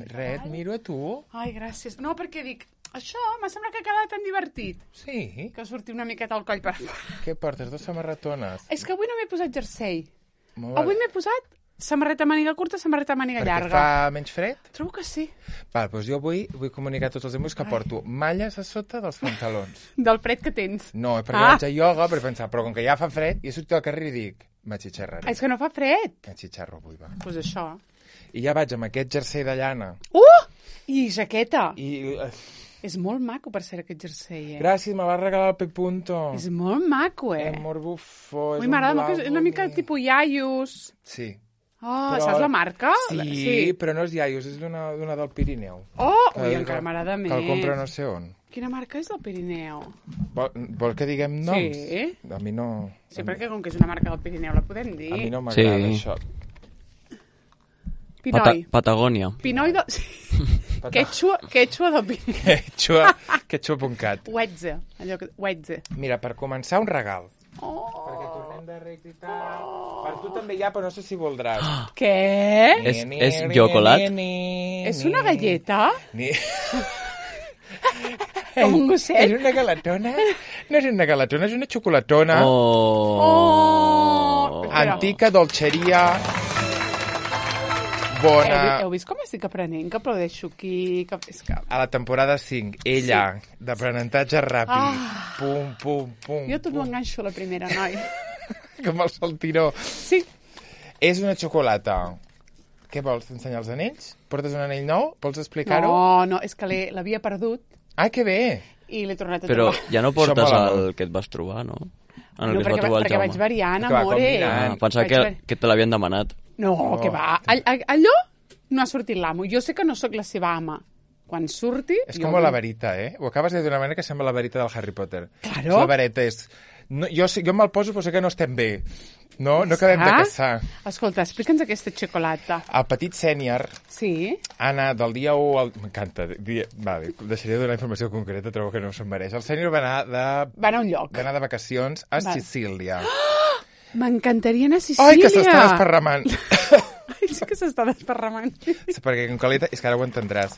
Res, et miro a tu. Ai, gràcies. No, perquè dic, això m'ha semblat que ha quedat tan divertit. Sí? Que sortir una miqueta al coll per fora. Què portes, 2 samarretones? És que avui no m'he posat jersei. Molt bé. Avui m'he posat samarreta màniga curta, samarreta màniga Perquè llarga. fa menys fred? Trobo que sí. Val, doncs jo vull comunicar a tots els amics que porto malles a sota dels pantalons. Del fred que tens. No, perquè vaig a ioga per pensar, però com que ja fa fred, i he sortit al carrer i dic, m'atxitxarraré. És que no fa fred. M'atxitxarro avui, va. Doncs pues això. I ja vaig amb aquest jersei de llana. I jaqueta. I... És molt maco per ser aquest jersei, Gràcies, me va regalar el Pepunto. És molt maco, Amor bufó, és Ui, un m'agrada blau molt, és una mica bonic. tipus iaios. Sí. Oh, Però- saps la marca? Sí, però no és iaios, és d'una del Pirineu. Ui, encara m'agrada més. Que el compra no sé on. Quina marca és del Pirineu? Vol que diguem noms? Sí. A mi no... Sí, perquè com que és una marca del Pirineu la podem dir. A mi no m'agrada això. Pinoi. Patagònia. Pinoi de... Quechua del Pirineu. Quechua.cat. Uetze. Allò que... Uetze. Mira, per començar, un regal. Oh. Perquè tornem de Reis i tal. Per tu també hi ha, però no sé si voldràs. Què? És xocolat? És una galleta? Ni... Com un gosset? És una galatona? No és una galatona, és una xocolatona. Antica dolceria bona. Heu vist com estic aprenent? Que aplaudeixo aquí? Que... És que... A la temporada 5, ella, d'aprenentatge ràpid. Pum, pum, pum. Jo tot ho enganxo a la primera, noi. Com el saltiró. Sí. És una xocolata. Què vols, ensenyar els anells? Portes un anell nou? Vols explicar-ho? No, és que l'havia perdut. Ah, que bé! I l'he tornat a Però trobar. ja no portes Això mola el que et vas trobar, no? En el No, que es va trobar el perquè Jaume. vaig variant, Que va amore. combinant. Pensava que te l'havien demanat. No, que va. Allò no ha sortit l'amo. Jo sé que no sóc la seva ama. Quan surti... És com la varita, eh? Ho acabes de dir d'una manera que sembla la varita del Harry Potter. Claro. La vareta és... No, jo me'l poso, però sé que no estem bé. No acabem de caçar. Escolta, explica'ns aquesta xocolata. El petit sènior, Sí? Anna, del dia 1 al... M'encanta. Vale, deixaré de donar informació concreta, trobo que no se'n mereix. El sènior va anar a un lloc. Va anar de vacacions a Sicília. M'encantaria anar a Sicília. Ai, que s'està desparramant. Ai, sí que s'està desparramant. Perquè com que és que ara ho entendràs.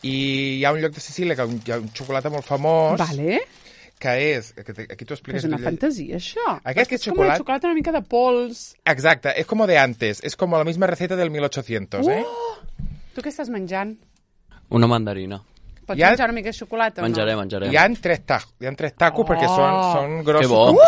I hi ha un lloc de Sicília que hi ha un xocolata molt famós. Vale. Que és... Aquí t'ho expliques. És una fantasia, això. Aquest és com una xocolata una mica de pols. Exacte, és com de antes. És com la misma receta del 1800, eh? Tu què estàs menjant? Una mandarina. Pots menjar una mica de xocolata Menjarem. o no? Hi ha tres tacos perquè són grossos, Que bo.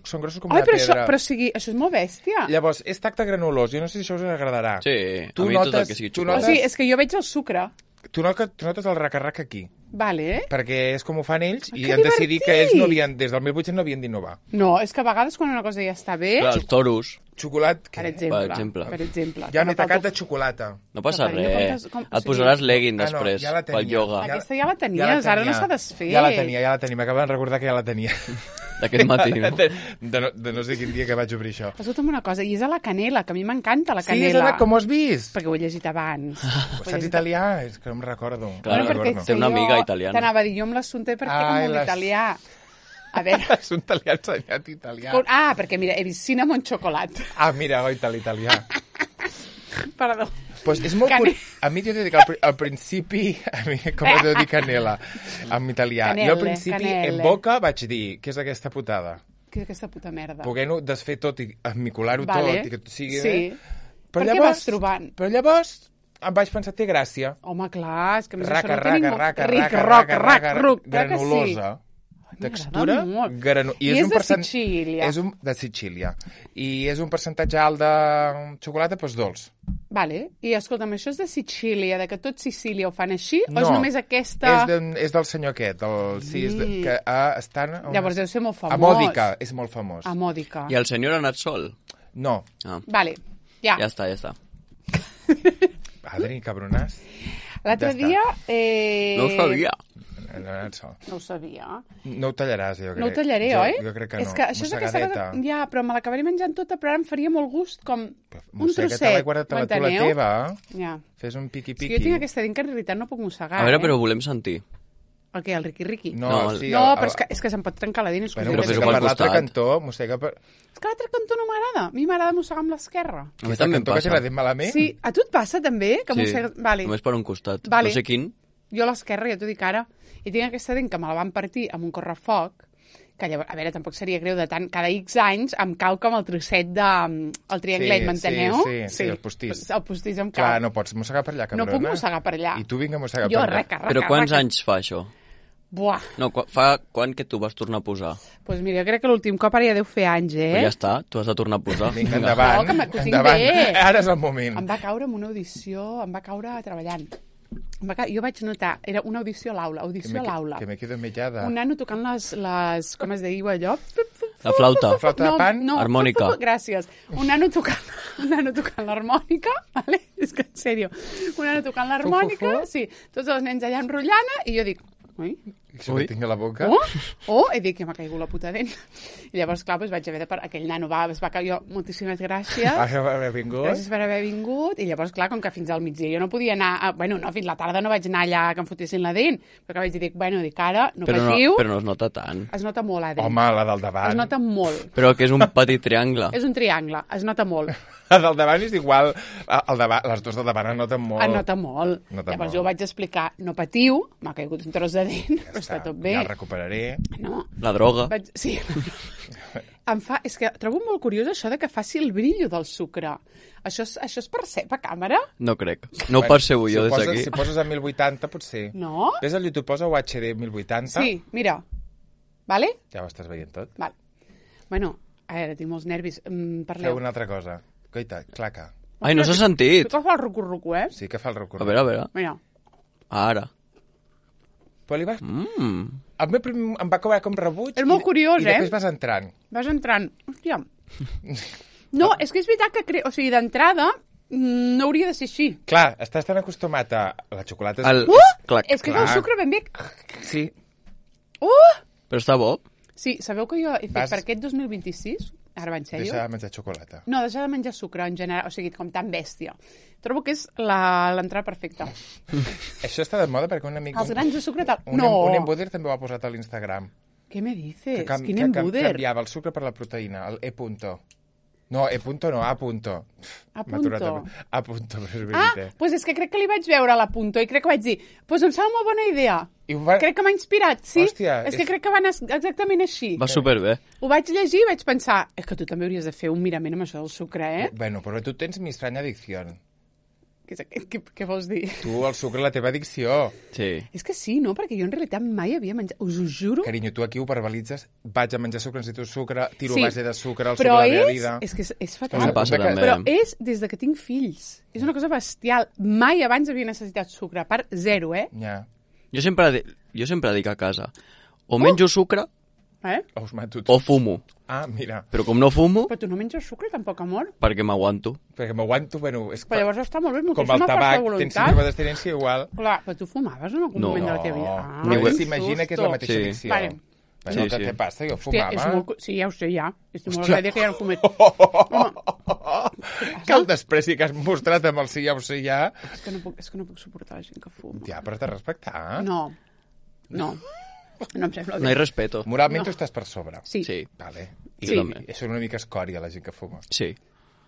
són grossos com una però pedra. però o sigui, això és molt bèstia. Llavors, és tacte granulós. Jo no sé si això us agradarà. Sí, a mi tot el que sigui xocolata. O sigui, és que jo veig el sucre. Tu notes el raca-raca aquí. Vale. Perquè és com ho fan ells i que han decidit que ells divertit! des del 1800 no havien d'innovar. No, és que a vegades quan una cosa ja està bé... Clar, els toros. Xocolat, Per què? exemple. Ja m'he tacat de xocolata. No passa Carinyo, res. o Et sigui- posaràs legging Ah, no, després, ja la tenia. pel ioga. Aquesta ja la tenies, ara no s'ha desfet. Ja la tenia. M'acaben de recordar que ja la tenia. D'aquest matí, no? De no sé quin dia que vaig obrir això. Escolta'm una cosa, i és a la canela, que a mi m'encanta la Sí, és canela. com ho has vist? Perquè ho he llegit abans. Saps italià? És que no em recordo. Clar, No perquè recordo. té una jo amiga italiana. T'anava a dir, jo amb l'assumpte perquè Ai, com un les- italià. A veure... És un italià ensenyat italià. Perquè mira, he vist cinnamon chocolate. Ah, mira, goita, l'italià. Perdó. Pues és molt Cane- A mi t'he de dir que al principi, a mi, com he de dir canela, en italià, jo al principi, en boca, vaig dir, què és aquesta putada? Què és aquesta puta merda? Poder-ho desfer tot i esmicolar-ho Vale. tot i que tot sigui Sí. bé. Per què vas trobant? Però llavors em vaig pensar, té gràcia. Home, clar, és que a més Raca, això no té ningú... raca, Ric, raca, roc, raca, rac, raca, ruc, clar que granulosa. Textura, I és de Sicília. de Sicília. I és un percentatge alt de xocolata, doncs dolç. Vale. I escolta'm, això és de Sicília, de que tot Sicília ho fan així, o és només aquesta... És del senyor aquest, que estan... Llavors deu ser molt famós. A Mòdica, és molt famós. A Mòdica. I el senyor ha anat sol? No. Ah. Vale, ja. Ja està. Adri, cabronàs. L'altre Ja dia... No ho sabia. No ha anat sol. No ho sabia. No ho tallaràs, jo crec. No ho tallaré, oi? Jo crec que no. És que això és aquesta Mossegadeta. cosa... Ja, però me l'acabaré menjant tota, però ara em faria molt gust, com un Mossega, trosset. te l'he guardat a la tu la teva. Ja. Fes un És piqui-piqui. que jo tinc aquesta dent que en realitat no puc mossegar, A veure, però volem sentir. El què, el riqui-riqui? No, sí, no, però és que se'm pot trencar la dent. Bueno, però mossega pel per l'altre costat. cantó, mossega per... És que l'altre cantó no m'agrada. A mi m'agrada mossegar amb l'esquerra. A mi Aquesta també em cantó que té passa. la dent malament? Sí, a tu et passa també? Que mossegues... Vale. Només per un costat. Vale. No sé quin. Jo a l'esquerra, ja t'ho dic ara, i tinc aquesta dent que me la van partir amb un correfoc, que llavors, a veure, tampoc seria greu de tant, cada X anys em cau com el trosset de... el trianglet, m'enteneu? Sí, el postís. El postís em cau. Clar, no pots mossegar per allà, cabrona. No puc mossegar per allà. I tu vinga a mossegar Jo, per allà. reca. Però quants anys fa això? Buah. No, fa quan que tu vas tornar a posar? Doncs mira, crec que l'últim cop ara ja deu fer anys, Però ja està, tu has de tornar a posar. Vinga, endavant. No, que ho tinc endavant. bé. Ara és el moment. Em va caure en una audició, em va caure treballant. Jo vaig notar, era una audició a l'aula, audició a l'aula. Que me quedo mellada. Un nano tocant les com es diu allò? La flauta. Flauta de pan? No, Harmònica. Gràcies. Un nano tocant l'harmònica, vale? És que en sèrio. Un nano tocant l'harmònica, sí. Tots els nens allà enrotllant i jo dic, ui, Això que tinc a la boca. i dic que m'ha caigut la puta dent. I llavors, clar, doncs vaig haver de... Aquell nano es va caure, jo, moltíssimes gràcies. Haver vingut. Gràcies per haver vingut. I llavors, clar, com que fins al migdia jo no podia anar... Bueno, no, fins la tarda no vaig anar allà que em fotessin la dent. Però que vaig dir, dic, ara, no patiu. Però no es nota tant. Es nota molt, la dent. Home, la del davant. Es nota molt. Però que és un petit triangle. És un triangle, es nota molt. La del davant és igual. Les dues del davant es noten molt. Es nota molt. Nota Llavors molt. jo vaig explicar, no patiu, m'ha caigut un tros de dent, però està tot bé. Ja el recuperaré. No. La droga. Sí. És que trobo molt curiós això de que faci el brillo del sucre. Això es percep a càmera? No crec. No ho percebo jo des d'aquí. Si poses a 1080, potser. No? Ves al YouTube, posa UHD 1080. Sí, mira. Vale? Ja ho estàs veient tot. Vale. Bueno, a veure, tinc molts nervis. Parleu. Feu una altra cosa. Coita, claca. Ai, no s'ha sentit. Tu que fa el rucu-rucu, eh? Sí que fa el recorregut. A veure. Mira. Ara. Però li vas... El meu primer em va cobrar com rebuig. És molt curiós, i després vas entrant. Vas entrant. Hòstia. No, és que és veritat que... O sigui, d'entrada no hauria de ser així. Clar, estàs tan acostumat a... La xocolata és... Clac. És que és el sucre ben bé... Sí. Però està bo. Sí, sabeu que jo he fet per aquest 2026... Ara va en sèrio? Deixar de menjar xocolata. No, deixar de menjar sucre en general, o sigui, com tan bèstia. Trobo que és l'entrada perfecta. Això està de moda perquè un amic... Els grans de sucre tal... Un embuder també ho ha posat a l'Instagram. Què me dices? Quin embuder? Que canviava el sucre per la proteïna, el E-punto. No, E-punto no, A-punto. A-punto. A-punto, però és veritat. Doncs és que crec que li vaig veure a l'A-punto i crec que vaig dir, doncs em sembla molt bona idea. Crec que m'ha inspirat, sí. Hòstia, és que crec que va anar exactament així. Va superbé. Ho vaig llegir i vaig pensar, és que tu també hauries de fer un mirament amb això del sucre, eh? Bueno, però tu tens mi estranya adicció. Què vols dir? Tu, el sucre, la teva addicció. Sí. És que sí, no? Perquè jo en realitat mai havia menjat... Us ho juro. Carinyo, tu aquí ho verbalitzes, vaig a menjar sucre, necessito sucre, tiro Sí. base de sucre, el Però sucre de la meva vida. és que és fatal. Em passa també. Però és des de que tinc fills. És una cosa bestial. Mai abans havia necessitat sucre. A part, zero, eh? Ja. Jo sempre dic a casa, o menjo sucre Us mato o fumo. Ah, mira. Però com no fumo, Però tu no menges sucre, tampoc, amor? perquè m'aguanto. Perquè m'aguanto, bueno... És Però llavors està molt bé, com moltíssima el tabac, força tens voluntat. síndrome d'abstinència igual. Clar, però tu fumaves en algun No. moment de la teva vida? Però Ni ho- s'imagina que és la mateixa Sí. addicció. Vale. Bueno, Sí, què sí. te passa? Jo Hòstia, fumava. Sí, ja ho sé, ja. Estic molt agraïda que ja no fumet. Que el despreci que has mostrat amb el sí, ja ho sé, ja... És que no puc suportar la gent que fuma. Ja, però t'has de respectar. No. No em sembla No hi bé. respeto. Moralment tu estàs per sobre. Sí. Sí, Vale. Sí. I són una mica escòria, la gent que fuma. sí.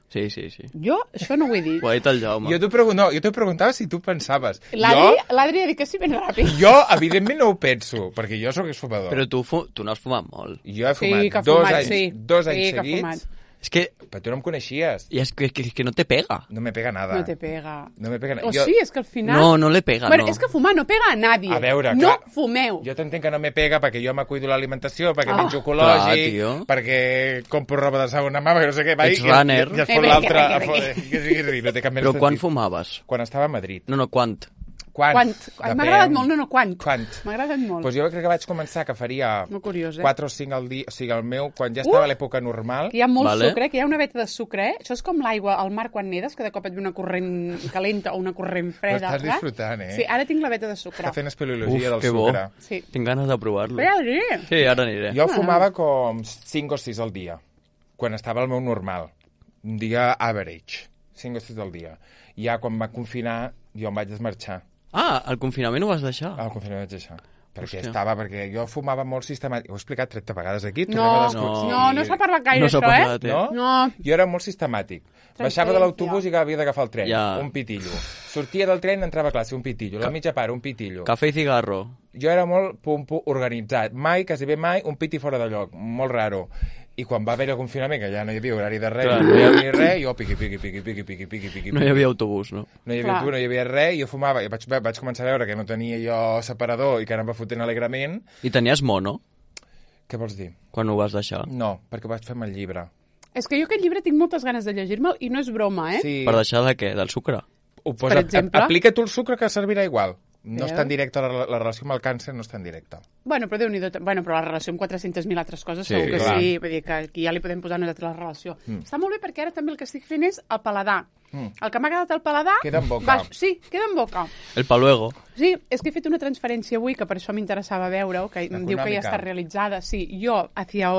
Sí. Jo això no ho he dit. Ho ha dit el Jaume. Jo t'ho preguntava si tu pensaves. L'Adri ha dit que sí ben ràpid. Jo, evidentment, no ho penso, perquè jo sóc exfumador. Però tu no has fumat molt. Jo he fumat Sí, que ha dos fumat, anys, sí. dos anys Sí, que ha seguits, fumat. És que, però tu no em coneixies. i és que no te pega. No me pega nada. No te pega. No me pega nada. O sí, és que al final... No le pega, Bueno, no. és que fumar no pega a nadie. A veure, no clar. fumeu. Jo t'entenc que no me pega perquè jo me cuido l'alimentació, perquè menjo clar, ecològic, tio. perquè compro roba de segona mà, perquè no sé què. Ets runner. I es fot Bé, l'altre. que Que sigui ridícul, no té cap més Però quan sentit. fumaves? Quan estava a Madrid. No, quant? Quant? M'ha agradat molt, quant. Quant? M'ha agradat molt. Doncs jo crec que vaig començar que faria Molt curiós, 4 o 5 al dia, o sigui, el meu, quan ja estava a l'època normal, Que hi ha molt Vale. sucre, que hi ha una veta de sucre, eh? Això és com l'aigua al mar quan nedes, que de cop et ve una corrent calenta o una corrent freda. Ho estàs disfrutant, eh? Sí, ara tinc la veta de sucre. està fent espeleologia del que bo. sucre. Sí. Tinc ganes de provar-lo. Però ja ho diré. Sí, ara aniré. Jo fumava com 5 o 6 al dia, quan estava al meu normal. Un dia average, 5 o 6 al dia. I ja quan va confinar, jo em vaig desmarxar. Ah, el confinament ho vas deixar? Al confinament vaig deixar. Perquè jo fumava molt sistemàtic. Ho he explicat 30 vegades aquí. No s'ha parlat gaire això, No? Jo era molt sistemàtic. Baixava de l'autobús i havia d'agafar el tren. Un pitillo. Sortia del tren, entrava a classe, un pitillo. La mitja part, un pitillo. Cafè i cigarro. Jo era molt organitzat. Mai, quasi bé mai, un piti fora de lloc. Molt raro. I quan va haver el confinament, que ja no hi havia horari de res, no hi havia res, jo piqui. No hi havia autobús, no? No hi havia autobús, no hi havia res, i jo fumava. I vaig començar a veure que no tenia jo separador i que anava fotent alegrament. I tenies mono? Què vols dir? Quan ho vas deixar? No, perquè vaig fer amb el llibre. És que jo aquest llibre tinc moltes ganes de llegir-me'l i no és broma, Sí. Per deixar de què? Del sucre? Per exemple. Aplica tu el sucre que servirà igual. No és tan directa, la relació amb el càncer no és tan directa. Bueno, però Déu-n'hi-do, però la relació amb 400.000 altres coses segur que sí, vull dir que aquí ja li podem posar nosaltres la relació. Està molt bé perquè ara també el que estic fent és el paladar. El que m'ha quedat al paladar... Queda en boca. Sí, queda en boca. El pa luego. Sí, és que he fet una transferència avui, que per això m'interessava veure-ho, que em diu que ja està realitzada. Sí, jo hacia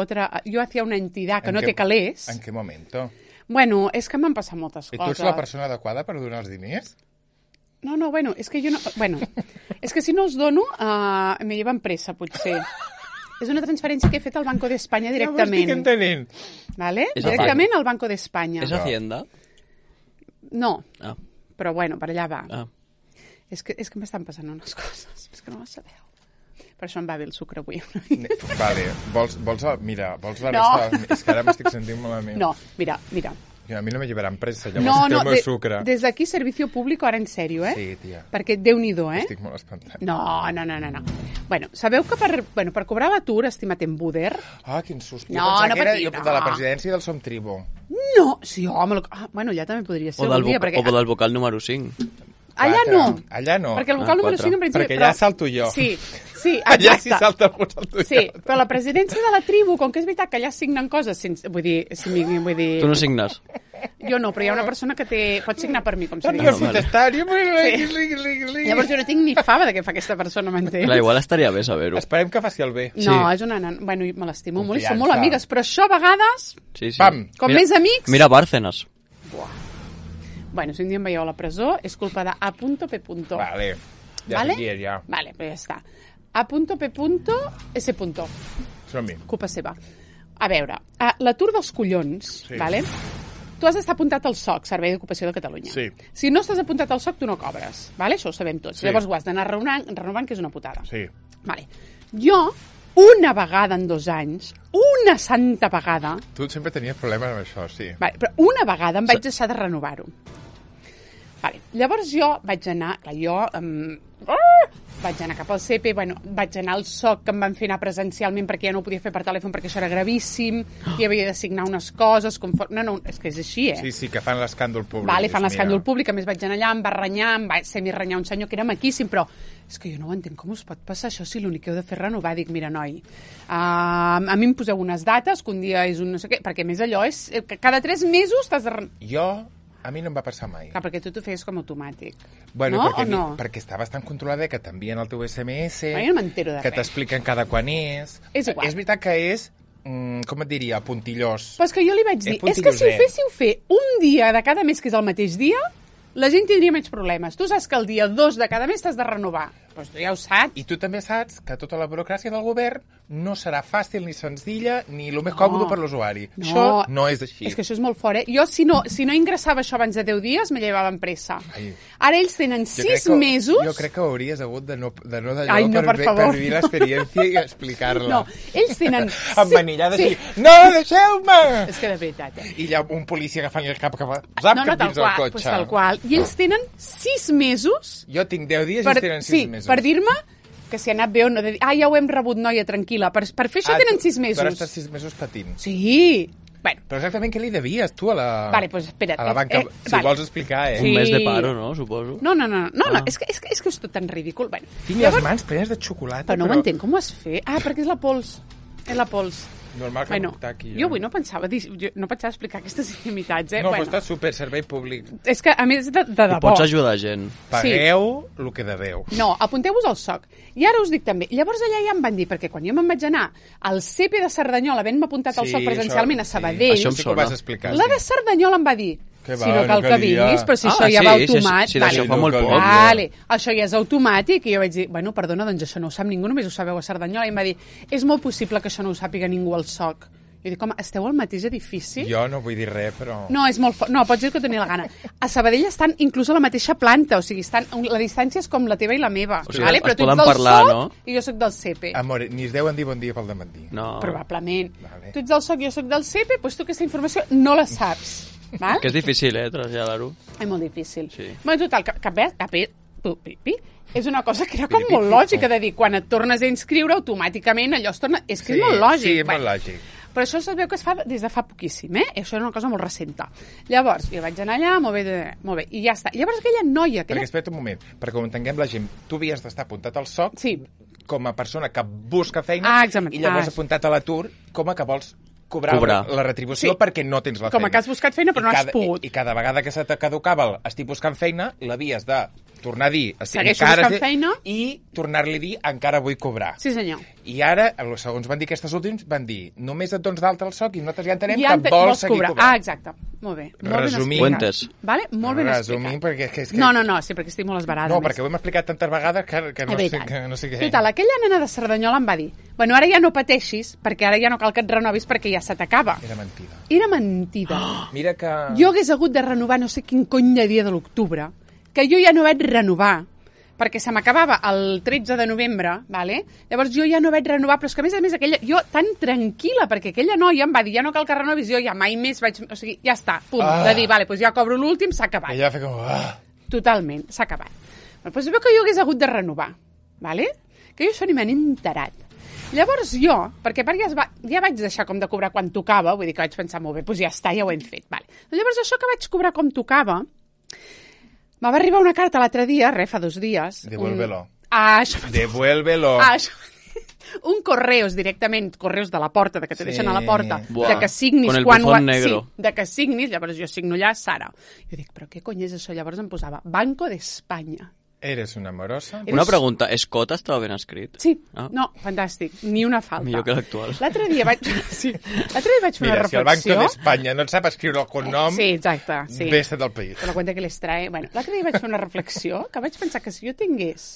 una entitat que no té calés. En què momento? Bueno, és que m'han passat moltes coses. I tu ets la persona adequada per donar els diners? No, bueno, és que jo no... Bueno, és que si no els dono, me llevan pressa, potser. És una transferència que he fet al Banco d'Espanya directament. Ja ho estic entenent. ¿Vale? Directament al Banco d'Espanya. És Hacienda? No, però bueno, per allà va. És que m'estan passant unes coses, és que no les sabeu. Per això em va bé el sucre avui. Vale, vols la resta? És que ara m'estic sentint malament. No, mira. A mi no me llevaran pressa, llavors el meu sucre. Des d'aquí, servicio público, ara en sèrio, Sí, tia. Perquè Déu-n'hi-do, Estic molt espantat. No. Bueno, sabeu que per cobrar l'atur, estimat en Buder... Quin susto. No patia, de la presidència del Som Tribu. No, sí, home... Bueno, ja també podria ser un dia, perquè... O del vocal número 5. Allà no. Perquè el vocal número 5 en principi... Perquè allà salto jo. Sí, exacte. Allà si salta algú, salto jo. Sí, però la presidència de la tribu, com que és veritat que allà signen coses sense... Vull dir... Tu no signes? Jo no, però hi ha una persona que pot signar per mi, com se diu. Llavors jo no tinc ni fava de què fa aquesta persona, m'entens? Clar, igual estaria bé saber-ho. Esperem que faci el bé. No, és una nana... Bueno, me l'estimo molt i som molt amigues, però això a vegades... Sí. Pam! Com més amics... Mira Bárcenas. Bueno, si un dia em veieu a la presó, és culpa de A.P. Vale, ja. Vale, però ja està. A.P.S. Som-hi. Culpa seva. A veure, l'atur dels collons, vale? Tu has d'estar apuntat al SOC, Servei d'Ocupació de Catalunya. Sí. Si no estàs apuntat al SOC, tu no cobres, vale? Això ho sabem tots. Sí. Llavors ho has d'anar renovant, que és una putada. Sí. Vale. Jo, una vegada en 2 anys, una santa vegada... Tu sempre tenies problemes amb això, sí. Vale, però una vegada em vaig deixar de renovar-ho. Vale. Llavors jo vaig anar... vaig anar cap al CP, vaig anar al SOC, que em van fer anar presencialment perquè ja no ho podia fer per telèfon perquè això era gravíssim, i havia de signar unes coses... No, és que és així, Sí, que fan l'escàndol públic. Vale, fan l'escàndol públic, a més vaig anar allà, em va renyar, em va semi-renyar un senyor que era maquíssim, però és que jo no ho entenc, com us pot passar això si l'únic que heu de fer és renovar? Dic, mira, noi, a mi em poseu unes dates, que un dia és un no sé què, perquè més allò és... Cada 3 mesos t'has de renovar. A mi no em va passar mai. Clar, perquè tu t'ho feies com automàtic. Bueno, perquè està bastant controlada, que t'envien el teu SMS, jo no m'entero de res. Que t'expliquen cada quan és. És igual. És veritat que és, com et diria, puntillós. Però és que jo li vaig dir, és que si ho féssiu fer un dia de cada mes, que és el mateix dia, la gent tindria menys problemes. Tu saps que el dia 2 de cada mes t'has de renovar. Doncs tu ja ho saps. I tu també saps que tota la burocràcia del govern no serà fàcil ni senzilla ni el més còmode per l'usuari. Això no és així. És que això és molt fort, Jo, si no ingressava això abans de 10 dies, me llevaven pressa. Ara ells tenen 6 mesos... Jo crec que hauries hagut de no per vivir l'experiència i explicar-la. No, ells tenen... Emmanillada així, no, deixeu-me! És que de veritat, I hi ha un policia agafant el cap que va... Zap, cap dins el cotxe. Tal qual. I ells tenen 6 mesos... Jo tinc 10 dies i ells tenen 6 mesos. Per dir-me que si ha anat bé o no. Ja ho hem rebut, noia, tranquil·la. Per fer això tenen 6 mesos. Però estàs 6 mesos patint. Sí. Bueno. Però exactament què li devies, tu, a la... Vale, pues espera't. A la banca, si vols explicar, Un mes de paro, no, suposo? No, és que és tot tan ridícul. Bueno, tinc les mans plenes de xocolata, però... no ho entenc, com ho has fet? Perquè és la pols. És la pols. Normal que no aquí. Jo avui no pensava explicar aquestes intimitats, No, però està super, servei públic. És que, a més, de debò... I pots ajudar gent. Pagueu el que deveu. No, apunteu-vos al SOC. I ara us dic també. Llavors allà ja em van dir, perquè quan jo me'n vaig anar al CP de Cerdanyola, havent-me apuntat al SOC presencialment a Sabadell... Això em sona. Ho vas explicar. La de Cerdanyola em va dir no cal que vinguis, però si això ja va automàtic... Sí, això fa molt poc. Vale, això ja és automàtic, i jo vaig dir, bueno, perdona, doncs això no ho sap ningú, només ho sabeu a Cerdanyola, i em va dir, és molt possible que això no ho sàpiga ningú al SOC. Jo dic, home, esteu al mateix edifici? Jo no vull dir res, però... No, és molt no, pots dir que tenia la gana. A Sabadell estan inclús a la mateixa planta, o sigui, la distància és com la teva i la meva. O sigui, vale? Però tu ets del SOC i jo sóc del CP. Amor, ni es deuen dir bon dia pel dematí. No. Probablement. Vale. Tu ets del SOC i jo sóc del CP, doncs tu aquesta informació no la saps. Val? Que és difícil, traslladar-ho. És molt difícil. Sí. Bueno, total, és una cosa que era com molt lògica de dir, quan et tornes a inscriure, automàticament allò es torna... És que és molt lògic. Sí, és molt lògic. Però això es veu que es fa des de fa poquíssim, Això era una cosa molt recenta. Llavors, jo vaig anar allà, molt bé, i ja està. Llavors aquella noia... Perquè espera't un moment, perquè com entenguem la gent, tu havies d'estar apuntat al SOC com a persona que busca feina i llavors apuntat a l'atur com a que vols cobrar. La retribució perquè no tens la feina. Com que has buscat feina però no has pogut. I cada vegada que se te caducava estic buscant feina, l'havies de tornar a dir segueixo buscant feina i tornar-li a dir encara vull cobrar. Sí, senyor. I ara, segons van dir aquestes últims, van dir només et dones d'alta al SOC i nosaltres ja entenem que vols seguir cobrant. Ah, exacte. Molt bé. Resumint. Vale? Molt ben explicat. Resumint, perquè és que... No, sí, perquè estic molt esbarada. No, perquè ho hem explicat tantes vegades que no sé què. Total, aquella nena de Cerdanyola em va dir, bueno, ara ja no pateixis, perquè ara ja no cal que et renovis perquè ja se t'acaba. Era mentida. Mira que... Jo hagués hagut de renovar no sé quin cony de dia de l'octubre, que jo ja no vaig renovar, perquè se m'acabava el 13 de novembre, vale? Llavors jo ja no vaig renovar, però és que a més aquella, jo tan tranquil·la, perquè aquella noia em va dir, ja no cal que renovis, jo ja mai més vaig... O sigui, ja està, punt, de dir, vale, doncs ja cobro l'últim, s'ha acabat. Ella va fer com... Totalment, s'ha acabat. Però doncs veu que jo hagués hagut de renovar, vale? Que jo això ni me n'he enterat. Llavors jo, perquè ja vaig deixar com de cobrar quan tocava, vull dir que vaig pensar, molt bé, doncs ja està, ja ho hem fet, vale. Llavors això que vaig cobrar com tocava, me va arribar una carta l'altre dia, fa 2 dies. Devuélvelo. Devuélvelo. Un correus directament, correus de la porta, de que te deixen a la porta, de que signis quan... Sí, de que signis, llavors jo signo allà, Sara. Jo dic, però què cony és això? Llavors em posava Banco d'Espanya. Eres una amorosa? Una pregunta, Escota estava ben escrit? Sí, no, fantàstic, ni una falta. Millor que l'actual. L'altre dia vaig fer una reflexió... Mira, si el Banco d'Espanya no et sap escriure el cognom, sí, exacte, sí. Vés del país. Te la cuenta que les trae... Bueno, l'altre dia vaig fer una reflexió que vaig pensar que si jo tingués...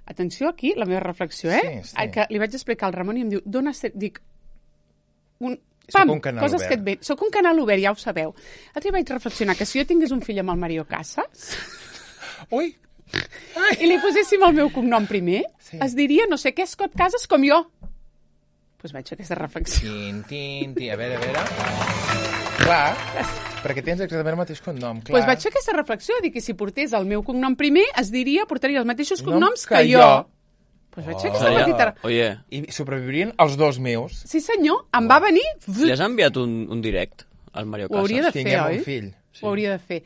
Atenció aquí, la meva reflexió, Sí. Que li vaig explicar al Ramon i em diu, dic... Soc un canal coses obert. Que soc un canal obert, ja ho sabeu. L'altre dia vaig reflexionar que si jo tingués un fill amb el Mario Casas... Ui! I li poséssim el meu cognom primer, es diria no sé què, Scott Casas, com jo. Doncs vaig fer aquesta reflexió. A veure... Clar, perquè tens exactament el mateix cognom, clar. Doncs vaig fer aquesta reflexió, dic que si portés el meu cognom primer, portaria els mateixos cognoms que jo. Doncs vaig fer aquesta petita... Oye. I sobreviurien els 2 meus. Sí, senyor, em va venir... Li has enviat un direct al Mario Casas? Ho hauria de fer, Tinguem oi? un fill. Ho hauria de fer.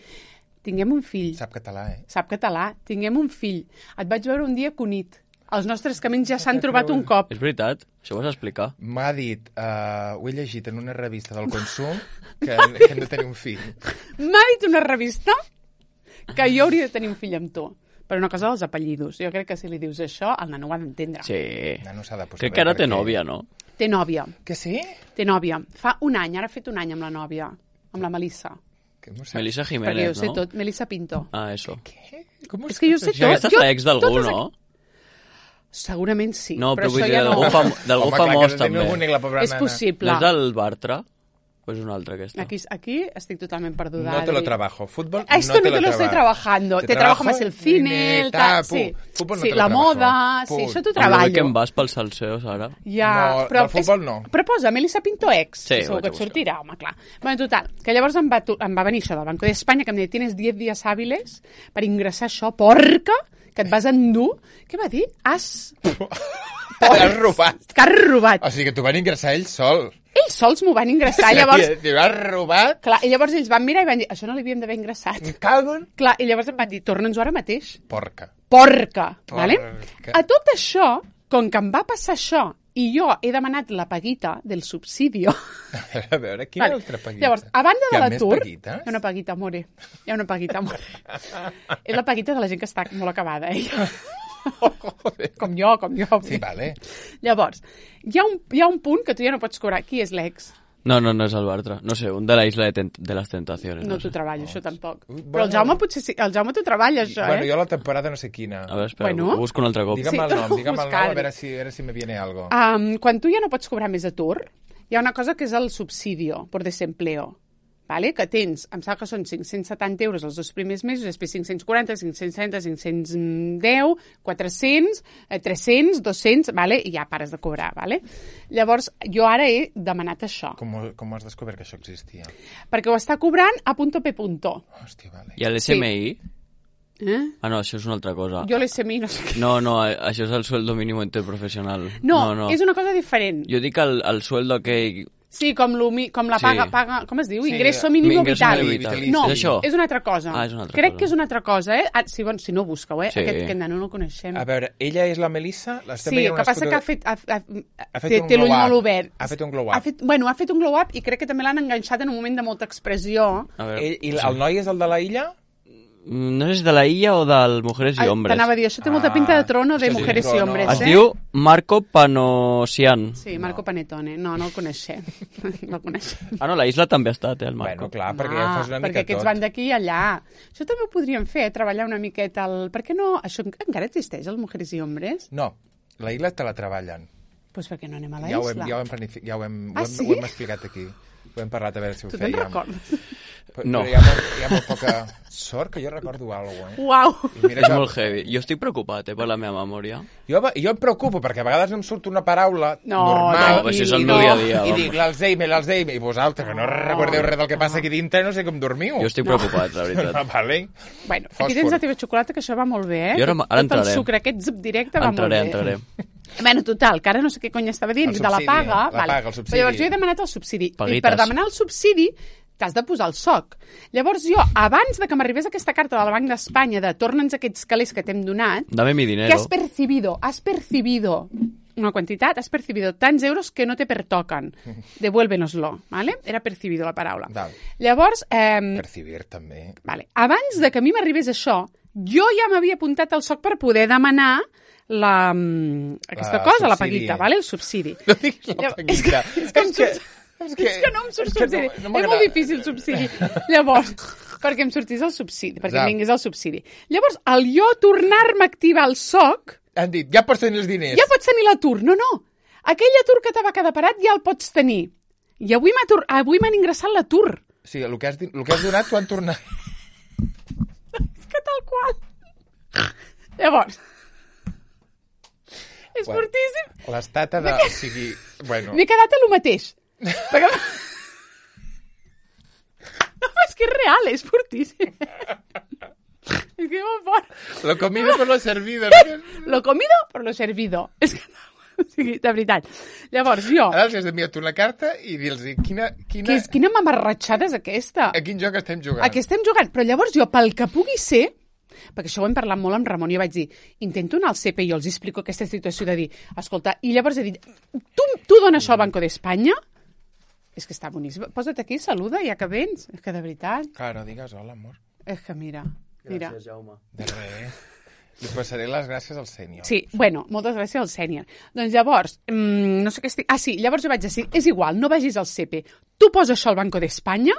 Tinguem un fill. Sap català, Sap català. Tinguem un fill. Et vaig veure un dia Cunit. Els nostres camins ja s'han trobat un cop. És veritat, això ho vas explicar. M'ha dit, ho he llegit en una revista del consum, que hem de tenir un fill. M'ha dit una revista que jo hauria de tenir un fill amb tu. Per una cosa dels apellidos. Jo crec que si li dius això, el nano ho ha d'entendre. Sí. No s'ha de posar. Crec que ara té nòvia, no? Té nòvia. Que sí? Té nòvia. Fa un any, ara ha fet un any amb la nòvia, amb la Melissa. Melissa Perquè Jiménez, ho sé no? tot. Melissa Pinto. Ah, eso. Què? És que jo sé tot. Aquesta és l'ex d'algú, no? Segurament sí. No, però vull dir, ja d'algú famós també. És possible. No és del Bartra? O és una altra aquesta? Aquí estic totalment perduda. No te lo trabajo. Fútbol esto no te lo estoy trabajando. Te trabajo más el cine, el tal. Sí, la moda, sí, això t'ho treballo. Que em vas pel salseo, Sara. Ja, no, però del futbol no. Però posa Melissa Pinto ex. Sí, segur que et sortirà, home, clar. Bueno, total, que llavors em va venir això del Banco d'Espanya, que em deia, tienes 10 días hábiles per ingressar això, porca, que et vas endur. Què va dir? Has robat. Que has robat. O sigui que t'ho van ingressar ells sols. Ells sols m'ho van ingressar, llavors... T'ho has robat? Clar, i llavors ells van mirar i van dir, això no l'havíem d'haver ingressat. Cagon. Clar, i llavors em van dir, torna'ns-ho ara mateix. Porca. Vale? A tot això, com que em va passar això, i jo he demanat la paguita del subsidio... A veure, quina altra paguita? Llavors, a banda de l'atur... Hi ha una paguita, amore. Hi ha una paguita, amore. És la paguita de la gent que està molt acabada, Com jo. Sí, vale. Llavors, hi ha un punt que tu ja no pots cobrar. Qui és l'ex? No és el Bartra. No sé, un de la Isla de les Tentaciones. No t'ho treballo, això tampoc. Però el Jaume potser sí. El Jaume t'ho treballa, això, Bueno, jo la temporada no sé quina. A veure, espera, ho busco un altre cop. Digue'm el nom, a veure si me viene algo. Quan tu ja no pots cobrar més atur, hi ha una cosa que és el subsidio por desempleo. Vale? Que tens, em sembla que són 570 euros els 2 primers mesos, després 540, 560, 510, 400, 300, 200, vale? I ja pares de cobrar. Vale? Llavors, jo ara he demanat això. Com has descobert que això existia? Perquè ho està cobrant a punto p punto. Hòstia, vale. I l'SMI? Sí. Ah, no, això és una altra cosa. Jo l'SMI no sé què. No, això és el sueldo mínimo interprofessional. No, és una cosa diferent. Jo dic el sueldo aquell... Sí, com la paga, com es diu? Ingreso mínimo vital. No, és una altra cosa. Crec que és una altra cosa, Si no, busca-ho, Aquest nano no el coneixem. A veure, ella és la Melissa? Sí, el que passa que té l'ull molt obert. Ha fet un glow up. Ha fet un glow up i crec que també l'han enganxat en un moment de molta expressió. I el noi és el de la illa? No sé si de la illa o del Mujeres y Hombres. T'anava a dir, això té molta pinta de trono de Mujeres y Hombres. Es diu Marco Panosian. Sí, Marco Panetone. No el coneixem. No el coneixem. No, la Isla també ha estat, el Marco. Bueno, clar, perquè ja fas una mica tot. Perquè aquests van d'aquí i allà. Això també ho podríem fer, treballar una miqueta Per què no? Això encara existeix, el Mujeres y Hombres? No, la Isla te la treballen. Doncs per què no anem a la Isla? Ja ho hem explicat aquí. Ho hem parlat a veure si ho fèiem. Tu te'n recordes? No. Però hi ha molt poca sort que jo recordo alguna cosa. Uau! És molt heavy. Jo estic preocupat per la meva memòria. Jo em preocupo perquè a vegades em surt una paraula normal. No, això és el meu dia a dia. I dic l'Alzheimer, i vosaltres, que no recordeu res del que passa aquí dintre, no sé com dormiu. Jo estic preocupat, la veritat. Vale. Bueno, aquí tens la teva xocolata, que això va molt bé, Jo ara entraré. Tot el sucre, aquest zip directe va molt bé. Entraré. Bueno, total, que ara no sé què cony estava dient, de la paga. El subsidi. Però llavors jo he demanat el subsidi. Paguites. I per demanar el subsidi t'has de posar el SOC. Llavors jo, abans de que m'arribés aquesta carta del Banc d'Espanya de torna'ns aquests calés que t'hem donat, Dame mi dinero. que has percibido una quantitat, has percibido tants euros que no te pertocan. Devuélvenoslo, ¿vale? Era percibido la paraula. Val. Llavors... Percibir, també. Vale. Abans de que a mi m'arribés això, jo ja m'havia apuntat al SOC per poder demanar aquesta cosa, la paguita, ¿vale? El subsidi. No diguis la paguita. És que no em surt subsidi. És molt difícil subsidi. Llavors, perquè em sortís el subsidi, perquè em vingués el subsidi. Llavors, al jo tornar-me a activar el SOC... Han dit, ja pots tenir els diners. Ja pots tenir l'atur. No. Aquell atur que t'ava quedar parat ja el pots tenir. I avui m'han ingressat l'atur. Sí, el que has donat t'ho han tornat. És que tal qual. Llavors... És fortíssim. L'estat ha de... O sigui, bueno... M'he quedat a lo mateix. Perquè... No, és que és real, és fortíssim. És que molt fort. Lo comido por lo servido. Lo comido por lo servido. És que... O sigui, de veritat. Llavors, jo... Ara els has d'enviar una carta i dir-los quina mamarratxada és aquesta. A quin joc estem jugant? A què estem jugant? Però llavors jo, pel que pugui ser... Perquè això ho hem parlat molt amb Ramon i jo vaig dir, intento anar al CP i jo els explico aquesta situació de dir, escolta, i llavors he dit, tu dones això al Banco d'Espanya? És que està boníssim. Posa't aquí, saluda, ja que vens. És que de veritat... Claro, digues hola, amor. És que mira. Gràcies, Jaume. De res. Li passaré les gràcies al sènior. Sí, bueno, moltes gràcies al sènior. Doncs llavors, no sé què estic... Ah, sí, llavors jo vaig dir, és igual, no vagis al CP. Tu posa això al Banco d'Espanya,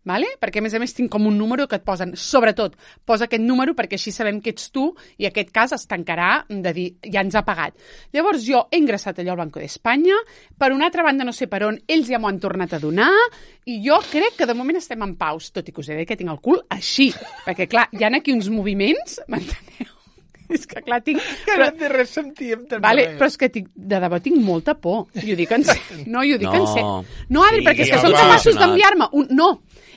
vale? Perquè a més tinc com un número que et posen, sobretot, posa aquest número perquè així sabem que ets tu i aquest cas es tancarà de dir, ja ens ha pagat. Llavors jo he ingressat allò al Banco d'Espanya, per una altra banda no sé per on, ells ja m'ho han tornat a donar i jo crec que de moment estem en paus, tot i que us he dit que tinc el cul així, perquè clar, hi ha aquí uns moviments, m'enteneu? És que clar, tinc... Que no té res sentíem també. Vale, però és que de debò tinc molta por. I ho dic en sèrio. No, i ho dic en sèrio. No, Adri, perquè és que són capaços d'enviar-me un... No,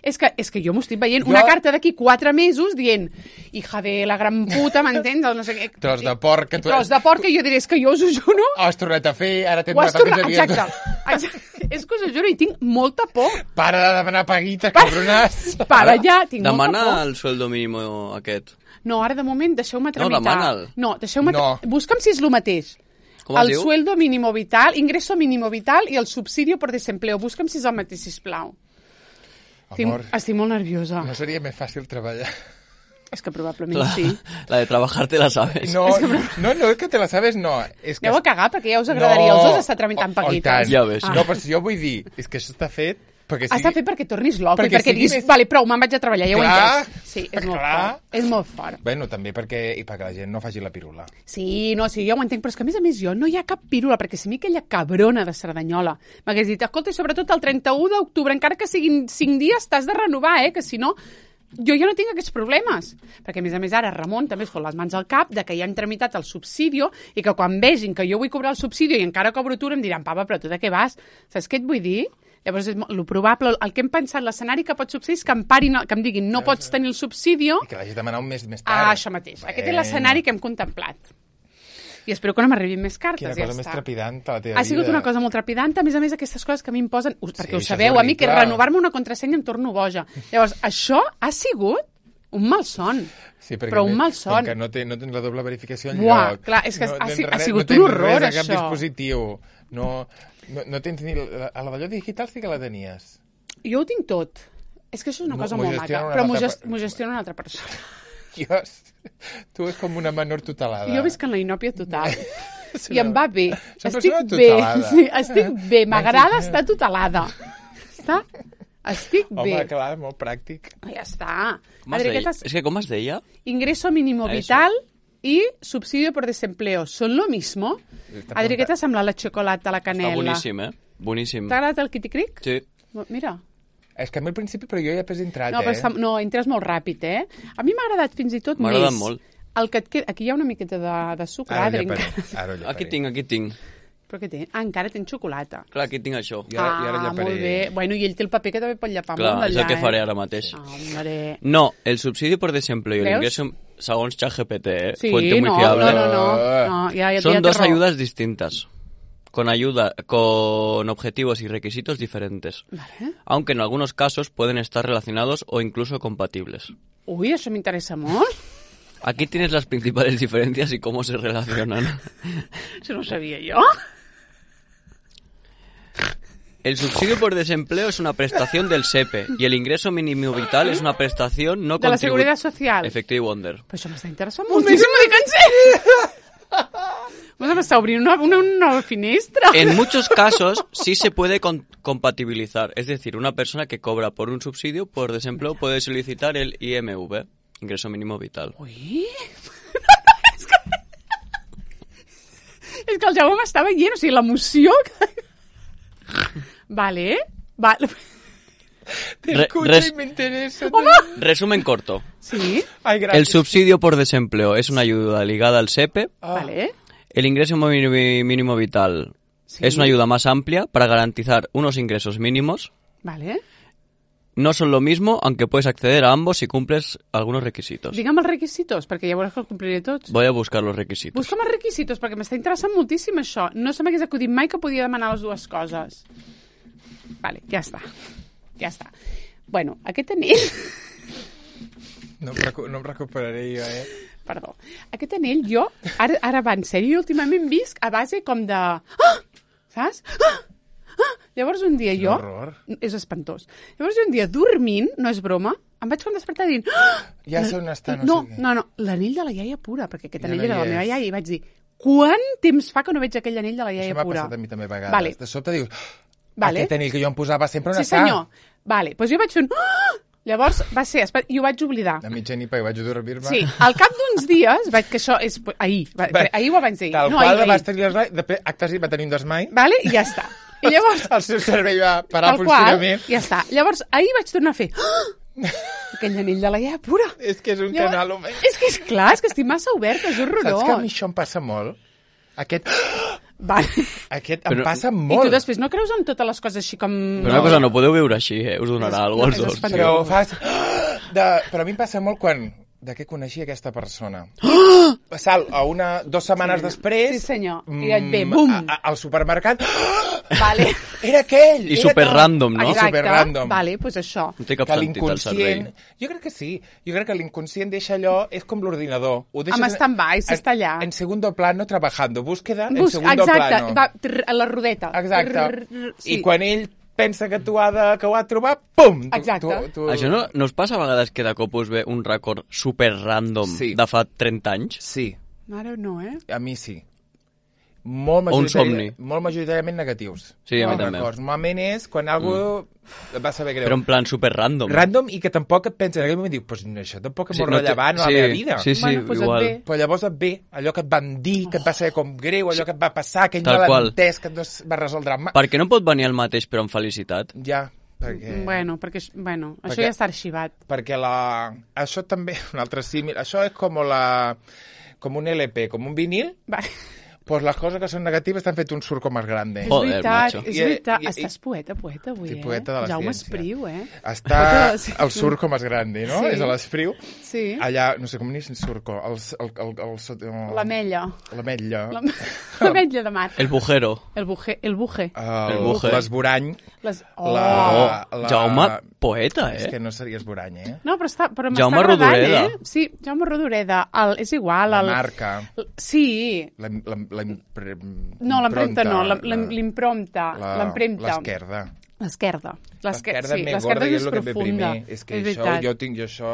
és que jo m'ho estic veient. Una carta d'aquí 4 mesos dient hija de la gran puta, m'entens? No sé què. Tros de porc. Tros de porc, que jo diré, és que jo us ho juro... Ho has tornat a fer, ara t'hem donat el 15 dies. Exacte. És que us ho juro i tinc molta por. Para de demanar paguites, cabronàs. Para ja, tinc molta por. Demana el sueldo mínimo aquest. No, ara de moment deixeu-me tramitar. No, demana'l. No, deixeu-me... Busca'm si és el mateix. Com es diu? El sueldo mínimo vital, ingreso mínimo vital i el subsidio por desempleo. Busca'm si és el mateix, sisplau. Amor, estic molt nerviosa. no seria més fàcil treballar? És que probablement sí. La de trabajar te la sabes. No, és que te la sabes, no. Aneu a cagar, perquè ja us agradaria els dos estar tramitant paguites. Ja ves. No, però si jo vull dir, és que això està fet Està fet perquè tornis loco i perquè diguis, vale, prou, me'n vaig a treballar, ja ho he entès. Sí, és molt fort. És molt fort. Bueno, també perquè la gent no faci la pirula. Sí, ja ho entenc, però és que a més jo no hi ha cap pirula, perquè si a mi aquella cabrona de Cerdanyola m'hagués dit, escolta, i sobretot el 31 d'octubre, encara que siguin 5 dies, t'has de renovar, que si no... Jo ja no tinc aquests problemes, perquè a més ara Ramon també es fot les mans al cap de que ja han tramitat el subsidi i que quan vegin que jo vull cobrar el subsidi i encara cobro tu, em diran, papa, però tu de què vas? Saps què et vull dir? Llavors, el probable, el que hem pensat, l'escenari que pot succeir és que em parin, que em diguin no pots tenir el subsidi... I que l'hagis demanat un mes més tard. Això mateix. Aquest és l'escenari que hem contemplat. I espero que no m'arribin més cartes. Quina cosa més trepidant a la teva vida. Ha sigut una cosa molt trepidant. A més, aquestes coses que a mi em posen... Perquè ho sabeu, a mi, que renovar-me una contrasenya em torno boja. Llavors, això ha sigut un malson. Sí, però un malson. Com que no tens la doble verificació enlloc. Clar, és que ha sigut un horror, això. No tens res a cap dispositiu. No tens ni... A la d'allò digital sí que la tenies. Jo ho tinc tot. És que això és una cosa molt maca. Però m'ho gestiona una altra persona. Tu és com una menor tutelada. Jo visc en la inòpia total. I em va bé. Estic bé. Sí, estic bé. M'agrada estar tutelada. Estic bé. Home, clar, molt pràctic. Ja està. És que com es deia? Ingreso mínimo vital y subsidio por desempleo. ¿Son lo mismo? Adri, què t'ha semblat la xocolata, la canela? Està boníssim, Boníssim. T'ha agradat el Kiticric? Sí. Mira. És que a mi al principi, però jo ja he entrat, No, entres molt ràpid, A mi m'ha agradat fins i tot més. M'ha agradat molt. El que et queda... Aquí hi ha una miqueta de sucre, Adri. Aquí tinc. Però què té? Encara tens xocolata. Clar, aquí tinc això. Molt bé. Bueno, i ell té el paper que també pot llepar molt d'allà. Clar, és el que faré ara mateix. No, el subsidi por desempleo y el ingreso, segons ChatGPT, fuente muy fiable. No. Son dos ayudas distintas. Con objetivos y requisitos diferentes, aunque en algunos casos pueden estar relacionados o incluso compatibles. Uy, eso me interesa molt. Aquí tienes las principales diferencias y cómo se relacionan. Eso no sabía yo. El subsidio por desempleo es una prestación del SEPE y el ingreso mínimo vital es una prestación no de la Seguridad Social. Efectiu Wonder. Però això m'està interessant moltíssim de cansar. Vamos a estar abriendo una finestra. En muchos casos sí se puede compatibilizar. Es decir, una persona que cobra por un subsidio por desempleo puede solicitar el IMV, ingreso mínimo vital. Ui! És que el Jaume m'està veient, o sigui, l'emoció... Vale. Te escucho y me interesa. Resumen corto. Sí. Ay, gracias. El subsidio por desempleo es una ayuda ligada al SEPE. Vale. El ingreso mínimo vital es una ayuda más amplia para garantizar unos ingresos mínimos. Vale. No son lo mismo, aunque puedes acceder a ambos si cumples algunos requisitos. Digue'm els requisitos, perquè ja veuràs que els compliré tots. Voy a buscar los requisitos. Busca'm els requisitos, perquè m'està interessant moltíssim això. No se m'hagués acudit mai que podia demanar les dues coses. Vale, ja està. Bueno, aquest anell... No em recuperaré jo, Perdó. Aquest anell jo, ara va en sèrio, últimament visc a base com de... Ah! Saps? Ah! Llavors un dia jo... Horror. És espantós. Llavors un dia dormint, no és broma, em vaig com despertar dient... Ja sé on està, no sé què. No, l'anell de la iaia pura, perquè aquest anell era de la meva iaia, i vaig dir, quant temps fa que no veig aquell anell de la iaia pura? Això m'ha passat a mi també a vegades. Vale. De sobte dius, aquest anell que jo em posava sempre on està? Sí, senyor. Vale, doncs jo vaig fer un... Llavors va ser... I ho vaig oblidar. A mitjanit, perquè vaig dormir-me. Sí, al cap d'uns dies, que això és... Ahir o abans d'ahir. Tal qual vas tenir l'esmai, després acte seguit va tenir un desmai. Vale, i ja està. I llavors... El seu cervell va parar el funcionament. Ja està. Llavors, ahir vaig tornar a fer... Aquell anell de la iaia pura. És que és un canal, home. És que és clar, és que estic massa oberta, és horrorós. Saps que a mi això em passa molt? Aquest em passa molt. I tu després no creus en totes les coses així com... Però una cosa, no podeu viure així, us donarà alguna cosa als dos. Però fas... Però a mi em passa molt quan... De què coneixia aquesta persona? Sal a 2 setmanes després... Sí, senyor. I et ve, bum! Al supermercat... Vale. Era aquell! I superrandom, no? Exacte. Superrandom. Vale, doncs això. No té cap sentit el cervell. Jo crec que sí. Jo crec que l'inconscient deixa allò... És com l'ordinador. Amb stand-by, s'està allà. En segundo plano, trabajando. Búsqueda en segundo plano. Exacte. A la rodeta. Exacte. I quan ell pensa que ho ha trobat, pum! Exacte. Això no us passa a vegades que de cop us ve un record super random de fa 30 anys? Sí. Ara no, A mi sí. Un somni. Molt majoritàriament negatius. Sí, a mi també. Normalment és quan algú va saber greu. Però en plan super random. Random i que tampoc et pensa, en aquell moment diu, pues això tampoc és molt rellevant a la meva vida. Sí, igual. Però llavors et ve allò que et van dir, que et va saber com greu, allò que et va passar, aquell malentès que no es va resoldre mai. Per què no pot venir el mateix però amb felicitat? Ja, perquè... Bueno, això ja està arxivat. Perquè això també, un altre símil, això és com un LP, com un vinil. Vale. Pues las cosas que son negativas están fet un surco más grande. Joder, macho. És veritat. Estàs poeta avui, sí, poeta de la Jaume ciència. Espriu, Està el surco más grande, no? Sí. És a l'Espriu. Sí. Allà, no sé com n'és el surco. L'ametlla. L'ametlla. L'ametlla de mar. El bujero. El buje. L'esborany. Jaume, poeta, És que no seria esborany, No, però m'està Jaume agradant, Rodoreda. Sí, Jaume Rodoreda. És igual. La marca. Sí. No, l'empremta no. L'impremta. L'esquerda. L'esquerda. L'esquerda és més gorda i és el que ve primer. És que això, jo això...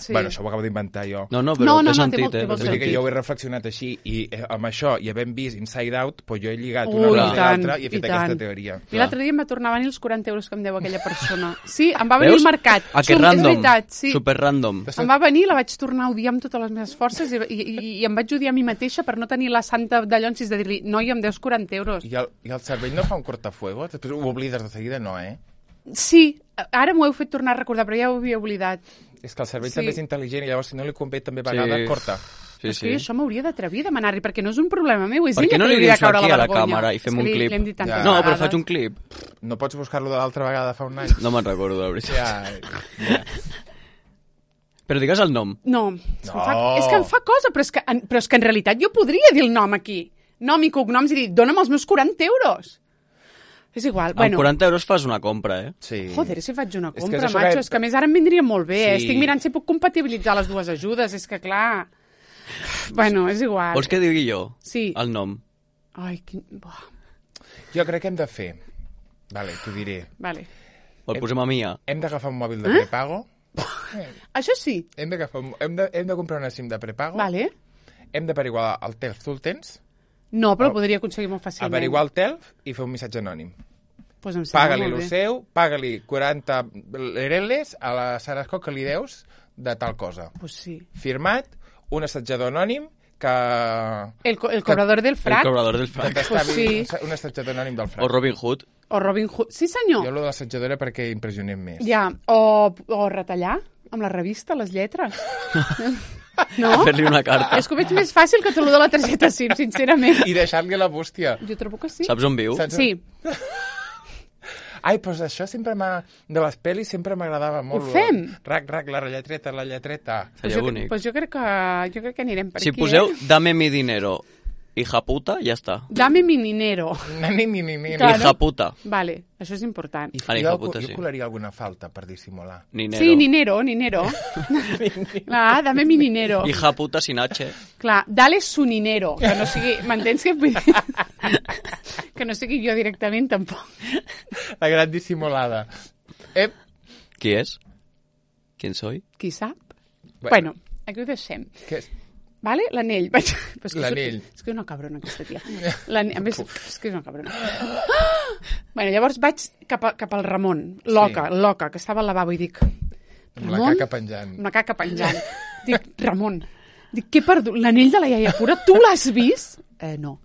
Sí. Bueno, això ho acabo d'inventar jo. No, però té sentit, Vull dir que jo ho he reflexionat així i amb això, i havent vist Inside Out, doncs jo he lligat una Ui, cosa i l'altra i he fet aquesta teoria. I l'altre dia em va tornar a venir els 40 euros que em deu aquella persona. Sí, em va venir al mercat. Que random, és veritat, sí. super random. Em va venir, la vaig tornar a odiar amb totes les meves forces i em vaig odiar a mi mateixa per no tenir la santa d'allonsis de dir-li, noi, em deus 40 euros. I el cervell no fa un cortafuego? Després ho oblides de seguida, no, Sí, ara m'ho heu fet tornar a recordar, però ja ho havia oblidat. És que el cervell també és intel·ligent i llavors si no li convé també a vegades corta. És que això m'hauria d'atrevir a demanar-li, perquè no és un problema meu, és ella que no li hauria de dius caure aquí la a la vergonya. càmera i fem un clip? No, però faig un clip. No pots buscar-lo de l'altra vegada fa un any? No me'n recordo, la veritat. Ja. Però digues el nom. No. És que em fa cosa, però és que en realitat jo podria dir el nom aquí. Nom i cognoms i dir, dóna'm els meus 40 euros. És igual. Amb 40 euros fas una compra, Sí. Joder, si faig una compra, macho. És que a més ara em vindria molt bé. Estic mirant si puc compatibilitzar les dues ajudes. És que, clar... Bueno, és igual. Vols que digui jo? Sí. El nom. Ai, Jo crec que hem de fer... Vale, t'ho diré. Vale. El posem a Mia. Hem d'agafar un mòbil de prepago. Això sí. Hem de comprar una SIM de prepago. Vale. Hem d'averiguar el TELF. Tu el tens? No, però el podria aconseguir molt fàcilment. Averiguar el TELF i fer un missatge anònim. Pues em sembla Paga-li molt el bé. seu, paga-li 40 lereles a la Sara Escó que li deus de tal cosa. Pues sí. Firmat, un assetjador anònim que... El cobrador del frac. El cobrador del frac. Pues sí. Un assetjador anònim del frac. O Robin Hood. O Robin Hood. Sí, senyor. Jo lo de l'assetjador era perquè impressionem més. Ja, o retallar amb la revista, les lletres. No? Fer-li una carta. És que ho veig més fàcil que tot el de la targeta SIM, sincerament. I deixar-li a la bústia. Jo trobo que sí. Saps on viu? Sí. Ai, doncs això sempre de les pel·lis sempre m'agradava molt. Ho fem? Rac, la lletreta. Seria bonic. Pues jo crec que anirem per si aquí. Si poseu dame mi dinero, hija puta, ja està. Dame mi dinero. Hija puta. Vale, això és important. Jo colaria alguna falta per dissimular. Ninero. Sí, ninero. Clar, dame mi dinero. Hija puta sin H. Clar, dale su dinero, que no sigui... M'entens que... que no sigui jo directament, tampoc. La gran dissimulada. Qui és? ¿Quién soy? Qui sap? Bueno, aquí ho deixem. Què és? Vale? L'anell. L'anell. És que és una cabrona, aquesta tia. A més, és que és una cabrona. Bueno, llavors vaig cap al Ramon, l'Oca, que estava al lavabo, i dic... Amb la caca penjant. Amb la caca penjant. Dic, Ramon, què he perdut? L'anell de la iaia Pura, tu l'has vist? No.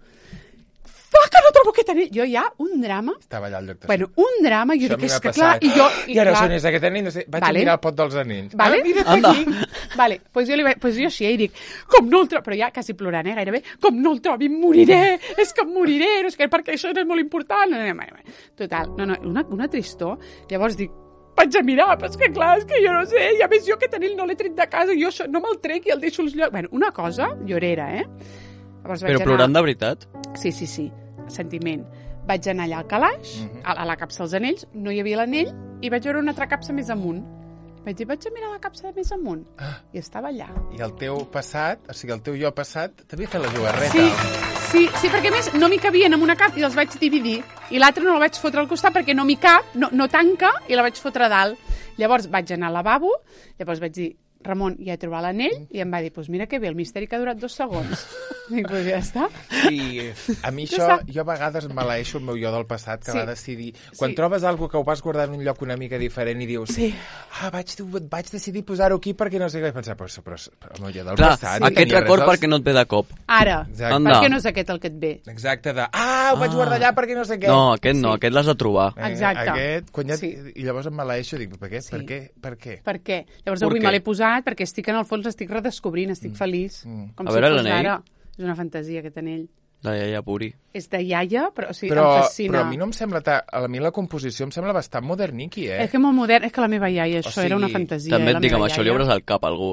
Que no trobo aquest anell. Jo ja, un drama. Estava allà al lloc de... Bueno, un drama, jo dic, és que clar... I ara on és aquest anell? Vaig a mirar el pot dels anells. Vale? Anda. Vale, pues jo així, i dic, com no el trobo... Però ja quasi plorant, gairebé. Com no el trobi, em moriré! És que em moriré! No, és que perquè això és molt important. Total, una tristor. Llavors dic, vaig a mirar, però és que clar, és que jo no sé, i a més jo aquest anell no l'he tret de casa, jo no me'l trec i el deixo als llocs... Bueno, una cosa llorera, Però plorant de veritat? Sí. Sentiment. Vaig anar allà al calaix, a la capsa dels anells, no hi havia l'anell, i vaig veure una altra capsa més amunt. Vaig dir, vaig a mirar la capsa de més amunt. I estava allà. I el teu passat, o sigui, el teu jo passat, t'havia fet la jugarreta. Sí, perquè a més no m'hi cabien en una cap i els vaig dividir. I l'altra no la vaig fotre al costat perquè no m'hi cap, no tanca, i la vaig fotre a dalt. Llavors vaig anar al lavabo, llavors vaig dir, Ramon, ja he trobat l'anell, i em va dir, doncs mira que bé, el misteri que ha durat 2 segons. Dic, doncs ja està. I a mi això, jo a vegades maleeixo el meu jo del passat, que va decidir... Quan trobes alguna que ho vas guardar en un lloc una mica diferent i dius, vaig decidir posar-ho aquí perquè no sé què, vaig pensar, però el meu jo del passat... Aquest record perquè no et ve de cop. Ara, perquè no és aquest el que et ve. Exacte, ho vaig guardar allà perquè no sé què. No, aquest l'has de trobar. Exacte. I llavors em maleeixo, dic, per què? Per què? Llavors avui me l'he posat perquè estic en el fons, l'estic redescobrint, estic feliç. Com si fos d'ara. És una fantasia, aquest anell. De iaia Puri. És de iaia, però em fascina. Però a mi no em sembla... A mi la composició em sembla bastant moderniqui, És que molt modern, és que la meva iaia, això era una fantasia. També et dic, amb això li obres el cap a algú.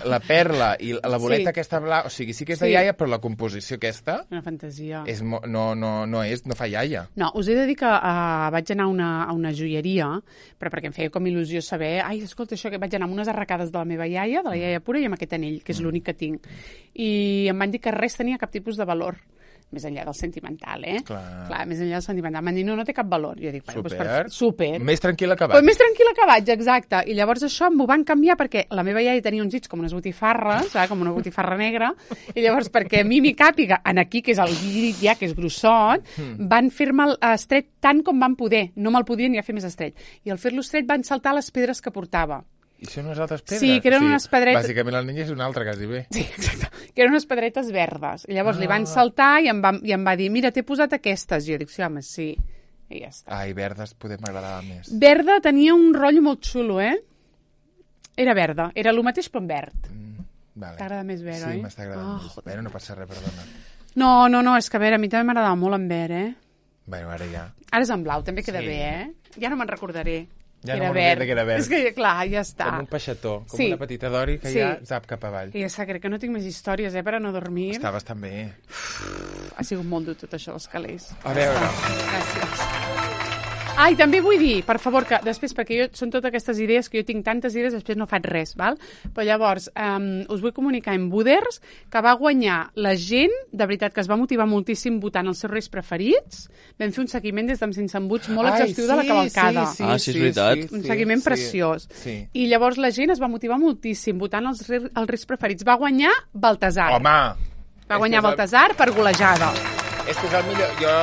La perla i la boleta aquesta blanca, o sigui, sí que és de iaia, però la composició aquesta... Una fantasia. No fa iaia. No, us he de dir que vaig anar a una joieria, però perquè em feia com il·lusió saber, escolta, això que vaig anar amb unes arracades de la meva iaia, de la iaia Pura, i amb aquest anell, que és l'únic que tinc. I em van dir que res tenia cap tipus de valor. Més enllà del sentimental, Clar, més enllà del sentimental. M'han dit, no té cap valor. Jo dic, super. Més tranquil·la que vaig. Més tranquil·la que vaig, exacte. I llavors això m'ho van canviar perquè la meva iaia tenia uns dits com unes botifarres, com una botifarra negra, i llavors perquè a mi m'hi càpiga, en aquí, que és el dit ja, que és grossot, van fer-me estret tant com van poder. No me'l podien ja fer més estret. I al fer-lo estret van saltar les pedres que portava. I són unes altres pedres? Sí, que eren unes pedretes... Bàsicament la niña és una altra, quasi bé. Sí, exacte. Que eren unes pedretes verdes. I llavors li van saltar i em va dir, mira, t'he posat aquestes. I jo dic, sí, home, sí. I ja està. Verdes poder m'agradava més. Verda tenia un rotllo molt xulo, Era verda. Era el mateix, però en verd. T'agrada més verd, oi? Sí, m'està agradant més. Bueno, no passa res, perdona. No, és que a veure, a mi també m'agradava molt en verd, Bueno, ara ja. Ara és en blau, també queda bé, Ja no me'n recordaré. Ja no m'agrada que era verd. És que, clar, ja està. Com un peixató, com una petita dori que ja zap cap avall. I ja crec que no tinc més històries, per a no dormir. Està bastant bé. Ha sigut molt dur tot això, els calés. A veure. Gràcies. I també vull dir, per favor, que després, perquè són totes aquestes idees, que jo tinc tantes idees, després no faig res, val? Però llavors, us vull comunicar en Buders que va guanyar la gent, de veritat, que es va motivar moltíssim votant els seus reis preferits. Vam fer un seguiment des d'Amb Sense Embuts molt exhaustiu de la cavalcada. Sí, és veritat. Un seguiment preciós. I llavors la gent es va motivar moltíssim votant els reis preferits. Va guanyar Baltasar. Home! Va guanyar Baltasar per golejada. És que és el millor... Jo,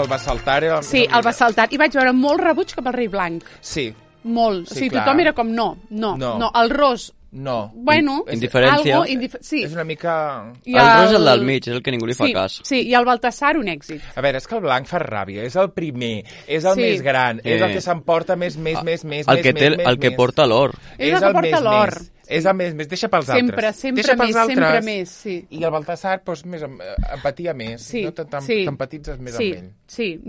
el Bassaltar era el Sí, el Bassaltar. I vaig veure molt rebuig cap al rei blanc. Sí. Molt. Sí, tothom era com no. El ros... No. Bueno, indiferència. Sí. És una mica... El ros és el del mig, és el que ningú li fa cas. Sí, i el Baltasar un èxit. A veure, és que el blanc fa ràbia, és el primer, és el més gran, és el que s'emporta més. El que porta l'or. És el que porta l'or. És el més, deixa pels altres. Sempre més, sí. I el Baltasar, doncs, més empatia més, no t'empatitzes més amb ell. Sí.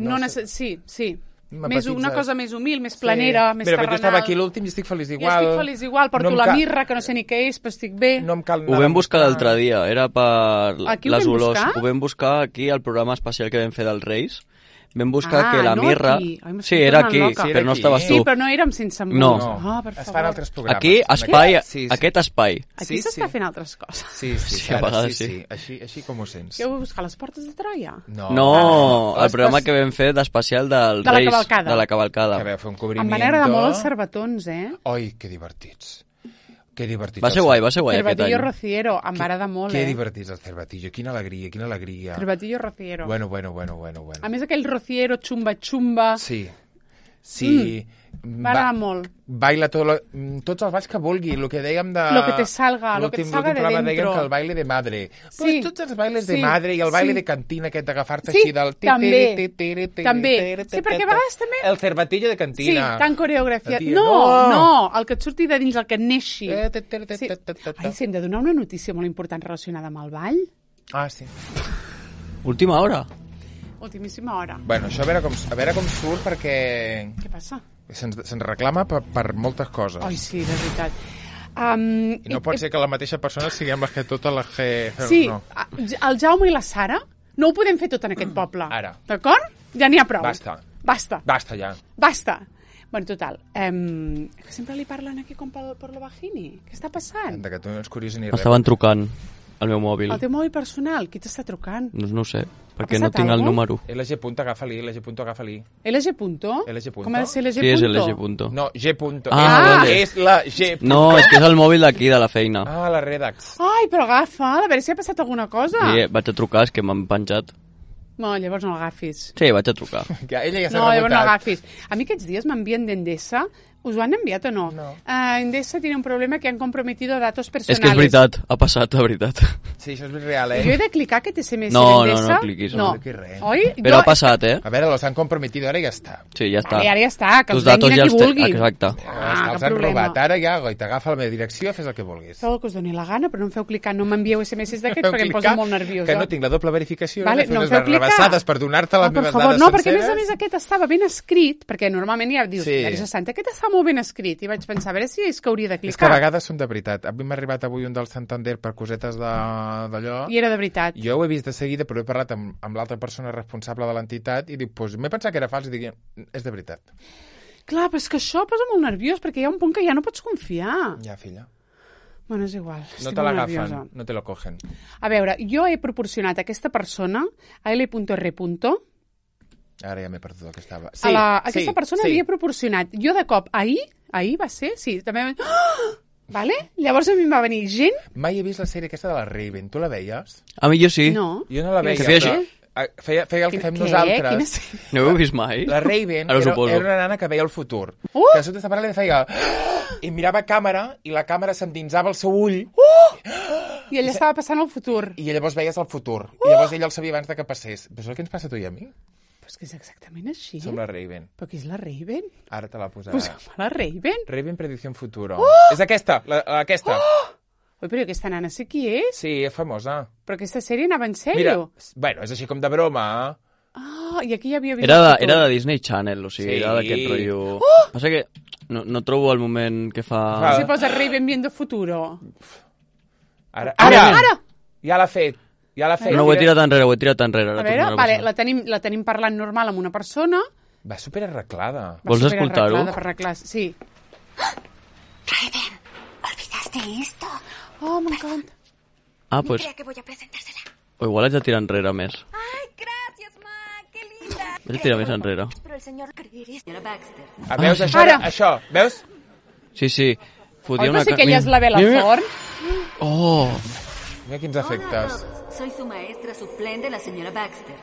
Una cosa més humil, més planera, més terrenal. Però jo estava aquí l'últim i estic feliç igual. Jo estic feliç igual, porto la mirra, que no sé ni què és, però estic bé. Ho vam buscar l'altre dia, era per les olors. Ho vam buscar aquí, al programa especial que vam fer dels Reis. Vam buscar que la mirra... Sí, era aquí, però no estaves tu. Sí, però no érem Sense Embuts. No. Es fan altres programes. Aquí, aquest espai. Aquí s'està fent altres coses. Sí, a vegades sí. Així com ho sents. Què heu buscat, les portes de Troia? No, el programa que vam fer d'especial dels Reis, de la cavalcada. Que vau fer un cobriment. Em van agradar molt els cerbatons, Oi, que divertits. Que divertit. Va ser guai aquest any. Cervatillo Rociero, em va agradar molt, Que divertits el Cervatillo, quina alegria. Cervatillo Rociero. Bueno. A més aquell Rociero xumba. Sí. M'agrada molt. Baila tots els balls que vulgui, el que dèiem de... Lo que te salga de dentro. L'últim programa dèiem que el baile de madre. Pues tots els bailes de madre i el baile de cantina aquest d'agafar-te així del... També. Sí, perquè a vegades també... El cervatillo de cantina. Sí, tan coreografia. No, el que et surti de dins, el que et neixi. Sí, hem de donar una notícia molt important relacionada amb el ball. Ah, sí. Última hora. Ultimíssima hora. Bueno, això a veure com surt perquè... Què passa? Se'ns reclama per moltes coses. Ai, sí, de veritat. I no pot ser que la mateixa persona siguem les que totes les que... Sí, el Jaume i la Sara no ho podem fer tot en aquest poble. Ara. D'acord? Ja n'hi ha prou. Basta ja. Bueno, total, que sempre li parlen aquí com per la vagini. Què està passant? Que tu no ets curiós ni res. Estaven trucant al meu mòbil. El teu mòbil personal? Qui t'està trucant? No ho sé, perquè no tinc el número. LG. Agafa-li. LG. Com ha de ser LG. Sí, és LG. No, G. Vale. És la G. No, és que és el mòbil d'aquí, de la feina. La Redax. Ai, però agafa, a veure si ha passat alguna cosa. Sí, vaig a trucar, és que m'han penjat. No, llavors no l'agafis. Sí, vaig a trucar. Ella ja s'ha No, llavors no rebotat. l'agafis. A mi aquests dies m'envien d'Endesa. ¿Us ho han enviat o no? No. Endesa tiene un problema que han comprometido datos personales. És que és veritat, ha passat, la veritat. Sí, això és real, Jo he de clicar aquest SMS No, d'Endesa? no cliquis. No, No cliquis res. oi? Però ha passat, eh? A veure, los han comprometido, ara ja està. Sí, ja està. Vale, ara ja està, que Tus els venguin a qui els té- vulguin. Exacte. Els cap han problema. robat, ara ja, i t'agafa la meva direcció, fes el que vulguis. Feu el que us doni la gana, però no em feu clicar, no m'envieu SMS d'aquests Feu perquè em clicar, posa molt nerviosa. Que no tinc la doble verificació, Vale, he de fer no em unes feu clicar. rebassades per donar-te les per meves favor, dades no, perquè a senceres. més aquest estava ben escrit, perquè normalment ja dius, Sí. Teresa Santa, aquest està molt ben escrit, i vaig pensar, a veure si és que hauria de És que a clicar. vegades són de veritat. A mi m'ha arribat avui un del Santander per cosetes d'allò. I era de veritat. Jo ho he vist de seguida, però he parlat amb l'altra persona responsable de l'entitat i dic, pues, m'he pensat que era fals i dic, és de veritat. Clar, però és que això posa molt nerviós, perquè hi ha un punt que ja no pots confiar. Ja, filla. Bueno, és igual, No estic te molt l'agafen, nerviosa. no te lo cogen. A veure, jo he proporcionat a aquesta persona, a L.R. Ara ja m'he perdut el que estava. Aquesta persona havia proporcionat. Jo de cop, ahir va ser, sí, també... Vale? Llavors a mi em va venir gent... Mai he vist la sèrie aquesta de la Raven. Tu la veies? A mi jo sí. No. Jo no la veia. Que feia però, així? feia el que fem nosaltres. Quina sèrie? No ho heu vist mai? La Raven Ara ho era suposo. una nana que veia el futur. Que a sota de parlant li feia... I mirava a càmera i la càmera s'endinsava al seu ull I ella estava passant el futur. i llavors veies el futur. I llavors ella el sabia abans de que passés. Però és el que ens passa a tu i a mi? Però és que és exactament així. Som la Raven. Però qui és la Raven? Ara te la posarà. Posa'm la Raven. Raven Predicción Futuro. És aquesta, aquesta. Ui, però aquesta nana sé qui és. Sí, és famosa. Però aquesta sèrie anava en Mira, sèrio. bueno, és així com de broma. I aquí hi havia... Era de Disney Channel, o sigui, Sí. era d'aquest rotllo... Passa que no trobo el moment que fa... Si posa Raven viendo futuro. Ara! Ja l'ha fet. Ja l'ha fet. No, ho he tirat enrere, A veure, vale, la tenim parlant normal amb una persona. Va superarreglada. Vols escoltar-ho? Per arreglar, sí. Raven, ¿olvidaste esto? Oh, m'encanta. Ah, No pues... crea que voy a presentársela. O igual haig de tirar enrere més. ¡Ay, gracias, ma! ¡Qué linda! Vaig a tirar més enrere. Pero el señor Creery, señora Baxter. Veus, això, Ara. això, veus? Sí. Fotia Oi, però una... sí que ella és la Bella Thorne. Oh! Mira quins efectes. Hola, soy su maestra suplente, la señora Baxter.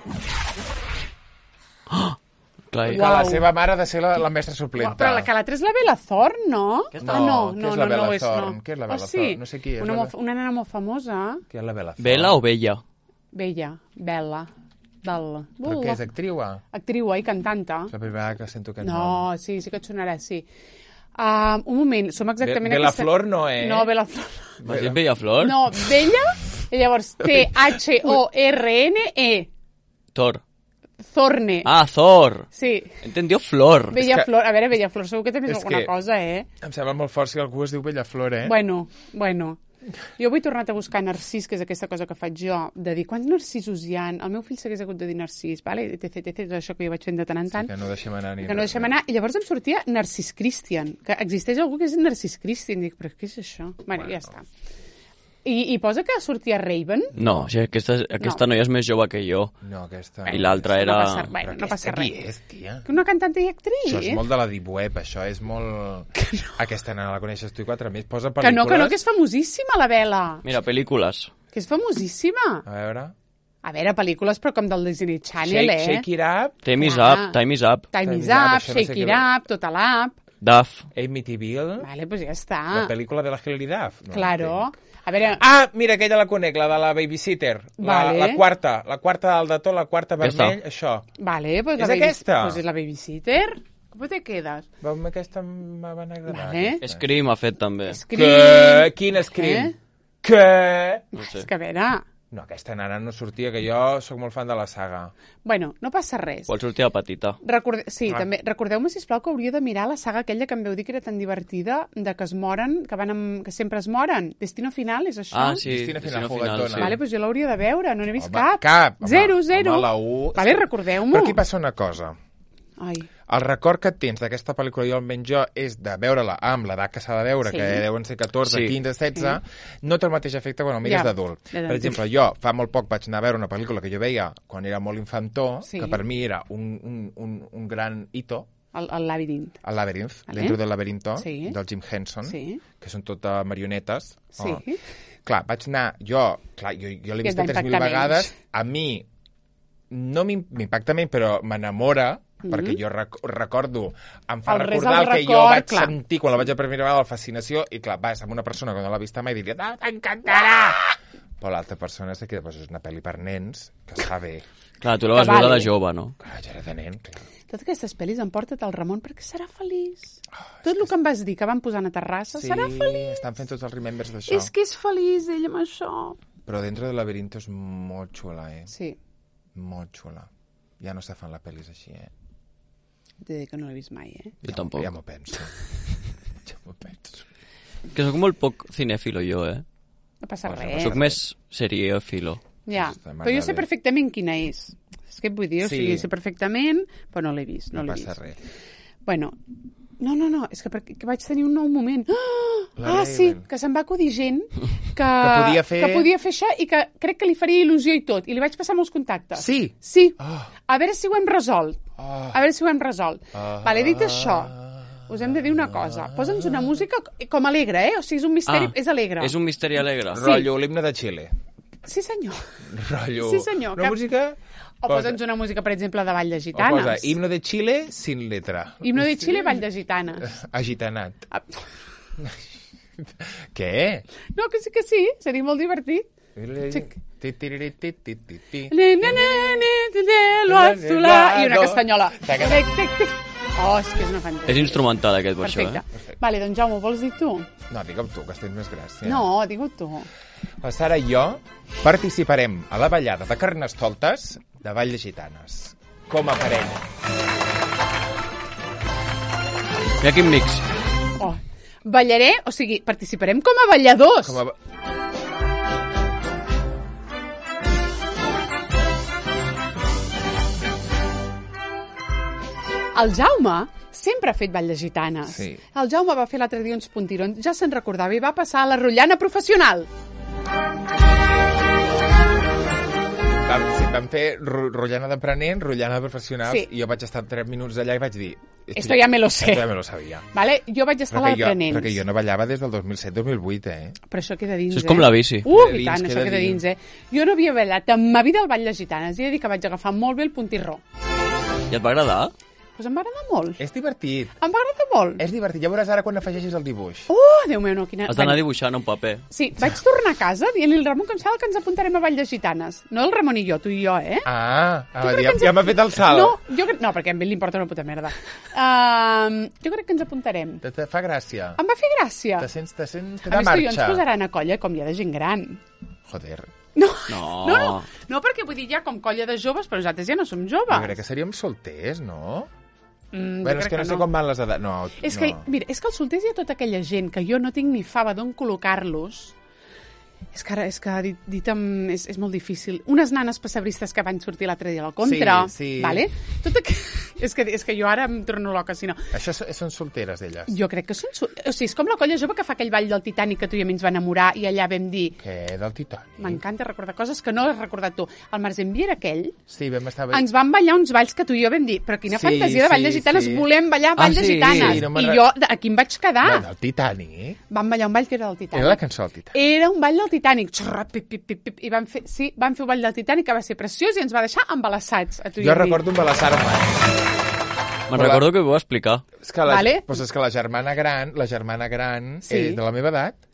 Clar, Que la seva mare ha de ser la mestra suplenta. Però la que l'altra és la Bella Thorne, no? No, què és la Bella Thorne? no. Què és la Bella Oh, sí? Thorne? No sé qui és. Una nena molt famosa. Qui és la Bella Thorne? Bella o Bella? Bella. Bella. Però què és, actriu? Actriu, i cantanta. És la primera vegada que sento aquest nom. No, sí que et sonarà, sí. Un moment, som exactament Bella aquesta... Flor no, eh? No, Bella Flor. M'has dit Bella Flor? No, Bella, i llavors Thorne. Thor. Thorne. Ah, Thor. Sí. Entendió Flor. Bella que- Flor. A veure, Bella Flor, segur que també és És alguna que- cosa, eh? Em sembla molt fort si algú es diu Bella Flor, eh? Bueno. Jo avui he tornat a buscar Narcís, que és aquesta cosa que faig jo, de dir quants narcisos hi ha. El meu fill s'hagués hagut de dir Narcís, vale? etc, tot això que jo vaig fent de tant en tant. Que no deixem anar ni Que no deixem anar. I llavors em sortia Narcís Christian, que existeix algú que és Narcís Christian. Dic, però què és això? Bueno, ja està. I posa que sortia Raven. No, sí, aquesta noia és més jove que jo. No, aquesta... I l'altra era... No passa Qui res. és, tia? Una cantant i actriz. Això és molt de la deep web, això és molt... Aquesta nena la coneixes tu i 4 més. Posa Que pel·lícules... no, que és famosíssima, la Bella. Mira, pel·lícules. Que és famosíssima. A veure... A veure, pel·lícules, però com del Disney Channel, Shake It Up, Time is Clar. up, time is up. Time is Time is Up, Up, això no sé Shake què It vol. Up, Tota l'App. Duff. Amityville, Vale, doncs ja està. la pel·lícula de la Hilary Duff. No Claro. entenc. A veure, Ah, mira, aquella la conec, la de la Babysitter. Vale. La quarta dalt de tot, la quarta Aquesta. vermell, això. vale, pues És aquesta? Pues és la babysitter. Com te quedes? Veus, aquesta me van agradar. Vale. aquesta. Scream ha fet també. Què? Quin Scream? Què? No sé. És que a veure... No, aquesta nana no sortia, que jo sóc molt fan de la saga. Bueno, no passa res. Vol sortir a petita. Sí, també. Recordeu-me, sisplau, que hauria de mirar la saga aquella que em veu dir que era tan divertida, de que es moren, que sempre es moren. Destino Final, és això? Ah, sí, Destino Final, juguetona. sí. Vale, doncs jo l'hauria de veure, no n'he vist Home, cap. cap, home. Zero. Home, la u... Vale, recordeu-m'ho. Però aquí passa una cosa. Ai, el record que tens d'aquesta pel·lícula, jo almenys jo, és de veure-la amb l'edat que s'ha de veure, que deuen ser 14, 15, 16, no té el mateix efecte quan el mires d'adult. Per exemple, jo fa molt poc vaig anar a veure una pel·lícula que jo veia quan era molt infantó, que per mi era un gran hito, el Labyrinth. El Labyrinth, Dentro del laberinto, del Jim Henson, que són totes marionetes. Clar, vaig anar... Jo l'he vist 3.000 vegades. A mi no m'impacta menys, però m'enamora, perquè jo recordo, em fa recordar el que jo vaig sentir quan la vaig a primera vegada, la fascinació, i clar, vas amb una persona que no l'ha vista mai i diria, t'encantarà! Però l'altra persona sé que és una pel·li per nens, que està bé. Clar, tu la vas veure de jove, no? Clar, jo era de nen, clar. Totes aquestes pel·lis em porta't el Ramon perquè serà feliç. Tot el que em vas dir que van posar a Terrassa serà feliç. Sí, estan fent tots els remembers d'això. És que és feliç ell amb això. Però Dentro del laberinto és molt xula, Sí. Molt xula. Ja no se fan les pel·lis així, T'he dit que no l'he vist mai, Jo tampoc. Ja m'ho penso. Que sóc molt poc cinèfilo jo, No passa res. Soc més seriòfilo. Ja, però jo sé perfectament quina és. És que et vull dir, sé perfectament, però no l'he vist. No passa res. Bueno, no, és que vaig tenir un nou moment. Sí, que se'm va acudir gent que podia fer això i que crec que li faria il·lusió i tot. I li vaig passar molts contactes. Sí? Sí. A veure si ho hem resolt. Vale, dit això, us hem de dir una cosa. Posa'ns una música com alegre, O sigui, és un misteri, és alegre. És un misteri alegre. Rotllo, l'himne de Xile. Sí, senyor. Rotllo. Sí, senyor. Una música... O posa'ns una música, per exemple, de Ball de Gitanes. O posa himno de Xile sin letra. Himno de Xile, Ball de Gitanes. Agitanat. Què? No, que sí, seria molt divertit. I una castanyola. És que és una fantàstica. És instrumental aquest, per això, Perfecte. Vale, doncs Jaume, ho vols dir tu? No, digue-ho tu, que tens més gràcia. No, digue-ho tu. La Sara i jo participarem a la ballada de Carnestoltes de Ball de Gitanes, com a parella. Mira quin mix. Ballaré, o sigui, participarem com a balladors. El Jaume sempre ha fet ball de gitanes. Sí. El Jaume va fer l'altre dia uns puntirons, ja se'n recordava, i va passar a la rotllana professional. Vam fer rotllana d'aprenent, rotllana de professionals, i jo vaig estar 3 minuts allà i vaig dir... Esto ya me lo sé. Esto ya me lo sabía. Vale? Jo vaig estar a l'aprenents. Perquè jo no ballava des del 2007-2008, Però això queda dins, Això és com la bici. I tant, això queda dins, Jo no havia ballat en ma vida el ball de gitanes. I he de dir que vaig agafar molt bé el puntirró. I et va agradar? Doncs em va agradar molt. És divertit. Em va agradar molt. És divertit. Ja veuràs ara quan afegeixis el dibuix. Déu meu, no. Has d'anar dibuixant un paper. Sí, vaig tornar a casa dient-li al Ramon que em sembla que ens apuntarem a Ball de Gitanes. No el Ramon i jo, tu i jo, Ja m'ha fet el salt. No, perquè a ell li importa una puta merda. Jo crec que ens apuntarem. Te fa gràcia. Em va fer gràcia. Te sents de marxa. marxa. A més, ens posaran a colla com hi ha de gent gran. Joder. No, perquè vull dir, ja com colla de joves, però nosaltres ja no som joves. Jo crec que seríem solters, no? Bueno, és que no sé com van les edats. No, és que, mira, és que els solters hi ha tota aquella gent que jo no tinc ni fava d'on col·locar-los. És que dit és molt difícil. Unes nanes pessebristes que van sortir l'altre dia a la contra. Sí. Vale? És que jo ara em torno loca, si no. Això són solteres, elles? Jo crec que són... O sigui, és com la colla jove que fa aquell ball del Titanic que tu i a mi ens va enamorar i allà vam dir... Què, del Titanic? M'encanta recordar coses que no has recordat tu. El Marzenvi era aquell. Sí, vam estar... Ens van ballar uns balls que tu i jo vam dir, però quina fantasia de ball de gitanes, volem ballar ball de gitanes. I jo, aquí em vaig quedar. Del Titanic? Vam ballar un ball que era del Titanic. Era la cançó del Titanic. Era un ball del Titanic. I vam fer un ball del Titanic que va ser preciós i ens va deixar embalassats. Jo recordo embalassar-me. Me'n recordo que ho va explicar. És que la germana gran és de la meva edat.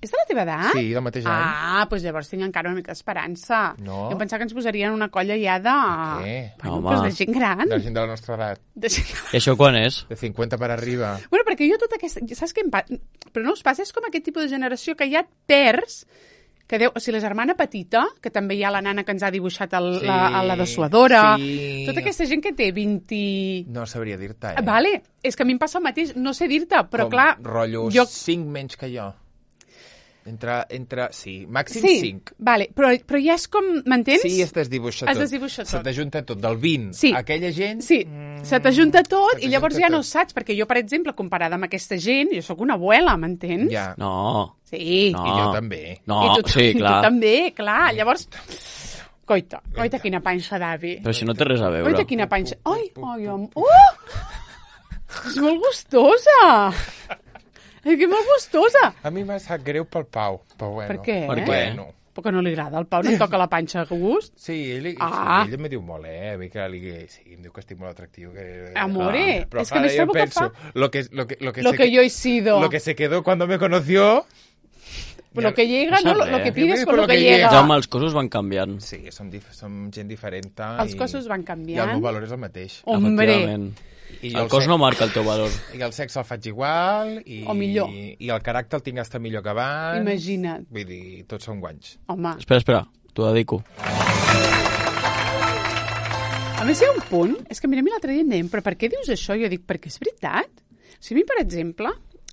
És de la teva edat? Sí, del mateix any. Doncs llavors tinc encara una mica d'esperança. No. Jo pensava que ens posarien una colla ja de... Què? Doncs de gent gran. De gent de la nostra edat. I això quan és? De 50 per arriba. Bueno, perquè jo tota aquesta... Saps què em passa? Però no us passa? És com aquest tipus de generació que ja et perds... O sigui, la germana petita, que també hi ha la nana que ens ha dibuixat la dessuadora, tota aquesta gent que té 20... No sabria dir-te, Vale, és que a mi em passa el mateix, no sé dir-te, però clar... Rotllo 5 menys que jo. Sí, màxim 5. Vale, però ja és com, m'entens? Sí, es desdibuixa tot. Es desdibuixa tot. Se t'ajunta tot, del 20 a aquella gent... Sí, Se t'ajunta tot i llavors ja no saps, perquè jo, per exemple, comparada amb aquesta gent, jo sóc una abuela, m'entens? Ja. No. Sí. No. I jo també. No, I tu, sí, clar. Tu també, clar. Llavors, coita, quina panxa d'avi. Però si no té res a veure. Coita, quina panxa. Ai, és molt gustosa. És que és molt gustosa. A mi m'ha sap greu pel Pau, però bueno. Per què? Per què? Bueno. Perquè no li agrada. El Pau no et toca la panxa a gust. Sí, ell me diu molt, A mi que sí, em diu que estic molt atractiu. Amore, però és que més trobo que fa... Lo que yo he sido. Lo que se quedó cuando me conoció... Lo que llega, no no, sé, lo que eh? pides con lo que llega. Jaume, els cossos van canviant. Sí, som gent diferent. Els cossos van canviant. I el meu valor és el mateix. Hombre. I el cos no marca el teu valor. I el sexe el faig igual. O millor. I el caràcter el tinc hasta millor que abans. Imagina't. Vull dir, tots són guanys. Home. Espera, t'ho dedico. A més, hi ha un punt, és que mira, a mi l'altre dia em deien, però per què dius això? Jo dic, perquè és veritat. O sigui, a mi, per exemple,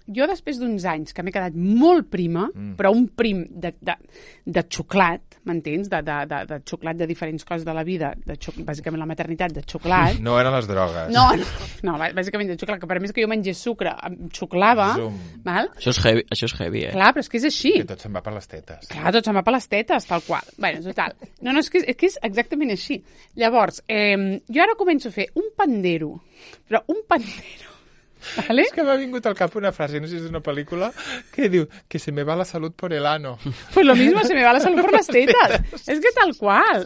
jo després d'uns anys que m'he quedat molt prima, però un prim de xocolat, m'entens? De xocolat de diferents coses de la vida, bàsicament la maternitat de xocolat. No eren les drogues. No, bàsicament de xocolat, que per més que jo mengés sucre, em xocolava. Val? Això és heavy, eh? Clar, però és que és així. Que tot se'n va per les tetes. Clar, tot se'n va per les tetes, tal qual. Bé, total. No, és que és exactament així. Llavors, jo ara començo a fer un pandero, però un pandero. ¿Vale? És que m'ha vingut al cap una frase, no sé si és una pel·lícula, que diu que se me va la salut por el ano. Pues lo mismo, se me va la salut por las tetas. És que tal qual.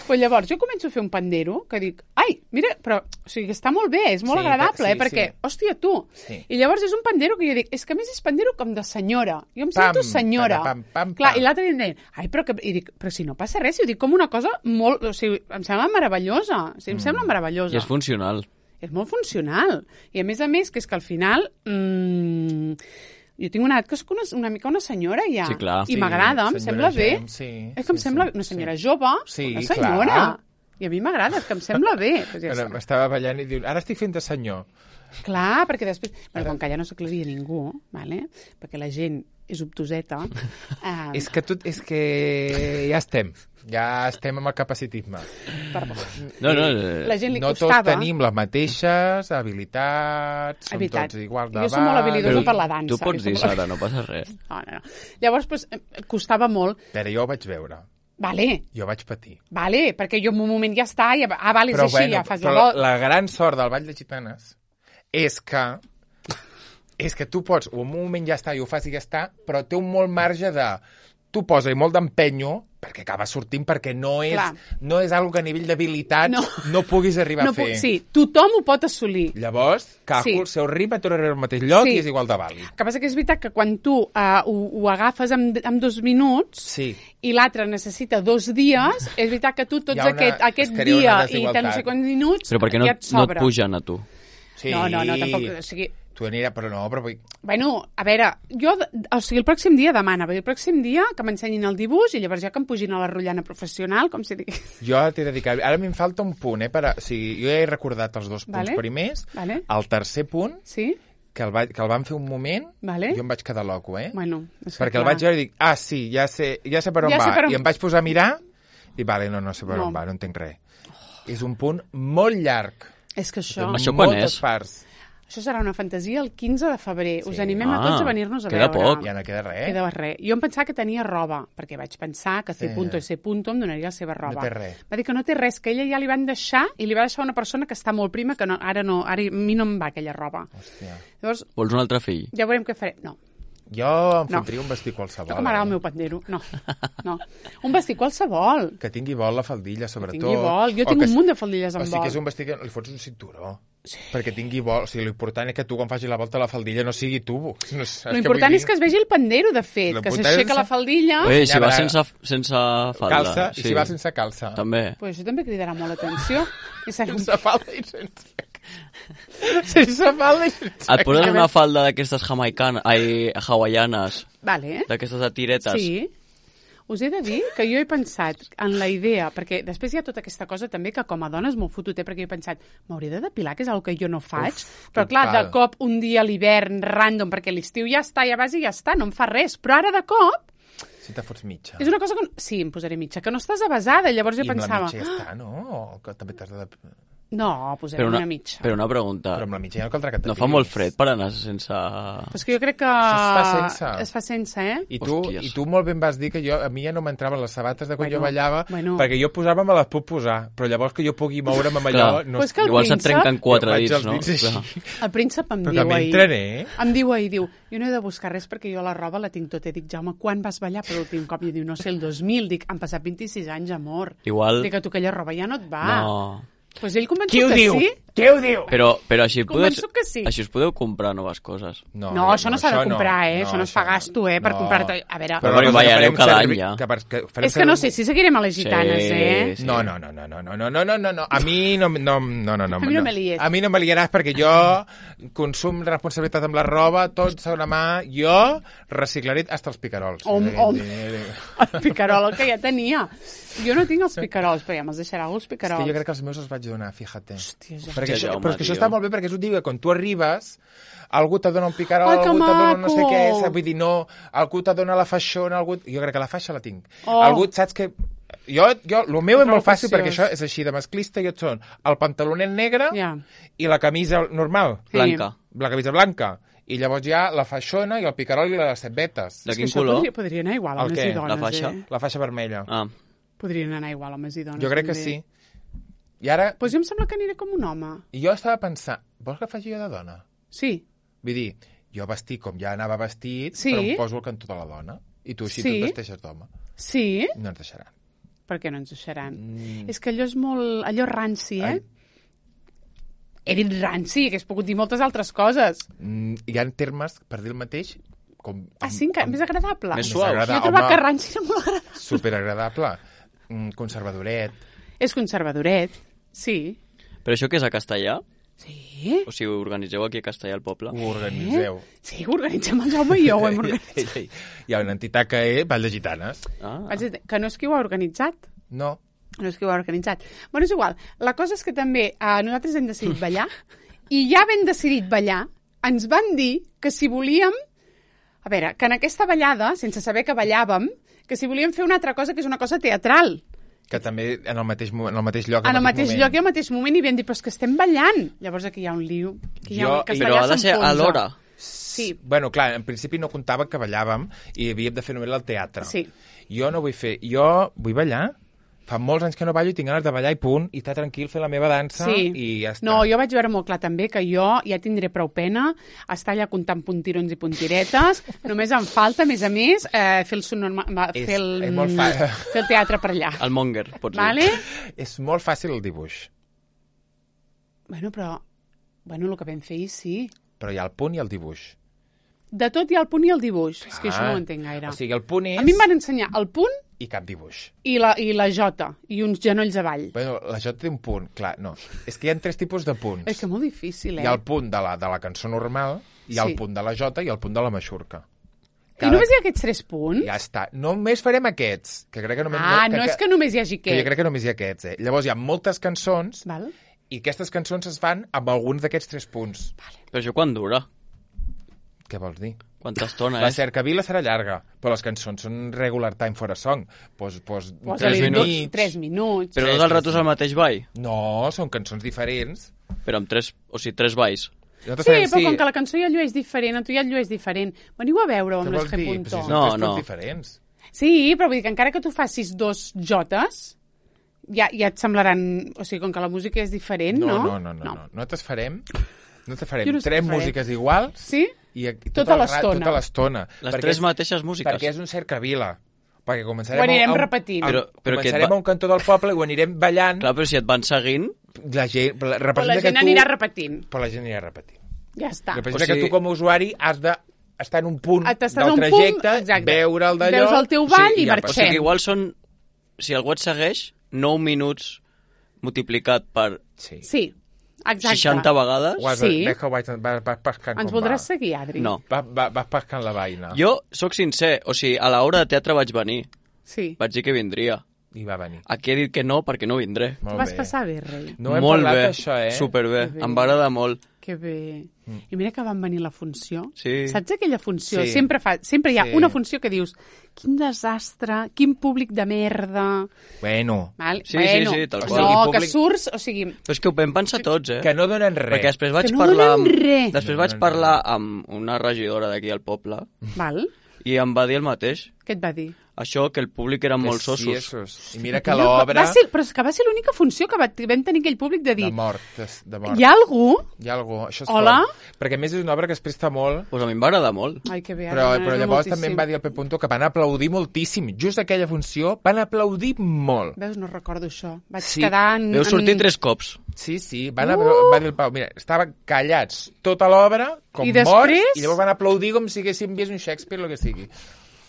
Pues llavors, jo començo a fer un pandero que dic, ai, mira, però o sigui, està molt bé, és molt agradable, perquè, hòstia, tu. Sí. I llavors és un pandero que jo dic, és que a més és pandero com de senyora. Jo em sento senyora. Clar, i l'altre dia em deien, ai, i dic, però si no passa res, i ho dic com una cosa molt, o sigui, em sembla meravellosa. O sigui, em sembla meravellosa. I és funcional. És molt funcional. I a més, que és que al final... jo tinc una edat que soc una mica una senyora ja. Sí, clar. I m'agrada, em sembla bé. És que em sembla una senyora jove, una senyora. Clar. I a mi m'agrada, és que em sembla bé. Pues ja m'estava ballant i diu, ara estic fent de senyor. Clar, perquè després... Bueno, com que ja no s'aclaria ningú, ¿vale? Perquè la gent és obtuseta... És que ja estem amb el capacitisme. La gent li no costava... tots tenim les mateixes habilitats, som tots igual de jo soc molt habilidosa per la dansa. Tu pots dir, Sara, no passa res. No. Llavors, pues, costava molt... Però jo ho vaig veure. Vale. Jo vaig patir. Vale, perquè jo en un moment ja està, és així, ja fas la volta. La gran sort del Ball de Gitanes és que tu pots, o en un moment ja està i ho fas i ja està, però té un molt marge de... Tu posa-hi molt d'empenyo, perquè acaba sortint, perquè no és algo que a nivell d'habilitat no puguis arribar a fer. Sí, tothom ho pot assolir. Llavors, el seu ritme tornarà al mateix lloc i és igual de vàlid. El que passa que és veritat que quan tu ho agafes en 2 minuts i l'altre necessita 2 dies, és veritat que tu tots aquest dia i no sé quants minuts però perquè no et pugen a tu. Sí. No, tampoc, o sigui... Tu anirà, però no, però... Bueno, a veure, o sigui, el pròxim dia demana, el pròxim dia que m'ensenyin el dibuix i llavors ja que em pugin a la rotllana professional, com si digués. Jo t'he de dir que ara m'hi falta un punt, o sigui, jo ja he recordat els 2 punts primers, el tercer punt, que el vam fer un moment, jo em vaig quedar loco, Bueno, perquè el vaig veure i dic, sí, ja sé per on va, i em vaig posar a mirar i vale, no sé per on va, no entenc res. És un punt molt llarg. És que això... Això quan és? Això serà una fantasia el 15 de febrer. Us animem a tots a venir-nos a queda veure. Poc. Ja no queda res. Queda res. Jo em pensava que tenia roba, perquè vaig pensar que C. i C. em donaria la seva roba. No té res. Va dir que no té res, que ella ja li van deixar, i li va deixar una persona que està molt prima, que ara a mi no em va aquella roba. Hòstia. Llavors, vols un altre fill? Ja veurem què farem. No. Jo em fotria un vestit qualsevol. Jo que m'agrada el meu pandero. No. Un vestit qualsevol. Que tingui vol la faldilla, sobretot. Que tingui vol. Jo tinc un munt de faldilles amb vol. O sigui que és un vestit que li fots un cinturó. Sí. Perquè tingui vol. O sigui, l'important és que tu quan facis la volta a la faldilla no sigui tubo. L'important és que es vegi el pandero, de fet. Que s'aixeca la faldilla. Si va sense falda. Calça, i si va sense calça. També. Pues això també cridarà molt l'atenció. Sense falda i sense... Sense falda i sense... Et poses una falda d'aquestes hawaianes, d'aquestes de tiretes. Sí. Us he de dir que jo he pensat en la idea, perquè després hi ha tota aquesta cosa també que com a dona és molt fotuter, perquè jo he pensat, m'hauré de depilar, que és el que jo no faig, però clar, de cop un dia a l'hivern random, perquè l'estiu ja està, ja vas i ja està, no em fa res, però ara de cop... Si te fots mitja. És una cosa que... Sí, em posaré mitja, que no estàs avasada, llavors jo pensava... I amb la mitja ja està, no? O que també t'has de... No, posarem una mitja. Però una pregunta. Però amb la mitja ja no caldrà que et No fa molt fred per anar sense... Però és que jo crec que... Es fa sense, eh? I tu molt ben vas dir que a mi ja no m'entraven les sabates de quan jo ballava, perquè jo posar-me me les puc posar, però llavors que jo pugui moure'm amb allò... Igual se't trenquen 4 dits, no? El príncep em diu ahir, jo no he de buscar res perquè jo la roba la tinc tota. I dic, Jaume, quan vas ballar per l'últim cop? I diu, no sé, el 2000. Dic, han passat 26 anys, amor. Igual... Dic, a tu aquella roba ja no et va. No... Pues ell convençut que sí. Qui ho diu? Però així sí. us podeu comprar noves coses. No, això no s'ha de comprar, això no es fa gasto, per comprar-te... A veure... Però ballareu cada any, ja. És que no sé si seguirem a les gitanes, eh? No. A mi no me lies. A mi no me liaràs perquè jo consum responsabilitat amb la roba, tot segona mà, jo reciclaré hasta els picarols. El picarol, el que ja tenia. Jo no tinc els picarols, però ja me'ls deixarà els picarols. És que jo crec que els meus els vaig donar, fíjate. Hòstia, però és que això està molt bé perquè és un dia quan tu arribes, algú te dona un picarol, algú te dona no sé què, vull dir, no, algú te dona la faixona, jo crec que la faixa la tinc. Algú, saps que... el meu és molt fàcil perquè això és així de masclista i et són el pantalonet negre i la camisa normal. Blanca. La camisa blanca. I llavors hi ha la faixona i el picarol i les cebetes. De quin color? Podria anar igual, homes i dones, La faixa? La faixa vermella. Podrien anar igual, homes i dones. Jo crec que sí. I ara... Pues jo em sembla que aniré com un home. I jo estava pensant, vols que faci jo de dona? Sí. Vull dir, jo vestit com ja anava vestit, però em poso el cantó de la dona. I tu així tu et vesteixes d'home. Sí. No ens deixaran. Per què no ens deixaran? És que allò és molt... Allò ranci, eh? He dit ranci, que has pogut dir moltes altres coses. Hi ha termes, per dir el mateix... sí, més agradable. Més suau. Jo he trobat que ranci era molt agradable. Superagradable. Conservadoret. És conservadoret, sí. Però això què és a Castellà? Sí. O sigui, ho organitzeu aquí a Castellà, al poble? Ho organitzeu. Sí, ho organitzem el Jaume i jo, ho hem organitzat. Hi ha una entitat que és Vall de Gitanes. Que no és qui ho ha organitzat. No. No és qui ho ha organitzat. Bueno, és igual. La cosa és que també nosaltres hem decidit ballar i ja ben decidit ballar ens van dir que si volíem... A veure, que en aquesta ballada, sense saber que ballàvem, que si volíem fer una altra cosa que és una cosa teatral. Que també en el mateix lloc. En el mateix lloc i al mateix moment i vam dir, però és que estem ballant. Llavors aquí hi ha un liu. Però ha de ser a l'hora. Sí. Bueno, clar, en principi no comptava que ballàvem i havíem de fer només el teatre. Sí. Jo no vull fer... Jo vull ballar. Fa molts anys que no ballo i tinc ganes de ballar i punt, i estar tranquil, fer la meva dansa i ja està. No, jo vaig veure molt clar també que jo ja tindré prou pena estar allà comptant puntirons i puntiretes. Només em falta, a més, fer el teatre per allà. El monger, pots dir. Vale? És molt fàcil el dibuix. Bueno, el que vam fer sí. Però hi ha el punt i el dibuix. De tot hi ha el punt i el dibuix. És que això no ho entenc gaire. O sigui, el punt és... A mi em van ensenyar el punt... I cap dibuix. I la jota, i uns genolls avall. Bueno, la jota té un punt, clar, no. És que hi ha 3 tipus de punts. És que molt difícil, Hi ha el punt de la cançó normal, hi ha el punt de la jota i el punt de la maixurca. I només hi ha aquests 3 punts? Ja està. Només farem aquests. Que crec que només, no és que només hi hagi aquests. Que jo crec que només hi ha aquests, Llavors hi ha moltes cançons, Val. I aquestes cançons es fan amb alguns d'aquests 3 punts. Vale. Però això quan dura? Què vols dir? Quanta estona La cercavila serà llarga, però les cançons són regular time for a song. Pues 3 minuts. 3 minuts. Però tot el rato és el mateix ball? No, són cançons diferents. Però amb 3 balls. Però com que la cançó ja el llueix diferent, tu ja el llueix diferent. Veniu a veure on és que punto. No. Diferents. Sí, però vull dir que encara que tu facis 2 jotes, ja et semblaran... O sigui, com que la música és diferent, no? No te farem 3 músiques iguals. Sí? I tota l'estona. Les 3 mateixes músiques. Perquè és un cercavila. Perquè començarem ho anirem repetint. Començarem a un cantó del poble i ho anirem ballant. Clar, però si et van seguint... La gent anirà repetint. Però la gent anirà repetint. Ja està. Representa que tu com a usuari has d'estar en un punt del trajecte, veure el d'allò... Veus el teu ball i marxem. O sigui, igual són... Si algú et segueix, 9 minuts multiplicat per... Sí. Exacte. 60 vegades? Sí. Vas pescant Ens voldràs seguir, Adri? No. Vas pescant la vaina. Jo sóc sincer, o sigui, a l'hora de teatre vaig venir. Sí. Vaig dir que vindria. I va venir. Aquí he dit que no, perquè no vindré. Vas passar bé, rei. No hem molt parlat bé, d'això, superbé. Em va agradar molt. Que bé. I mira que van venir la funció. Sí. Saps aquella funció? Sí. Sempre hi ha Sí. una funció que dius quin desastre, quin públic de merda... Bueno, Val? Sí, bueno, sí, tal qual. No, I públic- que surts, o sigui... Però és que ho vam pensar tots, que no donen res. Perquè després vaig no parlar amb... donen res. Després vaig parlar amb una regidora d'aquí al poble Val? i em va dir el mateix. Què et va dir? Això, que el públic eren molt Sí, sossos. esos. I mira que l'obra... Però és que va ser l'única funció que vam tenir aquell públic de dir... De mort, de mort. Hi ha algú? Hi ha algú, això és Hola? fort. Perquè a més és una obra que es presta molt, Pues a mi em va agradar molt. Ai, que bé. però m'agrada llavors moltíssim. també em va dir el Pep Punto que van aplaudir moltíssim. Just aquella funció van aplaudir molt. Veus, no recordo això. Vaig Sí. quedar Veu sortir 3 cops. Sí, va dir el Pau, mira, estaven callats tota l'obra, com I morts, després? i llavors van aplaudir com si haguéssim vist un Shakespeare o el que sigui.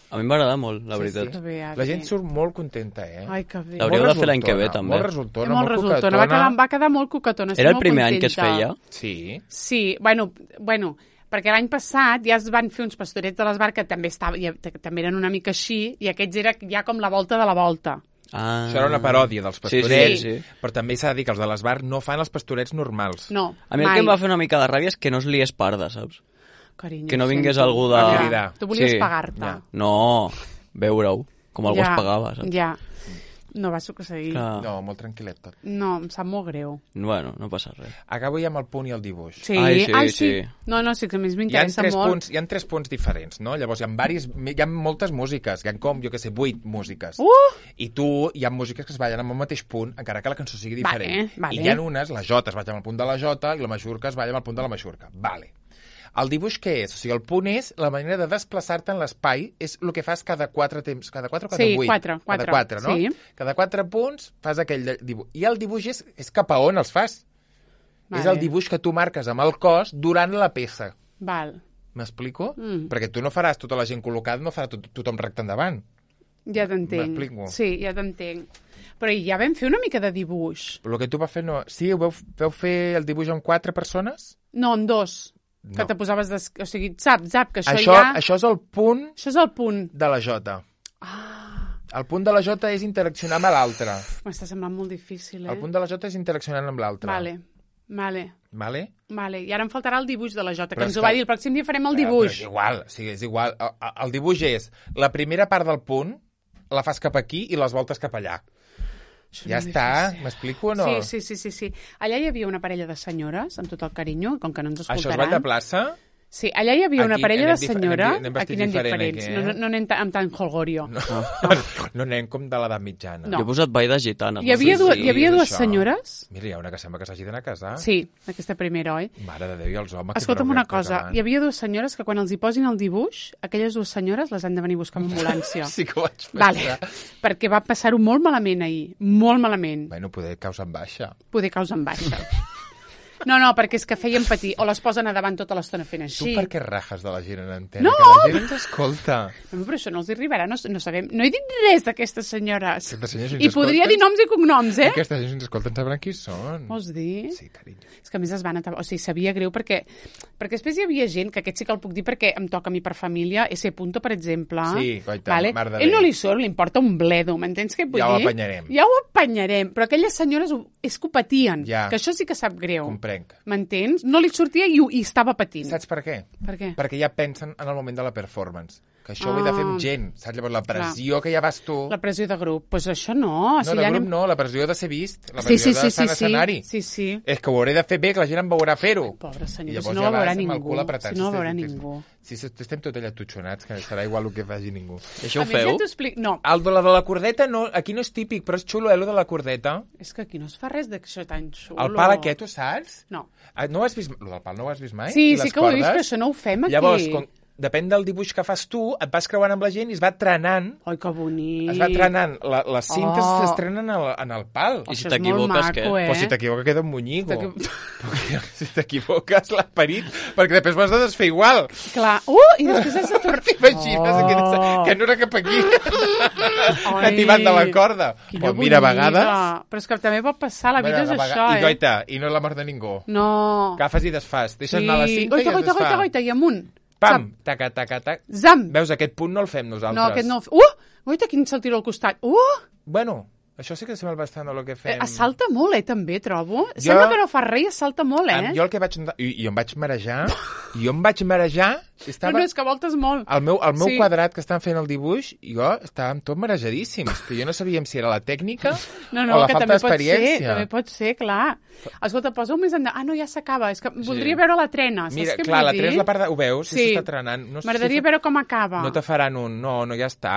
A mi em va agradar molt, la veritat. Que bé, La gent surt molt contenta, Ai, que bé. L'hauríeu Molt de fer l'any que ve, resultona, també. Molt resultona, Molt resultona. Va quedar molt cucatona. Era el molt primer any que es contenta. feia? Sí. Sí, bueno, perquè l'any passat ja es van fer uns pastorets de l'Esbar que també, també eren una mica així, i aquests era ja com la volta de la volta. Ah. Això era una paròdia dels pastorets, Sí. però també s'ha de dir que els de l'Esbar no fan els pastorets normals. No, A mi el que em va fer una mica de ràbia és que no es liés parda, saps? Carinyo, que no vingués sento. algú de- A cridar. Tu volies Sí. pagar-te. Ja. No, veure-ho, com algú es pagava, saps? Ja, no va succeir. Que... No, molt tranquil·let tot. No, em sap molt greu. Bueno, no passa res. Acabo ja amb el punt i el dibuix. Sí, Ai, sí, sí. sí. No, sí, que a mi Hi ha m'interessa molt. hi ha 3 punts diferents, no? Llavors hi ha moltes músiques, hi ha com, jo que sé, 8 músiques. I tu, hi ha músiques que es ballen amb el mateix punt, encara que la cançó sigui diferent. Vale. I hi ha unes, la jota es balla amb el punt de la jota i la majorca es balla amb el punt de la majorca. Vale. El dibuix què és? O sigui, el punt és la manera de desplaçar-te en l'espai, és el que fas cada 4 temps. Cada 4 o cada 8? Sí, 4. Cada 4, no? Sí. Cada 4 punts fas aquell dibuix. I el dibuix és cap a on els fas. Vale. És el dibuix que tu marques amb el cos durant la peça. Val. M'explico? Perquè tu no faràs tota la gent col·locada, no farà tothom recte endavant. Ja t'entenc. M'explico. Sí, ja t'entenc. Però ja vam fer una mica de dibuix. Però el que tu vas fer no... Sí, veu fer el dibuix amb 4 persones? No, amb 2. Que No. te posaves... O sigui, saps, que això Això, ja... això és el punt Això és el punt. de la jota. El punt de la jota és interaccionar amb l'altre. M'està semblant molt difícil, El punt de la jota és interaccionar amb l'altre. Vale. Vale? I ara em faltarà el dibuix de la Jota, que Però ens és ho va que- dir. El pròxim dia farem el Però dibuix. és igual, o sigui, és igual. El dibuix és la primera part del punt, la fas cap aquí i les voltes cap allà. Això Ja és molt està, difícil. m'explico o no? Sí. Allà hi havia una parella de senyores, amb tot el carinyo, com que no ens Això escoltaran. és Vall de Plaça? Sí, allà hi havia una Aquí parella de anem senyora... anem Aquí vestits anem diferent, diferents. aquí, eh? No anem amb tant holgorio. No anem com de l'edat mitjana. No. Jo he posat ball de gitanes. Hi havia, Sí, hi havia dues això. senyores... Mira, hi ha una que sembla que s'hagi d'anar a casar. Sí, aquesta primera, oi? Mare de Déu, i els homes... Escolta'm una cosa, hi havia dues senyores que quan els hi posin el dibuix, aquelles dues senyores les han de venir a buscar amb ambulància. Sí que ho vaig pensar. Vale, perquè va passar-ho molt malament ahir, molt malament. Bueno, poder causa en baixa. Poder causa en baixa. No, perquè és que feien patir, o les posen a davant tota l'estona fent Tu així. per què rajes de la gent en antena? No! Que la gent ens escolta. No, però això no els arribarà, no sabem. No he dit res d'aquestes senyores. Aquestes senyores, si ens I podria escolten- dir noms i cognoms, eh? Aquesta gent, si ens escolten, sabran qui són. Vols dir? Sí, carinyo. És que a més es van o sigui, sabia greu perquè després hi havia gent, que aquest sí que el puc dir perquè em toca a mi per família, ese punto, per exemple. Sí, coita, mar de Ell no Déu. li surt, li importa un bledo, m'entens què vull Ja ho dir? apanyarem. Ja ho apanyarem, però aquelles senyores és que ho patien, Ja. que això sí que sap greu. Comprenc. M'entens? No li sortia i estava patint. Saps per què? Per què? Perquè ja pensen en el moment de la performance. Que això ho he de fer amb gent. Saps? Llavors, la pressió que ja vas tu... La pressió de grup. Doncs pues això no. No, O sigui, de ja grup anem... no, la pressió de ser vist. La Sí, pressió sí, de sí, estar en sí, escenari. sí. És que ho hauré de fer bé, que la gent em veurà fer-ho. Pobre senyor, I si llavors no ja ho veurà vas amb el ningú. cul apretat. Si no ho veurà ningú. Si estem tot allà tutxonats, que serà igual el que faci ningú. I això ho A més, feu? ja t'ho explico. No, El de la cordeta, no, aquí no és típic, però és xulo, lo de la cordeta. és que aquí no es fa res d'això tan xulo. El pal aquest, ho saps? No. No ho has vist? Lo del pal no ho has vist mai? Sí, I sí les que ho he vist, cordes? però això no ho fem aquí. Llavors, depèn del dibuix que fas tu, et vas creuant amb la gent i es va trenant. Ai, que bonic. Es va trenant. Les cintes Oh. s'estrenen en el pal. I si Això és molt t'equivoques, maco, què? eh? Però si t'equivoques queda un monyigo. T'equi- Perquè si t'equivoques l'esperit, perquè després ho has de desfer igual. Clar. I després has de tornar... T'imagines que no era cap aquí. Que t'hi van de la corda. Quina Pues mira, a bonica. vegades... Però és que també pot passar, la vida és això, I goita, i no és la mort de ningú. No. Agafes i desfas. Deixes anar la cinta Goita, i es goita, desfà. goita, i amunt. Pam! Taca, taca, taca. Zam! Veus, aquest punt no el fem nosaltres. No, aquest no... Goita, quin se'l tiro al costat. Bueno, Això sí que sembla bastant el que fem. Es salta molt, també, trobo. Sembla que no fa res i es salta molt, Jo el que vaig... Jo em vaig marejar... No, és que voltes molt. El meu quadrat que estan fent el dibuix, jo estava tot marejadíssim. Que jo no sabíem si era la tècnica o la falta d'experiència. També pot ser, clar. Escolta, posa-ho més endavant. No, ja s'acaba. És que voldria veure la trena. Mira, clar, la trena és la part de... Ho veus? Sí. S'està trenant. M'agradaria veure com acaba. No te faran no, ja està.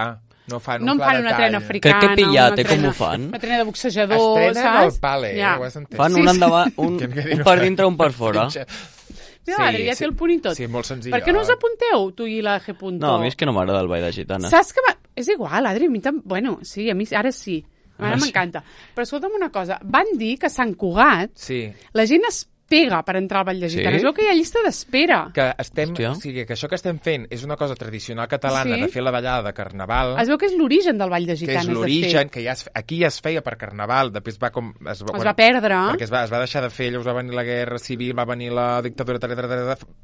No em fan una trena africana. Crec que pillat, com ho fan? Una trena de boxejador, saps? Estrenen el pale, ho has entès. Fan un endavant, un per dintre, un per fora. Mira, l'Adri ja té el punt i tot. Sí, molt senzill. Per què no us apunteu, tu i la G. No, a mi és que no m'agrada el ball de gitana. Saps que... És igual, Adri, a mi també... Bueno, sí, a mi ara sí. Ara m'encanta. Però escolta'm una cosa. Van dir que a Sant Cugat la gent es pega per entrar al ball de gitana. Es veu que hi ha llista d'espera. Que això que estem fent és una cosa tradicional catalana de fer la ballada de Carnaval. Es veu que és l'origen del ball de gitanes. Que és l'origen, que aquí ja es feia per Carnaval, després es va perdre. Perquè es va deixar de fer, llavors va venir la guerra civil, va venir la dictadura,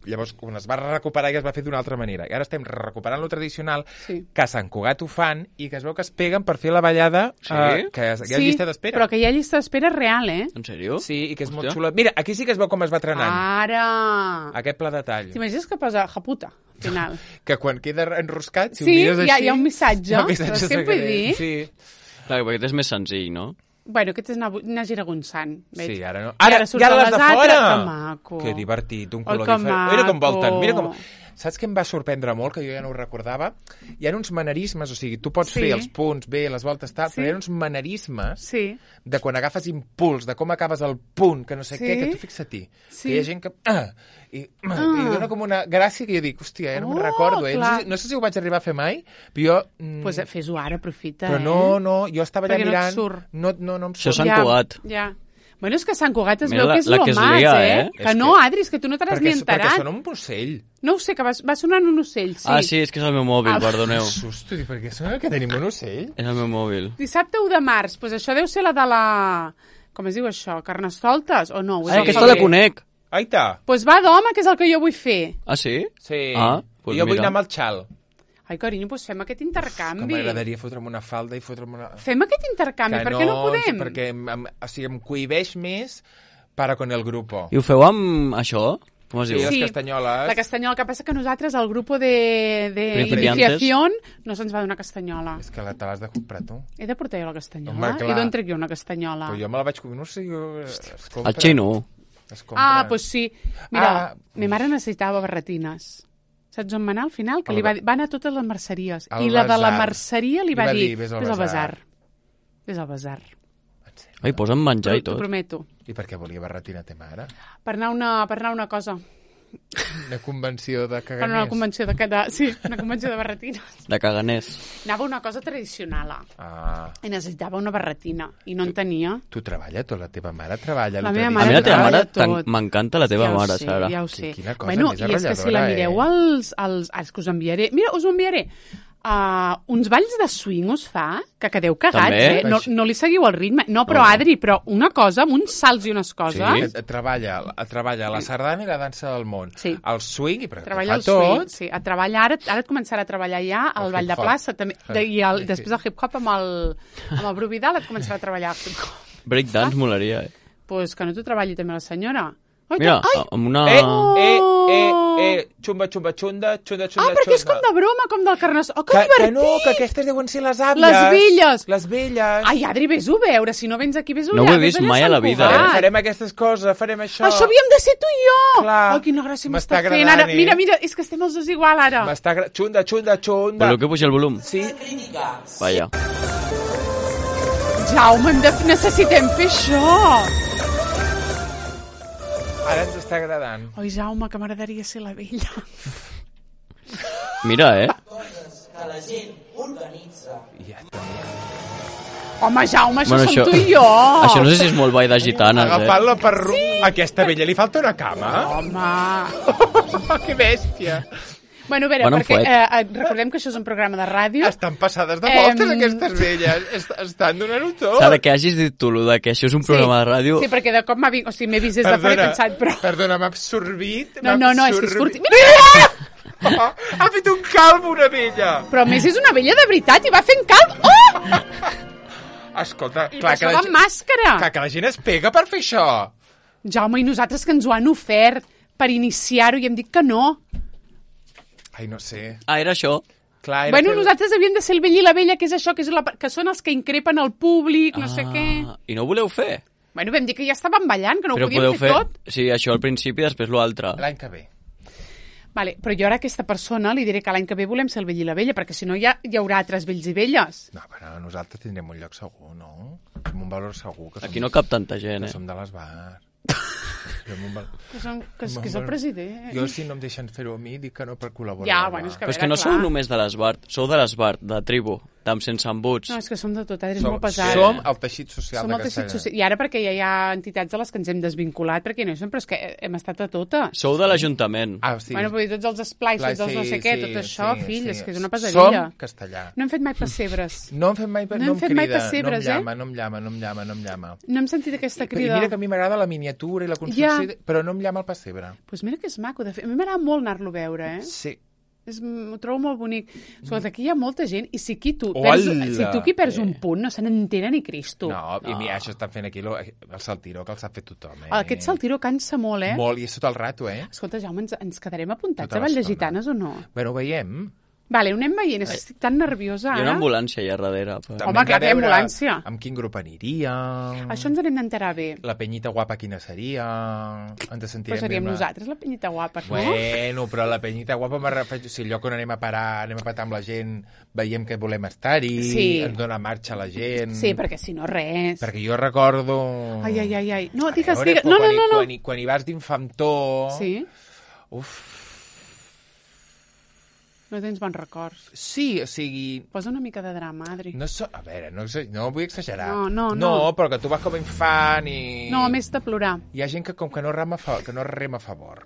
llavors quan es va recuperar ja es va fer d'una altra manera. I ara estem recuperant lo tradicional, que a Sant Cugat ho fan i que es veu que es peguen per fer la ballada, que hi ha llista d'espera. Però que hi ha llista d'espera real, En sèrio? Sí, i que és molt xula. Mira, aquí sí que es veu com es va trenant. Ara! Aquest pla de tall. T'imagines que posa japuta, al final? Que quan queda enroscat, si ho mires així... Sí, hi ha un missatge. Però què vull dir? Sí. Clar, perquè aquest és més senzill, no? Bueno, aquest és anar giragonçant. Sí, ara no. Ara les de fora! Que maco. Que divertit, un color diferent. Mira com volten, mira com... Saps què em va sorprendre molt, que jo ja no ho recordava? Hi ha uns manerismes, o sigui, tu pots fer els punts bé, les voltes tal, però hi ha uns manerismes de quan agafes impuls, de com acabes el punt, que no sé què, que tu fixa't-hi. Que hi ha gent que... I dona com una gràcia que jo dic, hòstia, ja no me'n recordo. No sé si ho vaig arribar a fer mai, però jo... Doncs fes-ho ara, aprofita. Però no, jo estava allà mirant... No em surt. Això s'han Cugat. Ja. Bueno, és que Sant Cugat es veu que és lo más, Que no, Adri, és que tu no te n'has ni enterat. Perquè sona un ocell. No ho sé, que va sonant un ocell, sí. Ah, sí, és que és el meu mòbil, perdoneu. Susto, per què sona que tenim un ocell? És el meu mòbil. Dissabte 1 de març, doncs això deu ser la de la... Com es diu això? Carnestoltes? O no? Aquesta la conec. Aita. Doncs va d'home, que és el que jo vull fer. Ah, sí? Sí. Jo vull anar amb el xal. Ai, carinyo, doncs fem aquest intercanvi. Que m'agradaria fotre'm una falda i fotre'm una... Fem aquest intercanvi, per què no podem? Perquè em cohibeix més para con el grupo. I ho feu amb això? Com es diu? Sí, les castanyoles. La castanyola, que passa que nosaltres, el grup de iniciación, no se'ns va donar castanyola. És que te l'has de comprar, tu. He de portar jo la castanyola? I d'on trec jo una castanyola? Però jo me la vaig comprar, no sé, el xino. Doncs sí. Mira, ma mare necessitava barretines. Saps on va anar al final? Que va anar a totes les merceries. I la de la merceria li va dir, vés al basar. Vés al basar. Ai, posa'm menjar i tot. T'ho prometo. I per què volia barretina ta mare? Per anar a una cosa. Una convenció de caganers. Una convenció una convenció de barretines. De caganers. Anava a una cosa tradicional. I necessitava una barretina. I no en tenia. Tu treballes tot? La teva mare treballa? La meva mare treballa tot. M'encanta la teva mare, Sara. Ja ho sé. Quina cosa més arrolladora, i és que si la mireu és que us enviaré... Mira, us ho enviaré. Uns balls de swing us fa que quedeu cagats, no li seguiu el ritme. No, però Adri, però una cosa, amb uns salts i unes coses... Sí, treballa la sardana i la dansa del món. Sí. El swing, i treballa el swing, sí. Ara et començarà a treballar ja el ball de plaça, també, i després el hip-hop amb el Bru Vidal et començarà a treballar el hip-hop. Breakdance molaria, Pues que no t'ho treballi també la senyora. Mira, amb una... Xumba, xumba, xunda, xunda, xunda, xunda. Però és com de broma, com del carnestol. Que divertit! Que no, que aquestes deuen ser les àvies. Les velles. Les velles. Ai, Adri, vés-ho a veure, si no vens aquí, vés-ho allà. No ho he vist mai a la vida, Farem aquestes coses, farem això. Això havíem de ser tu i jo. Clar. Oh, quina gràcia m'està fent ara. Mira, és que estem els dos igual, ara. Xunda, xunda, xunda. Voleu que pugi el volum? Sí. Vaja. Jaume, necessitem fer això. Ara ens està agradant. Oi, Jaume, que m'agradaria ser la vella. Mira, Coses que la gent organitza. Home, Jaume, això som tu i jo. Això no sé si és molt ball de gitanes, Agafant-la per... Sí. Aquesta vella li falta una cama? Home. Que bèstia. Bueno, a veure, perquè recordem que això és un programa de ràdio. Estan passades de voltes aquestes velles. Estan donant-ho tot. Sara, que hagis dit tu de que això és un programa de ràdio... Sí, perquè de cop m'he vist des de fora i he pensat, però... Perdona, m'ha absorbit. No, és que és curti. Mira! Ha fet un calvo una vella. Però a més és una vella de veritat i va fent calvo. Oh! Escolta, I per això va amb màscara. Clar, que la gent es pega per fer això. Jaume, i nosaltres que ens ho han ofert per iniciar-ho i hem dit que no. Ai, no sé. Ah, era això? Clar, Bueno, nosaltres havíem de ser el vell i la vella, que és això, que són els que increpen el públic, no sé què. I no ho voleu fer? Bueno, vam dir que ja estàvem ballant, que no Però ho podíem fer tot. Sí, això al principi, després l'altre. L'any que ve. Vale, però jo ara a aquesta persona li diré que l'any que ve volem ser el vell i la vella, perquè si no hi haurà altres vells i velles. No, però nosaltres tindrem un lloc segur, no? Som un valor segur. Que Aquí no cap tanta gent, que som de les bars. Que és el president. Jo, si no em deixen fer-ho a mi, dic que no per col·laborar. Ja, bueno, és que Però és que no sou només de l'Esbart, sou de l'Esbart, de tribu, d'Amb sense embuts. No, és que som de tot, eres molt pesat. Som el teixit social Som de el teixit Castellà. social. I ara perquè ja hi ha entitats de les que ens hem desvinculat, perquè no hi som, però és que hem estat a totes. Sou de l'Ajuntament. Ah, sí. Bueno, vull dir, tots els esplais, tots els no sé què, tot això, fill, és que és una pesadilla. Som castellà. No hem fet mai pessebres. No hem fet mai, No hem fet mai pessebres, no em llama. No hem sentit aquesta I crida. mira que a mi m'agrada la miniatura i la construcció, però no em llama el pessebre. Pues mira que és maco, de fet. A mi m'agrada molt anar-lo a veure, eh? Sí. Ho trobo molt bonic. Escolta, aquí hi ha molta gent i si tu aquí perds un punt no se n'entera ni Cristo. No, i mira, això estan fent aquí el saltiró que el sap fer tothom, eh? Aquest saltiró cansa molt, eh? Molt, i és tot el rato, eh? Escolta, Jaume, ens quedarem apuntats Tota a Vall de l'estona. Gitanes o no? Bueno, ho veiem. Vale, ho anem veient, és que estic tan nerviosa Hi ha ara. una ambulància allà darrere. Però... També Home, hem de clar que hi ha veure ambulància. Amb quin grup aniria. Això ens n'hem d'enterar bé. La penyita guapa quina seria. Ens sentirem Però seríem bé amb nosaltres, la penyita guapa, no? Bueno, però la penyita guapa me refereixo... Si el lloc on anem a parar, anem a patar amb la gent, veiem que volem estar-hi, Sí. ens dona marxa a la gent... Sí, perquè si no, res. Perquè jo recordo... Ai. No, A digues, veure, digues. No. Quan hi vas d'infantó... Sí? Uf, No tens bons records. sí, o sigui... Posa una mica de drama, Adri. A veure, no vull exagerar. No. No, però que tu vas com a infant i... No, més de plorar. Hi ha gent que com que no rema a favor.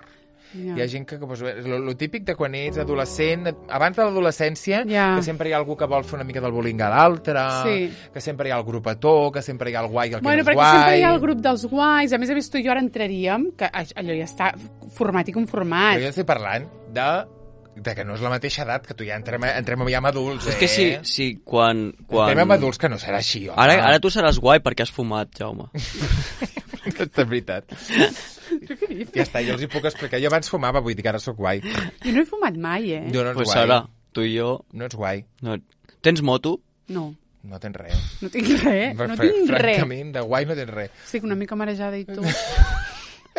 Ja. Hi ha gent que pues, lo típic de quan ets adolescent, abans de l'adolescència, Ja. que sempre hi ha algú que vol fer una mica del bullying a l'altre, Sí. que sempre hi ha el grupetó, que sempre hi ha el guai i el que Bueno, no és perquè guai. sempre hi ha el grup dels guais. A més tu i jo ara entraríem, que allò ja està format i conformat. Però jo estic parlant de que no és la mateixa edat, que tu ja entrem ja amb adults, És que sí, quan... Entrem amb adults que no serà així, home. Ara tu seràs guai perquè has fumat, Jaume. És veritat. Ja està, jo els hi puc explicar. Jo abans fumava, vull dir que ara sóc guai. Jo no he fumat mai, eh? Jo no ets Pues guai. ara, tu i jo... No ets guai. No... Tens moto? No. No tens res. No tinc res. No tinc res. Francament, de guai no tens res. Estic una mica marejada i tu.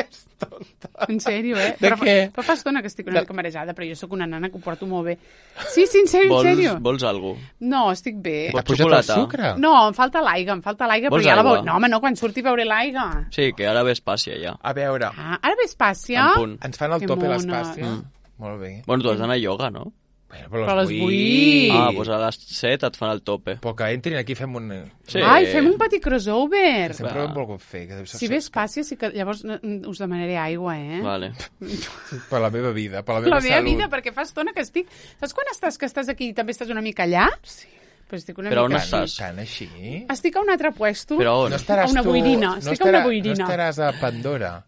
És tonta. En sèrio, eh? De què? Però fa estona que estic una mica marejada, però jo sóc una nana que ho porto molt bé. Sí, en sèrio. Vols algú? No, estic bé. Vols T'ha pujat el xocolata? sucre? No, em falta l'aigua, però Vols ja la aigua? veuré. No, home, no, quan surti veuré l'aigua. Sí, que ara ves pàssia ja. A veure, Ah, ara ves pàssia? En punt. ens fan el Que tope mona. l'espàcia. Molt bé. Bueno, tu has d'anar a ioga, no? Bueno, Però les vull. Ah, doncs a les 7 et fan el tope. Però que entrin aquí fem un... Sí. Ai, fem un petit crossover. Sempre ho hem volgut fer. Que deu ser Si ves pàssia, sí que llavors us demanaré aigua, eh? Vale. Per la meva vida, per la La meva meva salut. vida, perquè fa estona que estic... Saps quan estàs aquí i també estàs una mica allà? Sí. Però estic una Però on mica... estàs? Tant així? Estic a un altre puesto. Però on? No estaràs A una tu... boirina, estic a una boirina. No estaràs a Pandora,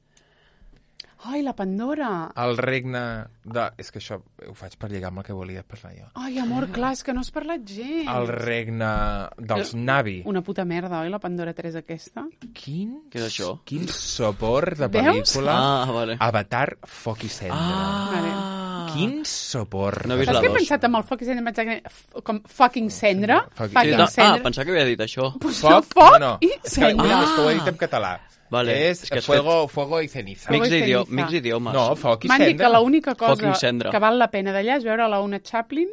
Ai, la Pandora. el regne de... És que això ho faig per lligar amb el que volia parlar jo. Ai, amor, clar, és que no has parlat gens. El regne dels Navi. Una puta merda, oi, la Pandora 3 aquesta? Quin... Què és això? Quin sopor de Veus? pel·lícula. Ah, vale. Avatar, foc i cendra. Vale. Quin sopor. No he vist Saps la què he dos. pensat amb el foc i cendra? Em vaig dir, com fucking cendra? Fucking Fucking Ah, cendra. pensava que havia dit això. Pues Foc? foc No, no. i És que, cendra. és que ho he dit en català. Vale, És, és que has fuego i ceniza. Fuego Mix i ceniza. d'idiomes. No, foc i M'han dit cendra. que l'única cosa Fucking cendra. que val la pena d'allà és veure la Una Chaplin,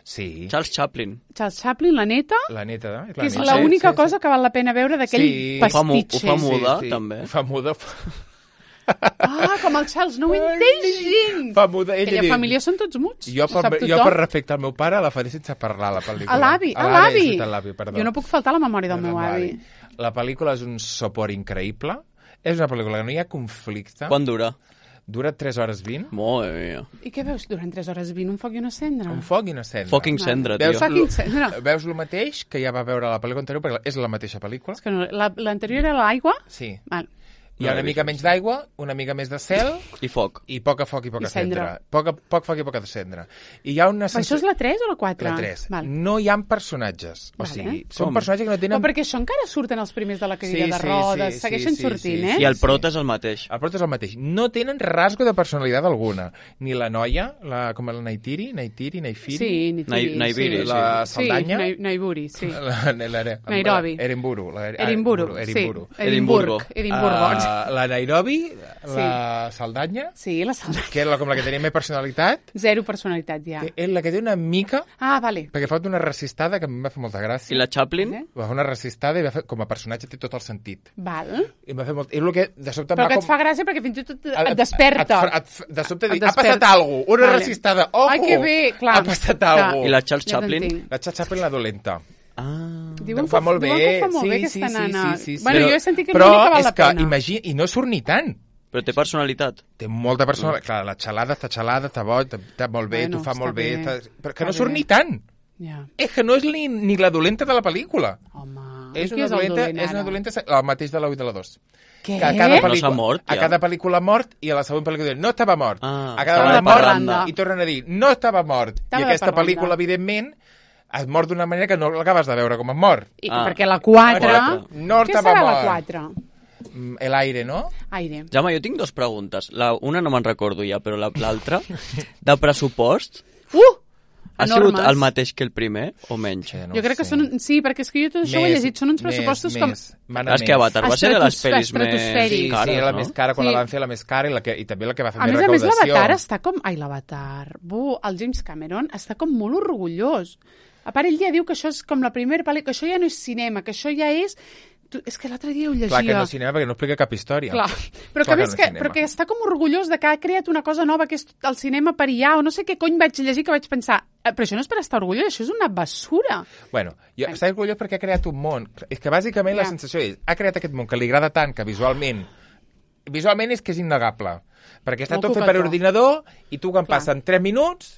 Sí, Charles Chaplin. Charles Chaplin, la neta, la neta. que és neta. l'única cosa que val la pena veure d'aquell Sí. pastitxe. Ho fa muda, també. Fa muda. Ah, com el Charles, no ho entens gens. Fa muda. Ella Aquella diu, família són tots muts. jo, ho sap per tothom. respecte al meu pare la faré sense parlar, la pel·lícula. A l'avi, A l'avi, perdó. Jo no puc faltar a la memòria del meu avi. La pel·lícula és un sopor increïble. És una pel·lícula que no hi ha conflicte. Quan dura? Dura 3 hores 20. Madre mia. I què veus durant 3 hores 20? Un foc i una cendra? Un foc i una cendra. Fucking cendra, tio. Veus, Fucking cendra. veus el mateix que ja va veure la pel·lícula anterior, perquè és la mateixa pel·lícula. És que no, l'anterior era l'aigua? Sí. Val. Hi ha una mica menys d'aigua, una mica més de cel... I foc. I poc foc i poca cendra. Poc foc i poca cendra. I hi ha una Això és la 3 o la 4? La 3. No hi ha personatges. O sigui, són personatges que no tenen... Però perquè això encara surten els primers de la cadira de rodes, segueixen sortint, eh? I el prota és el mateix. El prota és el mateix. No tenen rasgo de personalitat alguna. Ni la noia, com la Naitiri, Sí, Naibiri, la Saldanya. Sí, Naiburi, sí. Nairobi. Edimburgo. La Nairobi, la Saldanya. Sí, la Saldanya. Que és com la que tenia més personalitat. Zero personalitat, ja. És la que té una mica... Ah, vale. Perquè fa una resistada que a mi em va fer molta gràcia. I la Chaplin? Va fer una resistada i com a personatge té tot el sentit. Val. I em va fer molt... És el que de sobte però que et fa gràcia perquè fins i tot et desperta. De sobte dic, ha passat alguna cosa, una resistada, ojo! Ai, que bé, clar. Ha passat alguna cosa. I la Charles Chaplin? La Charles Chaplin, la dolenta. Diuen fa molt bé. Que fa molt bé aquesta nana. Sí. Bueno, jo he sentit que l'única val la pena. Però és que, imagina, i no surt ni tant. Però té personalitat. Té molta personalitat. Clar, la xalada, està boig, està molt bé, t'ho fa molt bé. Però que no surt ni tant. És que no és ni la dolenta de la pel·lícula. Home, és una dolenta, el mateix de la 1 i de la 2. Què? No s'ha mort, ja. A cada pel·lícula mort i a la següent pel·lícula diuen no estava mort. A cada vegada mort i tornen a dir no estava mort. I aquesta pel·lícula, evidentment, es mor d'una manera que no l'acabes de veure com es mor. Perquè la 4... No estava mort. Què serà la 4? El aire, no? Aire. Jaume, jo tinc 2 preguntes. Una no me'n recordo ja, però l'altra, de pressupost... Ha sigut el mateix que el primer, o menys? Jo crec que són... Sí, perquè és que jo tot això ho he llegit. Són uns pressupostos com... És que Avatar va ser de les pel·lis més cares, sí, la més cara, quan la van fer la més cara i també la que va fer més A recaudació. més, l'Avatar està com... Ai, l'Avatar. El James Cameron està com molt orgullós. A part, ell ja diu que això és com la primera pel·lícula, que això ja no és cinema, que això ja és... És que l'altre dia ho llegia. Clar que no és cinema perquè no explica cap història. Clar, però que a més però que està com orgullós de que ha creat una cosa nova que és el cinema per allà, o no sé què cony vaig llegir que vaig pensar, però això no és per estar orgullós, això és una basura. Bueno, jo està orgullós perquè ha creat un món. És que bàsicament la sensació és, ha creat aquest món que li agrada tant que visualment és que és innegable. Perquè està tot fet per ordinador i tu quan passen 3 minuts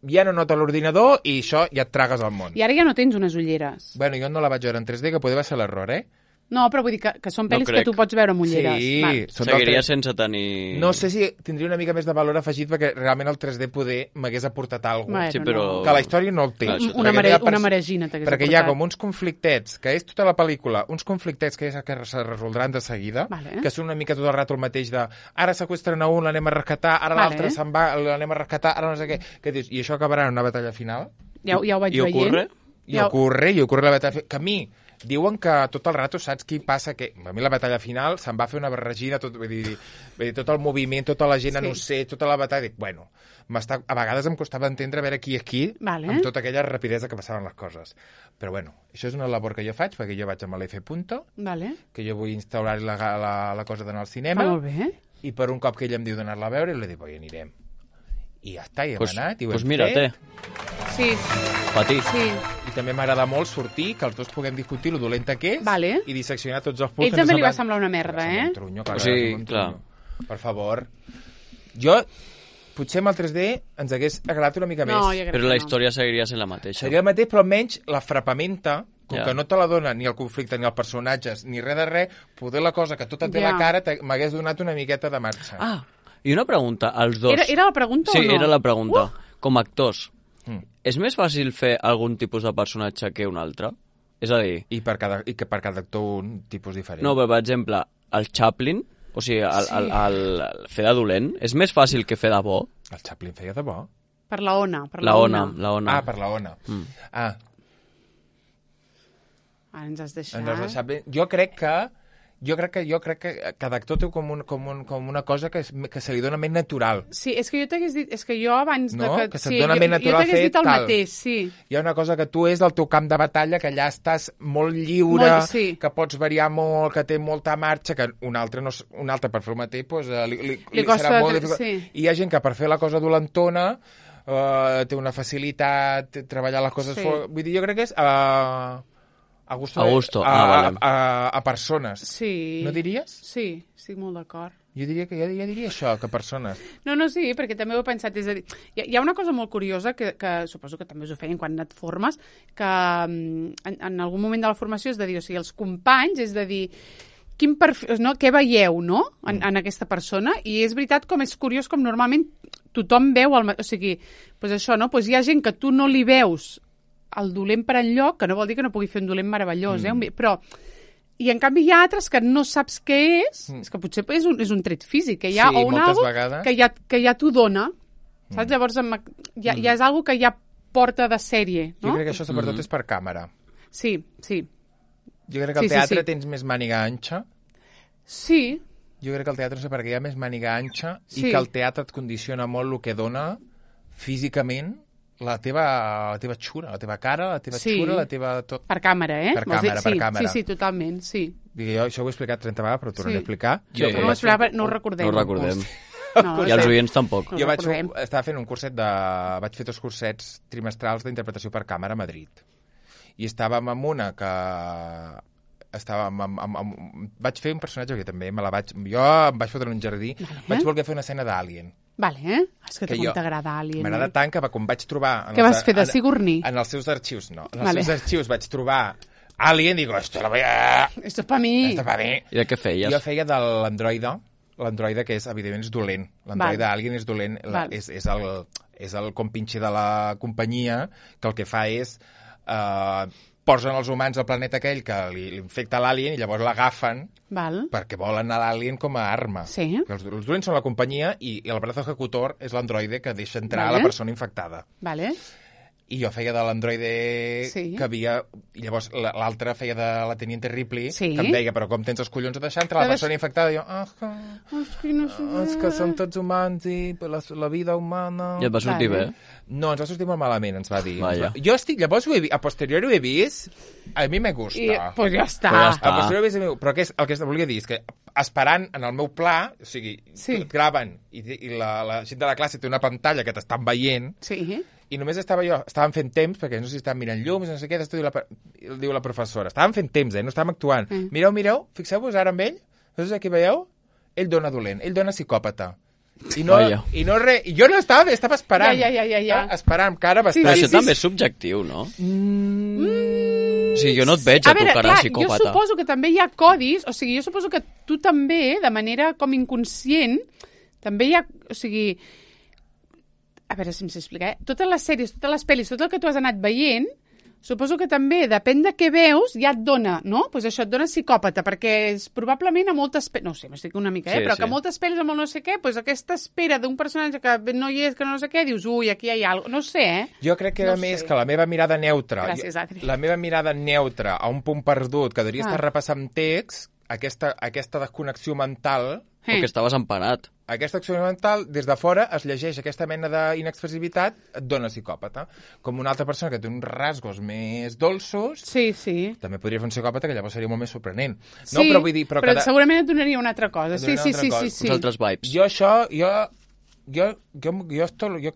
ja no nota l'ordinador i això ja et tragues al món. I ara ja no tens unes ulleres. Bueno, jo no la vaig veure en 3D, que potser va ser l'error, No, però vull dir que són pel·lis que tu pots veure amb ulleres. Sí. Seguiria sense tenir... No sé si tindria una mica més de valor afegit perquè realment el 3D poder m'hagués aportat alguna cosa. Sí, però... Que la història no el té. Una maregina t'hagués aportat. Perquè hi ha com uns conflictets, que és tota la pel·lícula, uns conflictets que se resoldran de seguida, que són una mica tot el rato el mateix de ara seqüestren a un, l'anem a rescatar, ara l'altre se'n va, l'anem a rescatar, ara no sé què. Que dius, i això acabarà en una batalla final? Ja ho vaig veient. I ocorre la batalla final. Que a mi diuen que tot el rato saps què passa, que a mi la batalla final se'n va fer una barregina, tot el moviment, tota la gent, no sé, tota la batalla, dic, bueno, a vegades em costava entendre a veure qui és qui, amb tota aquella rapidesa que passaven les coses. Però bueno, això és una labor que jo faig, perquè jo vaig amb l'F. Que jo vull instaurar la cosa d'anar al cinema, i per un cop que ell em diu d'anar-la a veure, li dic, oi, anirem. I ja està, i hem anat, i ho hem fet. Mira-te. Sí. Patir. Sí. I també m'agrada molt sortir, que els dos puguem discutir lo dolenta que és i disseccionar tots els punts. Ell també li va semblar una merda, Un trunyo, clar. Clar. Per favor. Jo, potser amb el 3D ens hagués agradat una mica més. Però la història seguiria sent la mateixa. Seria el mateix, però almenys la frapamenta, com que no te la dona ni el conflicte, ni els personatges, ni res de res, poder la cosa que tot et ve a la cara m'hagués donat una miqueta de marxa. I una pregunta, als dos... Era la pregunta o no? Sí, era la pregunta. Com a actors, és més fàcil fer algun tipus de personatge que un altre? És a dir... I que per cada actor un tipus diferent. No, però per exemple, el Chaplin, o sigui, el fer de dolent, és més fàcil que fer de bo? El Chaplin feia de bo? Per la Ona. La Ona. Ah, per la Ona. Ens has deixat... Jo crec que cada actor té com una cosa que se li dona més natural. Sí, és que jo t'hagués dit... És que jo abans... Que se't dona més natural fer tal. Jo t'hagués dit el mateix, sí. Hi ha una cosa que tu és del teu camp de batalla, que allà estàs molt lliure, que pots variar molt, que té molta marxa, que un altre per fer el mateix li serà molt difícil. I hi ha gent que per fer la cosa dolentona té una facilitat, treballar les coses... Vull dir, jo crec que és... A persones. Sí. No diries? Sí, estic molt d'acord. Jo diria això, que persones. No, sí, perquè també ho he pensat. És a dir, hi ha una cosa molt curiosa que suposo que també us ho feien quan et formes, que en algun moment de la formació és de dir, o sigui, els companys, és de dir, quin perfil, no? Què veieu, no? En aquesta persona, i és veritat com és curiós com normalment tothom veu, o sigui, doncs això, no? Doncs hi ha gent que tu no li veus el dolent per enlloc, que no vol dir que no pugui fer un dolent meravellós, però i en canvi hi ha altres que no saps què és que potser és un tret físic que hi ha, o un algo que ja t'ho dona, saps? Llavors ja és algo que ja porta de sèrie, no? Jo crec que això sobretot és per càmera. Sí. Jo crec que al teatre tens més màniga anxa. Sí. Jo crec que al teatre no sé per què hi ha més màniga anxa i que el teatre et condiciona molt el que dona físicament la teva xura, la teva cara, la teva xura, la teva tot. Per càmera, Per càmera. Sí, totalment, sí. Jo això ho he explicat 30 vegades, però ho tornaré a explicar. No ho recordem. No ho recordem. No, I els oients tampoc. Jo estava fent un curset vaig fer 2 cursets trimestrals d'interpretació per càmera a Madrid. I estàvem amb una que vaig fer un personatge que també jo em vaig fotre en un jardí, vaig voler fer una escena d'Alien. Vale, és que com t'agrada Alien. M'agrada tant que quan vaig trobar... Què vas fer, de Sigourney? En els seus arxius, no. En els seus arxius vaig trobar Alien, digo, esto lo voy a... Esto es pa mi. I de què feies? Jo feia de l'androide que és, evidentment, és dolent. L'androide Alien és dolent, és el compinxer de la companyia, que el que fa és... posen els humans al planeta aquell que li infecta l'alien i llavors l'agafen perquè volen a l'alien com a arma. Sí. Els dolents són la companyia i el braç executor és l'androide que deixa entrar la persona infectada. Vale. I jo feia de l'androide que havia... I llavors l'altre feia de la teniente Ripley, que em deia, però com tens els collons de deixar entrar la persona infectada? I jo, és que són tots humans i la vida humana... I et va sortir bé? No, ens va sortir molt malament, ens va dir. Jo estic... Llavors, a posteriori ho he vist, a mi me gusta. Pues ja està. A posteriori ho he vist, però el que volia dir és que esperant en el meu pla, o sigui, et graven i la gent de la classe té una pantalla que t'estan veient, i només estàvem fent temps, perquè no sé si estàvem mirant llums, no sé què, diu la professora. Estàvem fent temps, no estàvem actuant. Mireu, fixeu-vos ara amb ell, no sé què veieu? Ell dona dolent, ell dona psicòpata. I jo no estava esperant. Esperant, cara bastant. Però això també és subjectiu, no? O sigui, jo no et veig a tu cara psicòpata. Jo suposo que també hi ha codis, o sigui, jo suposo que tu també, de manera com inconscient, també hi ha, o sigui... A veure si em sé explicar, totes les sèries, totes les pel·lis, tot el que tu has anat veient, suposo que també, depèn de què veus, ja et dona, no? Doncs això et dona psicòpata, perquè és probablement a moltes pel·lis, no sé, m'estic una mica, però que a moltes pel·lis amb el no sé què, doncs aquesta espera d'un personatge que no hi és, que no sé què, dius, ui, aquí hi ha alguna cosa, no sé, Jo crec que era més que la meva mirada neutra, Gràcies, Adri. La meva mirada neutra a un punt perdut, que devia estar repassant text, aquesta desconnexió mental... O que estaves empanat. Aquesta acció mental, des de fora, es llegeix aquesta mena d'inexpressivitat, et dona psicòpata. Com una altra persona que té uns rasgos més dolços, també podria fer un psicòpata, que llavors seria molt més sorprenent. Sí, no, però vull dir... Però segurament et donaria una altra cosa. Sí. Uns altres vibes. Jo això... Jo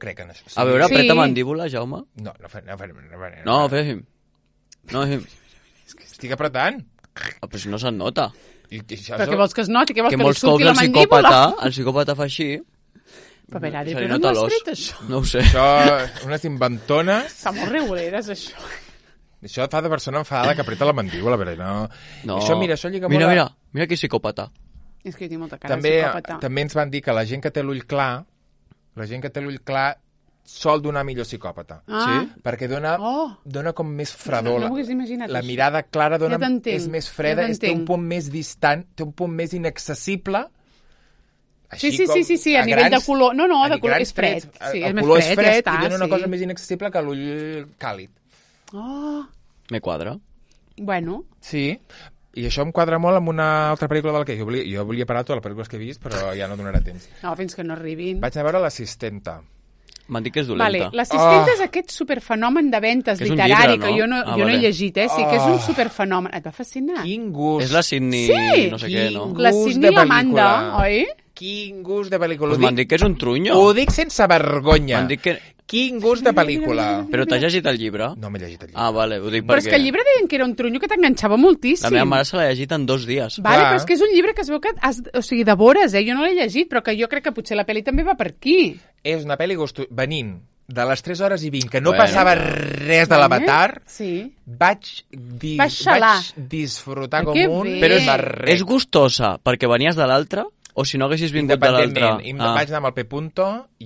crec en això. A veure, apreta mandíbula, Jaume. No fem. Estic apretant. Però si no se't nota. Però què vols que es noti? Què vols que li surti la mandíbula? El psicòpata fa així. Però a veure, però no has tret això? No ho sé. Això, unes inventones... Fa molt reguleres, això. Això fa de persona enfadada que apreta la mandíbula, però no... Això lliga molt... Mira que psicòpata. És que jo tinc molta cara de psicòpata. També ens van dir que la gent que té l'ull clar, sol donar millor psicòpata. Perquè dona com més fredor. No m'ho hagués imaginat. La mirada clara és més freda, té un punt més distant, té un punt més inaccessible. Sí, a nivell de color. No, de color és fred. El color és fred i dona una cosa més inaccessible que l'ull càlid. Me quadra. Bueno. Sí, i això em quadra molt amb una altra pel·lícula del que jo volia parar totes les pel·lícules que he vist, però ja no donarà temps. No, fins que no arribin. Vaig anar a veure L'Assistenta. M'han dit que és dolenta. L'Assistenta és aquest superfenomen de ventes literari, que jo no he llegit, sí, que és un superfenomen. Et va fascinar? Quin gust. És la Sydney, no sé què, no? La Sydney Amanda, oi? Quin gust de pel·lícula. Pues m'han dit que és un trunyo. Ho dic sense vergonya. M'han dit que... Quin gust de pel·lícula. Però t'has llegit el llibre? No m'he llegit el llibre. Ah, vale, ho dic perquè... Però és que el llibre deien que era un trunyo que t'enganxava moltíssim. La meva mare se l'ha llegit en 2 dies. Vale, però és que és un llibre que es veu que o sigui, devores, jo no l'he llegit, però que jo crec que potser la pel·li també va per aquí. És una pel·li venint de les 3 hores i 20, que no passava res de l'Avatar, vaig disfrutar com un... Però és gustosa perquè venies de l'altre? O si no haguessis vingut de l'altre... Vaig anar amb el P.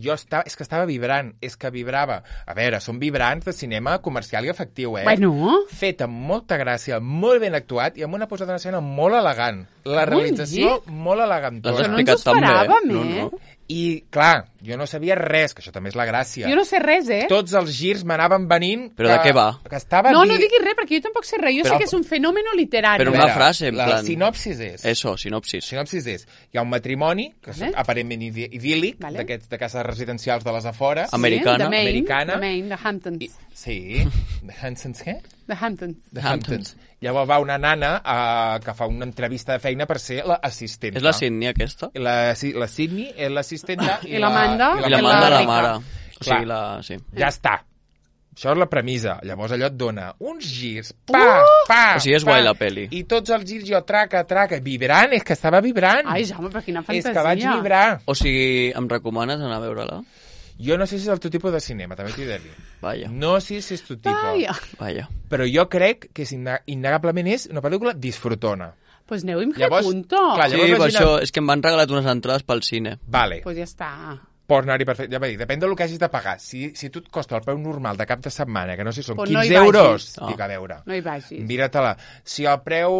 És que estava vibrant, és que vibrava. A veure, són vibrants de cinema comercial i efectiu, Bueno. Fet amb molta gràcia, molt ben actuat i amb una posada en escena molt elegant. La realització molt elegantona. L'has explicat tan bé. No. I, clar, jo no sabia res, que això també és la gràcia. Jo no sé res, Tots els girs m'anaven venint... Però de què va? Que estava no diguis res, perquè jo tampoc sé res. Jo sé que és un fenòmeno literari. Però una frase, en plan... La sinopsis és... Eso, sinopsis. Sinopsis és... Hi ha un matrimoni, que és aparentment idíl·lic, d'aquests de cases residencials de les afores. Americana. De Maine, de Hamptons. Sí. De Hamptons, què? De Hamptons. De Hamptons. Llavors va una nana que fa una entrevista de feina per ser l'assistenta. És la Sydney, aquesta? La Sydney és l'assistenta i l'Amanda. I l'Amanda la mare. O sigui, sí. Ja està. Això és la premissa. Llavors allò et dona uns girs, o sigui, és guai la peli. I tots els girs jo traca, vibrant, és que estava vibrant. Ai, Jaume, però quina fantasia. És que vaig vibrar. O sigui, em recomanes anar a veure-la? Jo no sé si és el teu tipus de cinema, també t'hi he de dir. Vaja. No sé si és tu tipus. Vaja. Però jo crec que innegablement és una pel·lícula disfrutona. Pues aneu-hi amb punto. Sí, per això, és que em van regalar unes entrades pel cine. Vale. Pues ja està. Pots anar-hi perfecte. Ja va dir, depèn del que hagis de pagar. Si tu et costa el preu normal de cap de setmana, que no sé si són 15 euros, dic a veure. No hi vagis. Mira-te-la. Si el preu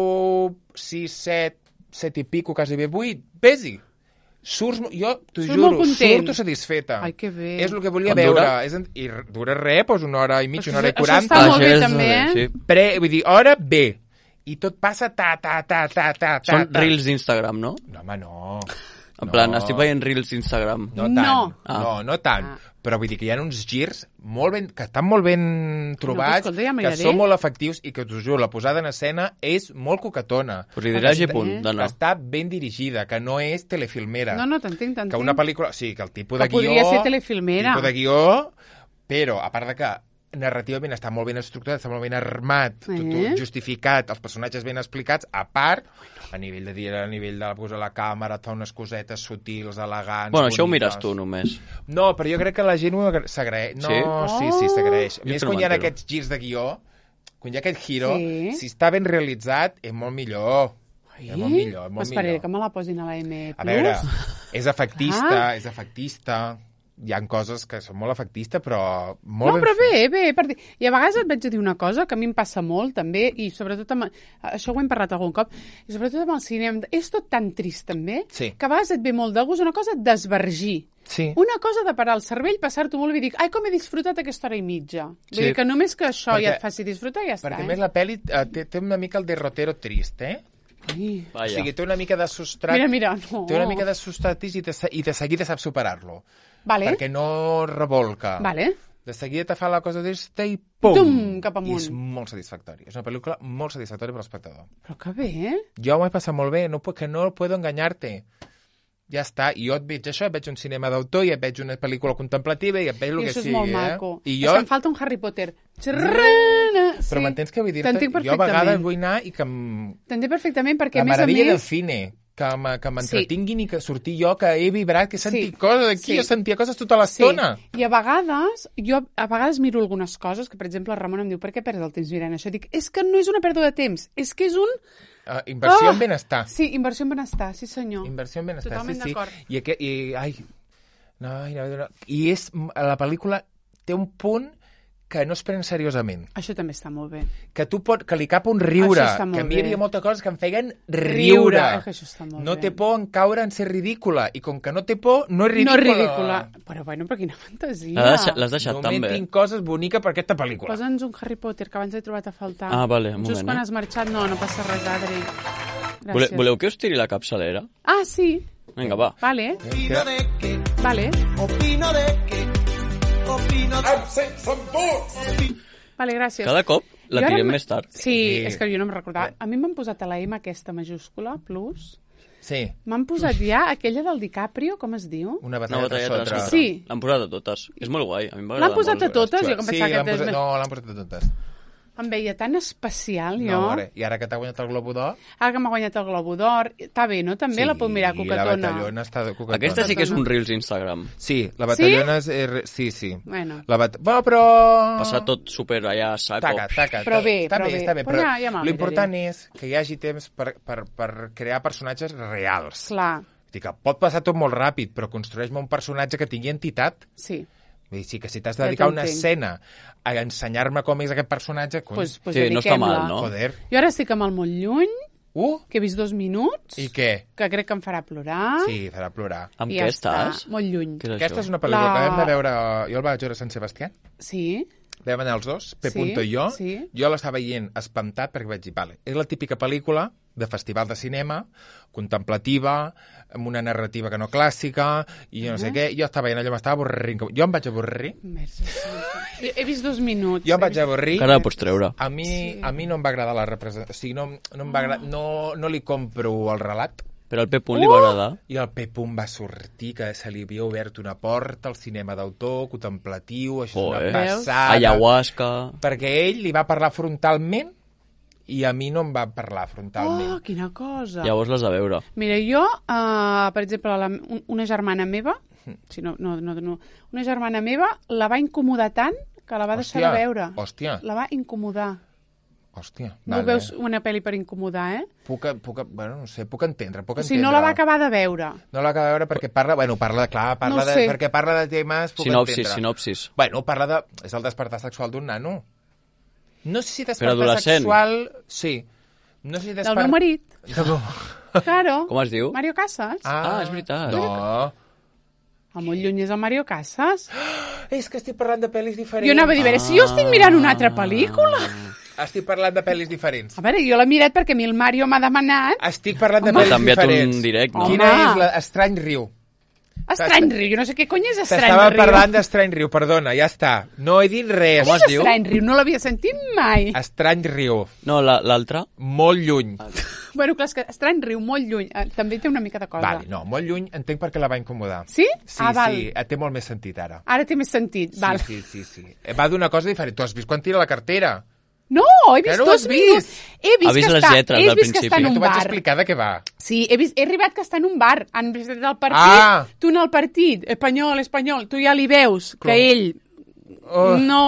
6, 7 i pico, quasi bé 8, vés-hi. Jo t'ho juro, surto satisfeta. Ai, que bé. És el que volia veure. I dura res, doncs una hora i mitja, una hora i 40. Això està molt bé, també, Vull dir, hora bé. I tot passa Són reels d'Instagram, no? No, home, no. En plan, estic veient reels d'Instagram. No tant. No tant. Però vull dir que hi ha uns girs que estan molt ben trobats, que són molt efectius i que, t'ho juro, la posada en escena és molt coquetona. Pues li diràs i punt, que està ben dirigida, que no és telefilmera. No, t'entenc. Que una pel·lícula... Sí, que el tipus de guió... Que podria ser telefilmera. Tipus de guió, però, a part de que narrativament està molt ben estructurat, està molt ben armat, tot justificat, els personatges ben explicats, a part, a nivell de posar la càmera, et fa unes cosetes sutils, elegants, bueno, això ho mires tu només. No, però jo crec que la gent s'agraeix. No, sí, s'agraeix. Més quan hi ha aquests girs de guió, quan hi ha aquest giro, si està ben realitzat, és molt millor. És molt millor, és molt millor. Esperaré que me la posin a la M+. A veure, és efectista, hi ha coses que són molt efectistes, però molt ben fet. Però bé. I a vegades et vaig a dir una cosa que a mi em passa molt, també, i sobretot això ho hem parlat algun cop, i sobretot amb el cinema, és tot tan trist, també, que a vegades et ve molt de gust una cosa d'esvergir. Sí. Una cosa de parar el cervell, passar-t'ho molt bé i dir, ai, com he disfrutat aquesta hora i mitja. Vull dir que només que això ja et faci disfrutar, ja està. Perquè més la pel·li té una mica el derrotero trist, O sigui, té una mica de sostrat... Mira, no. Té una mica de sostratis i de seguida saps superar-lo. Vale. Perquè no revolca. Vale. De seguida te fa la cosa d'esta i pum! Cap amunt. I és molt satisfactori. És una pel·lícula molt satisfactòria per l'espectador. Però que bé, Jo m'ho he passat molt bé, que no puedo engañarte. Ja està, i jo et veig això, et veig un cinema d'autor, i et veig una pel·lícula contemplativa, i et veig el que sigui. I això és molt maco. I jo... És que em falta un Harry Potter. Però m'entens què vull dir-te? Jo a vegades vull anar i que t'entenc perfectament, perquè a més a més... La meravella del cine, que m'entretinguin i que sortir jo, que he vibrat, que he sentit coses aquí, jo sentia coses tota l'estona. I a vegades miro algunes coses, que per exemple el Ramon em diu, per què perds el temps mirant això? Dic, és que no és una pèrdua de temps, és que és un... Inversió en benestar. Sí, inversió en benestar, sí senyor. Inversió en benestar, totalment d'acord. I és, la pel·lícula té un punt que no es pren seriosament. Això també està molt bé. Que li cap un riure. Que a mi hi havia moltes coses que em feien riure. Això està molt no té por en caure en ser ridícula. I com que no té por, no és ridícula. No és ridícula. Però bueno, però quina fantasia. L'has deixat tan bé. Només tinc coses boniques per aquesta pel·lícula. Posa'ns un Harry Potter, que abans he trobat a faltar. Ah, vale, un moment. Just quan has marxat, no passa res, Adri. Gràcies. Voleu que us tiri la capçalera? Ah, sí. Vinga, va. Vale. Vale. Opino de que... Vale, gràcies. Cada cop la tirem més tard. Sí, és que jo no em recordava. A mi m'han posat a la M aquesta majúscula, plus. Sí. M'han posat ja aquella del DiCaprio, com es diu? Una batalla de sí. L'han posat a totes. És molt guai. A mi m'agrada molt. L'han posat a totes? Jo sí, no, l'han posat a totes. Em veia tan especial, jo. No, ara, i ara que t'ha guanyat el Globo d'Or... Ara que m'ha guanyat el Globo d'Or, està bé, no? També la puc mirar, la coquetona. Batallona està de coquetona. Aquesta sí que és un Reels Instagram. Sí, la Batallona és... Sí. Bueno. Bueno, però... Passar tot super allà a saco. Però bé, està bé. Però ja l'important és que hi hagi temps per crear personatges reals. Clar. Dic que pot passar tot molt ràpid, però construeix-me un personatge que tingui entitat. Sí. Vull dir, sí que si t'has de dedicar una escena a ensenyar-me com és aquest personatge... Pues sí, no està mal, no? Joder. Jo ara estic amb el molt lluny, que he vist 2 minuts. I què? Que crec que em farà plorar. Sí, farà plorar. Amb què estàs? Molt lluny. Aquesta és una pel·lícula que vam de veure... Jo el vaig veure a Sant Sebastià. Sí. Vam anar els dos, P.I jo. Sí. Jo l'estava veient espantat perquè vaig dir, vale, és la típica pel·lícula de festival de cinema, contemplativa, amb una narrativa que no clàssica, i no sé què. Jo estava veient allò, m'estava avorrint. Jo em vaig avorrir. He vist 2 minuts. Jo em vaig avorrir. Encara la pots treure. A mi no em va agradar la representació. O sigui, no em va agradar, no li compro el relat. Però al P. li va agradar. I el P. va sortir, que se li havia obert una porta al cinema d'autor, contemplatiu, això és una passada. Ayahuasca. Perquè ell li va parlar frontalment i a mi no em va parlar frontalment. Oh, quina cosa. Llavors l'has de veure. Mira, jo, per exemple, una germana meva, una germana meva la va incomodar tant que la va deixar de veure. Hòstia. La va incomodar. Hòstia, no veus una pel·li per incomodar, eh? Bueno, no sé, puc entendre. O sigui, no la va acabar de veure. No la va acabar de veure perquè perquè parla de temes... Sinopsis. Bueno, és el despertar sexual d'un nano. No sé si despertar però sexual... Sí. No sé si del meu marit. Claro. Com es diu? Mario Casas. Ah, és veritat. No. El molt lluny és el Mario Casas. És que estic parlant de pel·lis diferents. Jo anava a dir, si jo estic mirant una altra pel·lícula... Estic parlant de pel·lis diferents. A veure, jo l'he mirat perquè a mi el Mario m'ha demanat... Estic parlant de pel·lis diferents. T'ha enviat un direct, no? Quina és l'Estrany Riu? Estrany Riu, jo no sé què cony és Estrany Riu. T'estava parlant d'Estrany Riu, perdona, ja està. No he dit res. Com es diu? Estrany Riu, no l'havia sentit mai. Estrany Riu. No, l'altre? Molt lluny. Bueno, clar, és que Estrany Riu, molt lluny. També té una mica de cosa. Vale, no, molt lluny entenc perquè la va incomodar. Sí? Sí, val. Sí, té molt més sentit ara. Ara té més sentit, val. Sí. Va d'una cosa diferent. Tu has vist quan tira la cartera? No, he vist no 2 minuts. He vist les lletres del principi. Que està en un bar. T'ho vaig explicar de què va. Sí, he arribat que està en un bar. Han presentat el partit, tu en el partit, espanyol, tu ja li veus que ell no,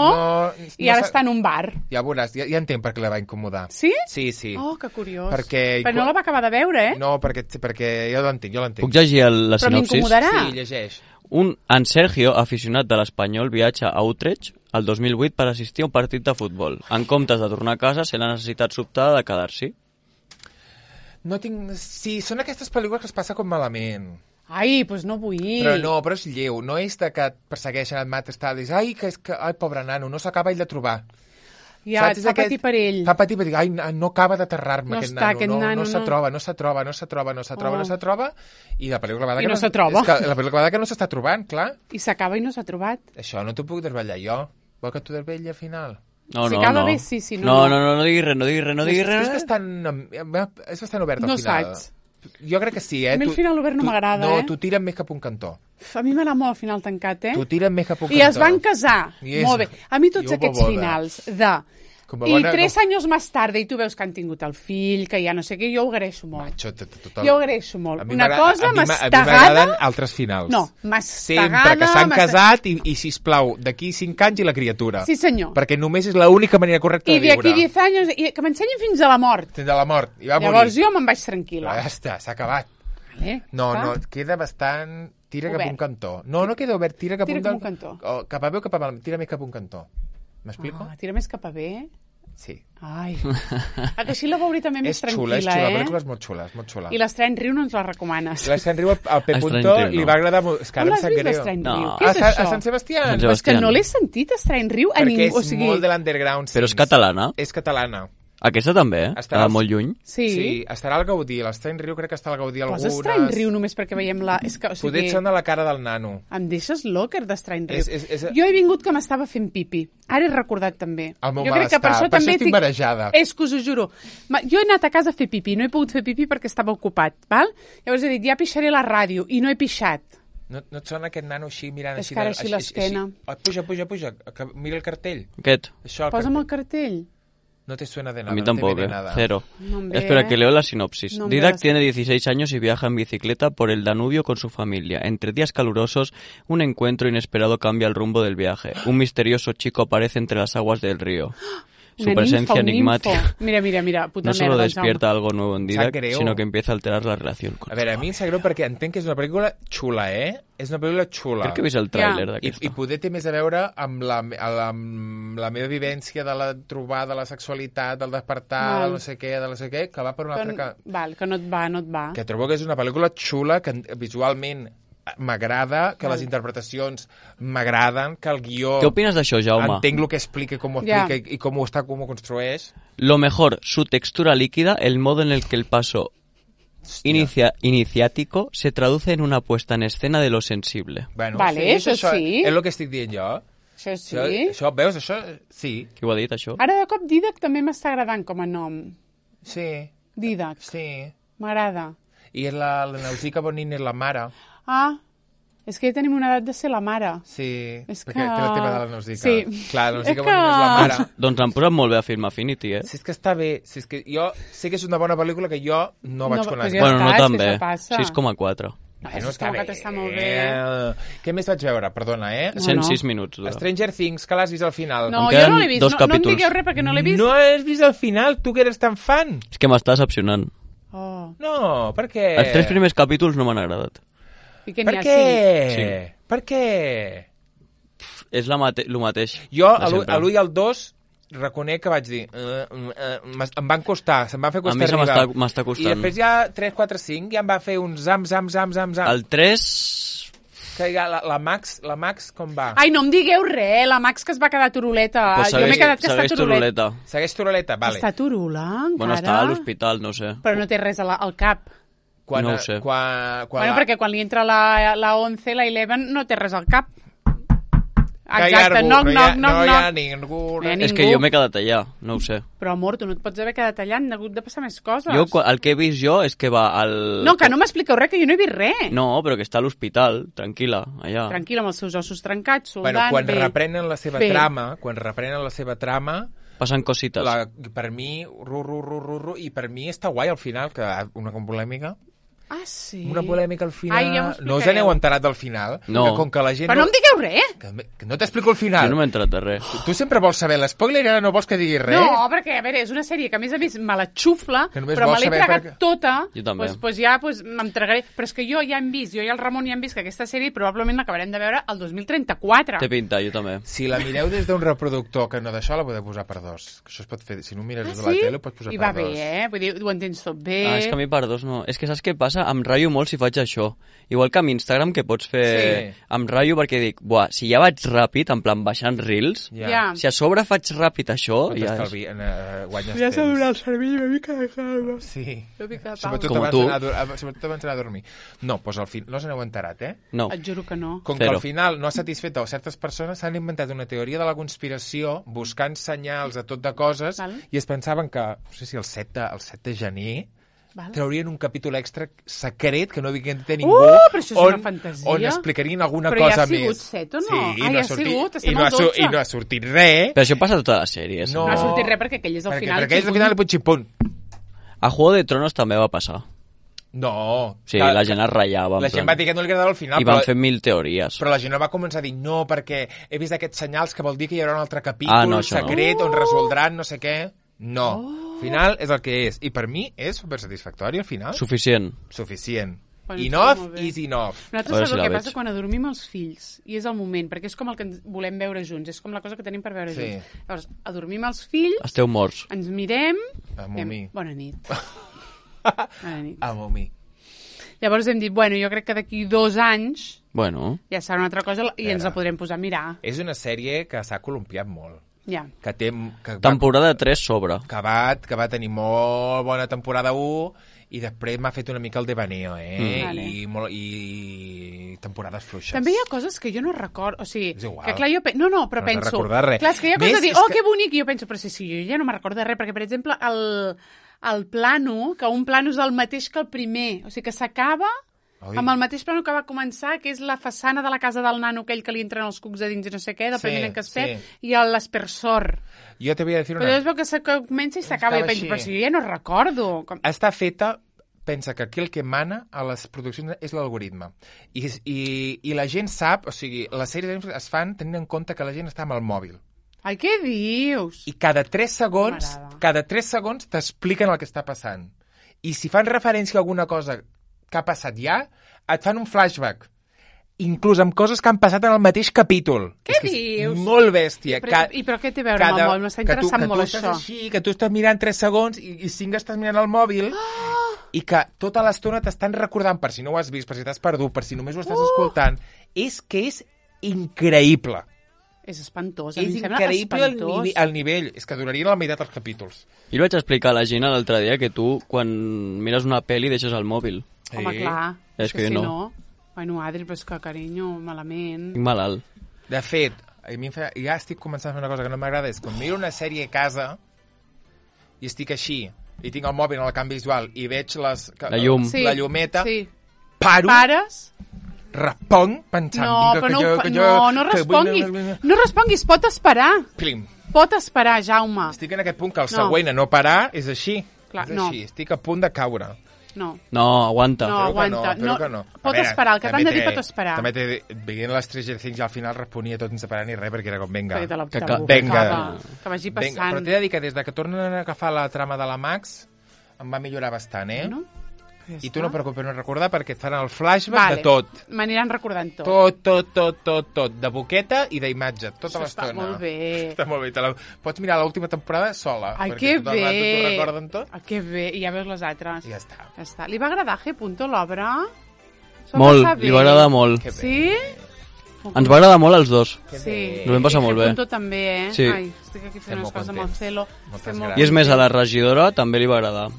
i ara està en un bar. Ja veuràs, ja entenc per què la va incomodar. Sí? Sí. Oh, que curiós. Però no la va acabar de veure, eh? No, perquè jo l'entenc. Puc llegir la sinopsis? Però m'incomodarà. Sí, llegeix. En Sergio, aficionat de l'Espanyol, viatja a Utrecht el 2008 per assistir a un partit de futbol. En comptes de tornar a casa, sé la necessitat sobtada de quedar-s'hi. No tinc... Sí, són aquestes pel·lícules que es passa com malament. Ai, doncs no vull. Però és lleu. No és de que et persegueixen, et mates, tal. És, ai, pobre nano, no s'acaba ell de trobar. Ja, et fa patir per ell. Fa patir per ell. Ai, no acaba d'aterrar-me aquest nano. No s'atroba. I la pel·lícula va I no s'atroba. La pel·lícula va que no s'està trobant, clar. I s'acaba i no s'ha trobat. Això no t'ho puc desvetllar jo. Vol que t'ho desvetlli al final? No. Bé, sí, no diguis res. És bastant obert al final. No saps. Jo crec que sí, A mi el final obert no m'agrada, No, t'ho tiren més cap un cantó. A mi m'agrada molt el final tancat, eh? T'ho tiren més cap un cantó. I es van casar. Molt bé. A mi tots aquests finals de... I 3 anys més tard, i tu veus que han tingut el fill, que ja no sé què, jo ho agraeixo molt. Jo ho agraeixo molt. Una cosa mastegada... A mi m'agraden altres finals. No, mastegada... Sempre que s'han casat i sisplau, d'aquí 5 anys i la criatura. Sí, senyor. Perquè només és l'única manera correcta de viure. I d'aquí 10 anys, que m'ensenyin fins a la mort. Fins a la mort. I va morir. Llavors jo me'n vaig tranquil·la. Ja està, s'ha acabat. Vale, no, queda bastant... Tira cap un cantó. No queda obert, tira cap un cantó. Cap a bé o cap a mal, tira més cap un cantó. M'explico? Tira més cap a bé? Sí. Ai. Que així la veuré també més tranquil·la, És xula, la pel·lícula és molt xula. I l'Estrany Riu no ens la recomanes. L'Estrany Riu al P. li va agradar molt. És que ara em sap greu. Què és això? A Sant Sebastià. És que no l'he sentit, Estrany Riu, a ningú. Perquè és molt de l'underground. Però és catalana? És catalana. Aquesta també, Està molt lluny. Sí, estarà al Gaudí. L'Estrany Riu crec que està al Gaudí algunes. Posa Estrany Riu només perquè veiem la... Poder et sona la cara del nano. Em deixes locker d'Estrany Riu. Jo he vingut que m'estava fent pipi. Ara he recordat també. El meu malestar. Per això estic marejada. És que us ho juro. Jo he anat a casa a fer pipi. No he pogut fer pipi perquè estava ocupat. Val? Llavors he dit, ja pixaré la ràdio. I no he pixat. No et sona aquest nano així mirant així? És que ara així l'esquena. Puja. Mira el cartell. Aquest. Posa'm el cartell. No te suena de nada. A mí no te tampoco, viene nada. Cero. No em ve. Espera, que leo la sinopsis. No em ve Didac la tiene 16 años y viaja en bicicleta por el Danubio con su familia. Entre días calurosos, un encuentro inesperado cambia el rumbo del viaje. Un misterioso chico aparece entre las aguas del río. Su presencia enigmática Mira, puta no solo merda, despierta algo nuevo en Didac, greu. sinó que empieza a alterar la relación con A veure, a mi em sap greu perquè entenc que és una pel·lícula xula, És una pel·lícula xula. Crec que he vist el tràiler Ja. d'aquesta. I poder té més a veure amb la meva vivència de la trobada, de la sexualitat, del despertar, Val. de no sé què, que va per una altra... Val, que no et va. Que trobo que és una pel·lícula xula, que visualment m'agrada, que les interpretacions m'agraden, que el guió... ¿Qué opinas d'això, Jaume? Entenc el que explica, com ho Ja. explica i com ho construeix. Lo mejor, su textura líquida, el modo en el que el paso iniciático se traduce en una puesta en escena de lo sensible. Bueno, Vale, això sí. És el que estic dient jo. Això sí. Això, veus, això? Sí. Qui ho ha dit, això? Ara de cop Didac també m'està agradant com a nom. Sí. Didac. Sí. M'agrada. I la Nausica Bonin és la mare. Ah, és que ja tenim una edat de ser la mare. Sí, És perquè que- té la teva de la Nausica. Sí. Clar, la Nausica És Bonin és la que- mare. Doncs han posat molt bé a Film Affinity, Si és que està bé, si és que jo sé que és una bona pel·lícula que jo no vaig No, conèixer. pues ja Bueno, està, no és tan que bé. això passa. 6,4. Això és com que està molt bé. Què més vaig veure? Perdona, 106 minuts dura. Stranger Things, que l'has vist al final. No, Em jo queden no l'he vist. dos No em capítols. digueu res perquè no l'he vist. No has vist al final, tu que eres tan fan. És que m'està decepcionant. Oh. No, per què? Els 3 primers capítols no m'han agradat. I que Per n'hi ha què? Sí. Per què? És lo mateix. Jo, de a sempre. l'1 i al 2, reconec que vaig dir... em van costar, se'm van fer A costar mi se arribar. m'està costant. I després ja 3, 4, 5 ja em va fer un zam. El 3... Que ja la Max com va? Ai, no em digueu res, la Max que es va quedar turuleta. Pues Jo m'he quedat que està segueix turuleta. Segueix turuleta, vale. Està turula, encara? Bueno, està a l'hospital, no sé. Però no té res al cap. No ho sé. Bueno, perquè quan li entra la 11, la 11, no té res al cap. Que hi ha Exacte, algú, knock, no knock, hi knock, ha knock. ningú. No hi ha És que ningú. jo m'he quedat allà, no ho sé. Però, amor, tu no et pots haver quedat allà, han hagut de passar més coses. El que he vist jo és que va al... No, que no m'expliqueu res, que jo no he vist res. No, però que està a l'hospital, tranquil·la, allà. Tranquil, amb els seus ossos trencats, soldant, Bueno, quan bé. reprenen la seva Bé. trama, Passen cosites. per mi, i per mi està guai al final, que una polèmica. Ah, sí? Una polèmica al final. Ai, ja m'ho no us explicareu. aneu enterat del final? No. Que com que la gent Però no em digueu res. que no t'explico el final. Jo no m'he entrat de res. Tu sempre vols saber l'espoiler i ara no vols que digui res? No, perquè, a veure, és una sèrie que a més a més me la xufla, Que només però me vols l'he saber tragat perquè- tota. Jo també. Pues ja me'n tragaré. Però és que jo ja hem vist, jo i el Ramon ja hem vist que aquesta sèrie probablement l'acabarem de veure el 2034. Té pinta, jo també. Si la mireu des d'un reproductor que no d'això, la podeu posar per 2. Que això es pot fer, si no ho mires des de la tele, ho pots posar I per va 2. bé, Vull dir, ho entens tot bé. És que a mi per 2 no. És que saps què passa? Em ratllo molt si faig això. Igual que amb Instagram, que pots fer... Sí. Em ratllo perquè dic, buah, si ja vaig ràpid, en plan baixant reels, Ja. si a sobre faig ràpid això, Pot ja és... estalvi, guanyes Ja s'ha temps. donat el cervell una mica de calma. Sí. Una mica de Sobretot Com abans tu. d'anar a dormir. No, doncs al final no us n'heu enterat, No. Et juro que no. Com que Zero. al final no ha satisfet a certes persones, s'han inventat una teoria de la conspiració buscant senyals de tot de coses Val. i es pensaven que, no sé si el 7 de gener, Val. traurien un capítol extra secret que no havia de ningú però això és una fantasia. on explicarien alguna Però ja cosa ha sigut més. 7 o no? Sí, Ah, no ja ha ha sortit, sigut, i estem no ha, al 12. i no ha sortit res. Però això passa a totes les sèries. No. No ha sortit res perquè aquell és el perquè, final. perquè és el final i punt. A Juego de Tronos també va passar. No. Sí, la gent es ratllava. en La gent plan. va dir que no li agradava al final, I van fer 1000 teories. però la gent no va començar a dir no, perquè he vist aquests senyals que vol dir que hi haurà un altre capítol No, això no. secret on resoldran no sé què. No. Al final és el que és. I per mi és supersatisfactori al final. Suficient. Suficient. Bueno, Enough molt bé. is enough. A veure Nosaltres si sabeu la el que veig. passa quan adormim els fills, i és el moment, perquè és com el que ens volem veure junts, és com la cosa que tenim per veure Sí. junts. Llavors, adormim els fills, Esteu morts. ens mirem... Amo mi. Bona nit. Bona nit. Amo mi. Llavors hem dit, bueno, jo crec que d'aquí 2 anys Bueno, ja serà una altra cosa i ens la podrem posar a mirar. És una sèrie que s'ha columpiat molt. Ja. Que té... Que va, temporada 3 sobre. que va tenir molt bona temporada 1 i després m'ha fet una mica el devaneo, Vale. I temporades fluixes. També hi ha coses que jo no recordo, o sigui, És igual. que clar, jo... No, però No has de penso... recordar res. Clar, és que hi ha Més coses de dir, és oh, que- que bonic, i jo penso, però sí, jo ja no me'n recordo de res, perquè, per exemple, el plano, que un plano és el mateix que el primer, o sigui, que s'acaba Amb el mateix plano que va començar, que és la façana de la casa del nano aquell que li entren els cucs a dins i no sé què, del primer que es perd, i l'aspersor. Jo te voy a decir una... Però llavors veu que comença i s'acaba, i penso, però si jo ja no recordo. Està feta... Pensa que aquí el que mana a les produccions és l'algoritme. I la gent sap, o sigui, les sèries es fan tenint en compte que la gent està amb el mòbil. Ai, què dius? I cada 3 segons t'expliquen el que està passant. I si fan referència a alguna cosa que ha passat ja, et fan un flashback. Inclús amb coses que han passat en el mateix capítol. Què dius? És molt bèstia. I però què té a veure amb el mòbil? M'està interessant molt això. Que tu estàs així, que tu estàs mirant 3 segons i 5 estàs mirant el mòbil i que tota l'estona t'estan recordant, per si no ho has vist, per si t'has perdut, per si només ho estàs escoltant, és increïble. És espantós. És increïble el nivell. És que durarien la meitat els capítols. Jo vaig explicar a la Gina l'altre dia que tu, quan mires una pel·li, deixes el mòbil. Home, clar. És que jo no. Bueno, Adri, però és que, carinyo, malament. Estic malalt. De fet, ja estic començant a fer una cosa que no m'agrada, és quan miro una sèrie a casa i estic així, i tinc el mòbil en el canvi visual i veig la llumeta, paro, responc pensant... No responguis. No responguis, pot esperar. Plim. Pot esperar, Jaume. Estic en aquest punt que el següent a no parar és així. És així, estic a punt de caure. No, aguanta. No, aguanta. No. Pot esperar, el que t'han de dir pot esperar. També veient les Stranger Things al final responia tot sense parar ni res, perquè era com, vinga. Vinga. Que vagi passant. Però t'he de dir que des que tornen a agafar la trama de la Max em va millorar bastant, eh? No? I tu no et preocupis no recordar perquè et faran el flashback de tot. M'aniran recordant tot. Tot. De boqueta i d'imatge, tota l'estona. Està molt bé. Està molt bé. Pots mirar l'última temporada sola. Ai, que bé. Perquè t'ho recorden tot. Ai, que bé. I ja veus les altres. I ja està. Li va agradar G. l'obra? Molt, li va agradar molt. Sí? Ens va agradar molt als dos. Sí. Ens ho vam passar molt bé. I també, eh? Sí. Ai, estic aquí fent unes coses amb el celo. I és més, a la regidora també li va agradar.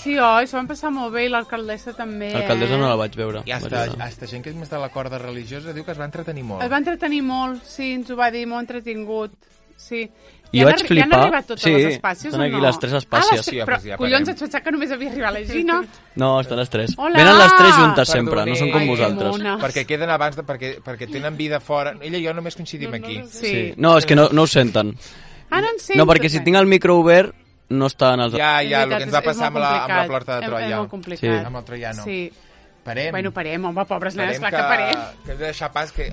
Sí, oi, s'ho van passar molt bé i l'alcaldessa també. L'alcaldessa no la vaig veure. I hasta gent que és més de la corda religiosa diu que es va entretenir molt. Es va entretenir molt, sí, ens ho va dir, molt entretingut. Sí. I vaig flipar. Ja han arribat totes les espàcies o no? Estan aquí les 3 espàcies. Però, collons, et pensava que només havia arribat la Gina. No, estan les 3. Hola! Venen les 3 juntes sempre, no són com vosaltres. Perquè queden abans, perquè tenen vida fora. Ella i jo només coincidim aquí. Sí. No, és que no ho senten. Ah, no en sento. No, perquè si tinc el micro obert, no estan els... Ja, el que ens va passar amb la porta de Troia. És molt complicat. Amb el troiano. Sí. Parem. Bueno, parem, home, pobres nenes, clar que parem. Que hem de deixar pas que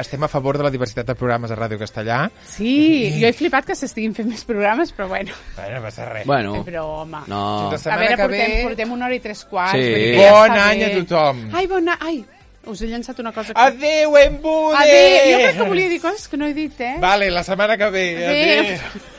estem a favor de la diversitat de programes a Ràdio Castellà. Sí, jo he flipat que s'estiguin fent més programes, però bueno. Bueno, no passa res. Bueno. Però, home. No. A veure, portem 1 hora i 3 quarts. Sí. Bon any a tothom. Ai, bon any. Ai, us he llançat una cosa. Adéu, embude! Adéu. Jo crec que volia dir coses que no he dit, eh? Vale, la setmana que ve. Adéu.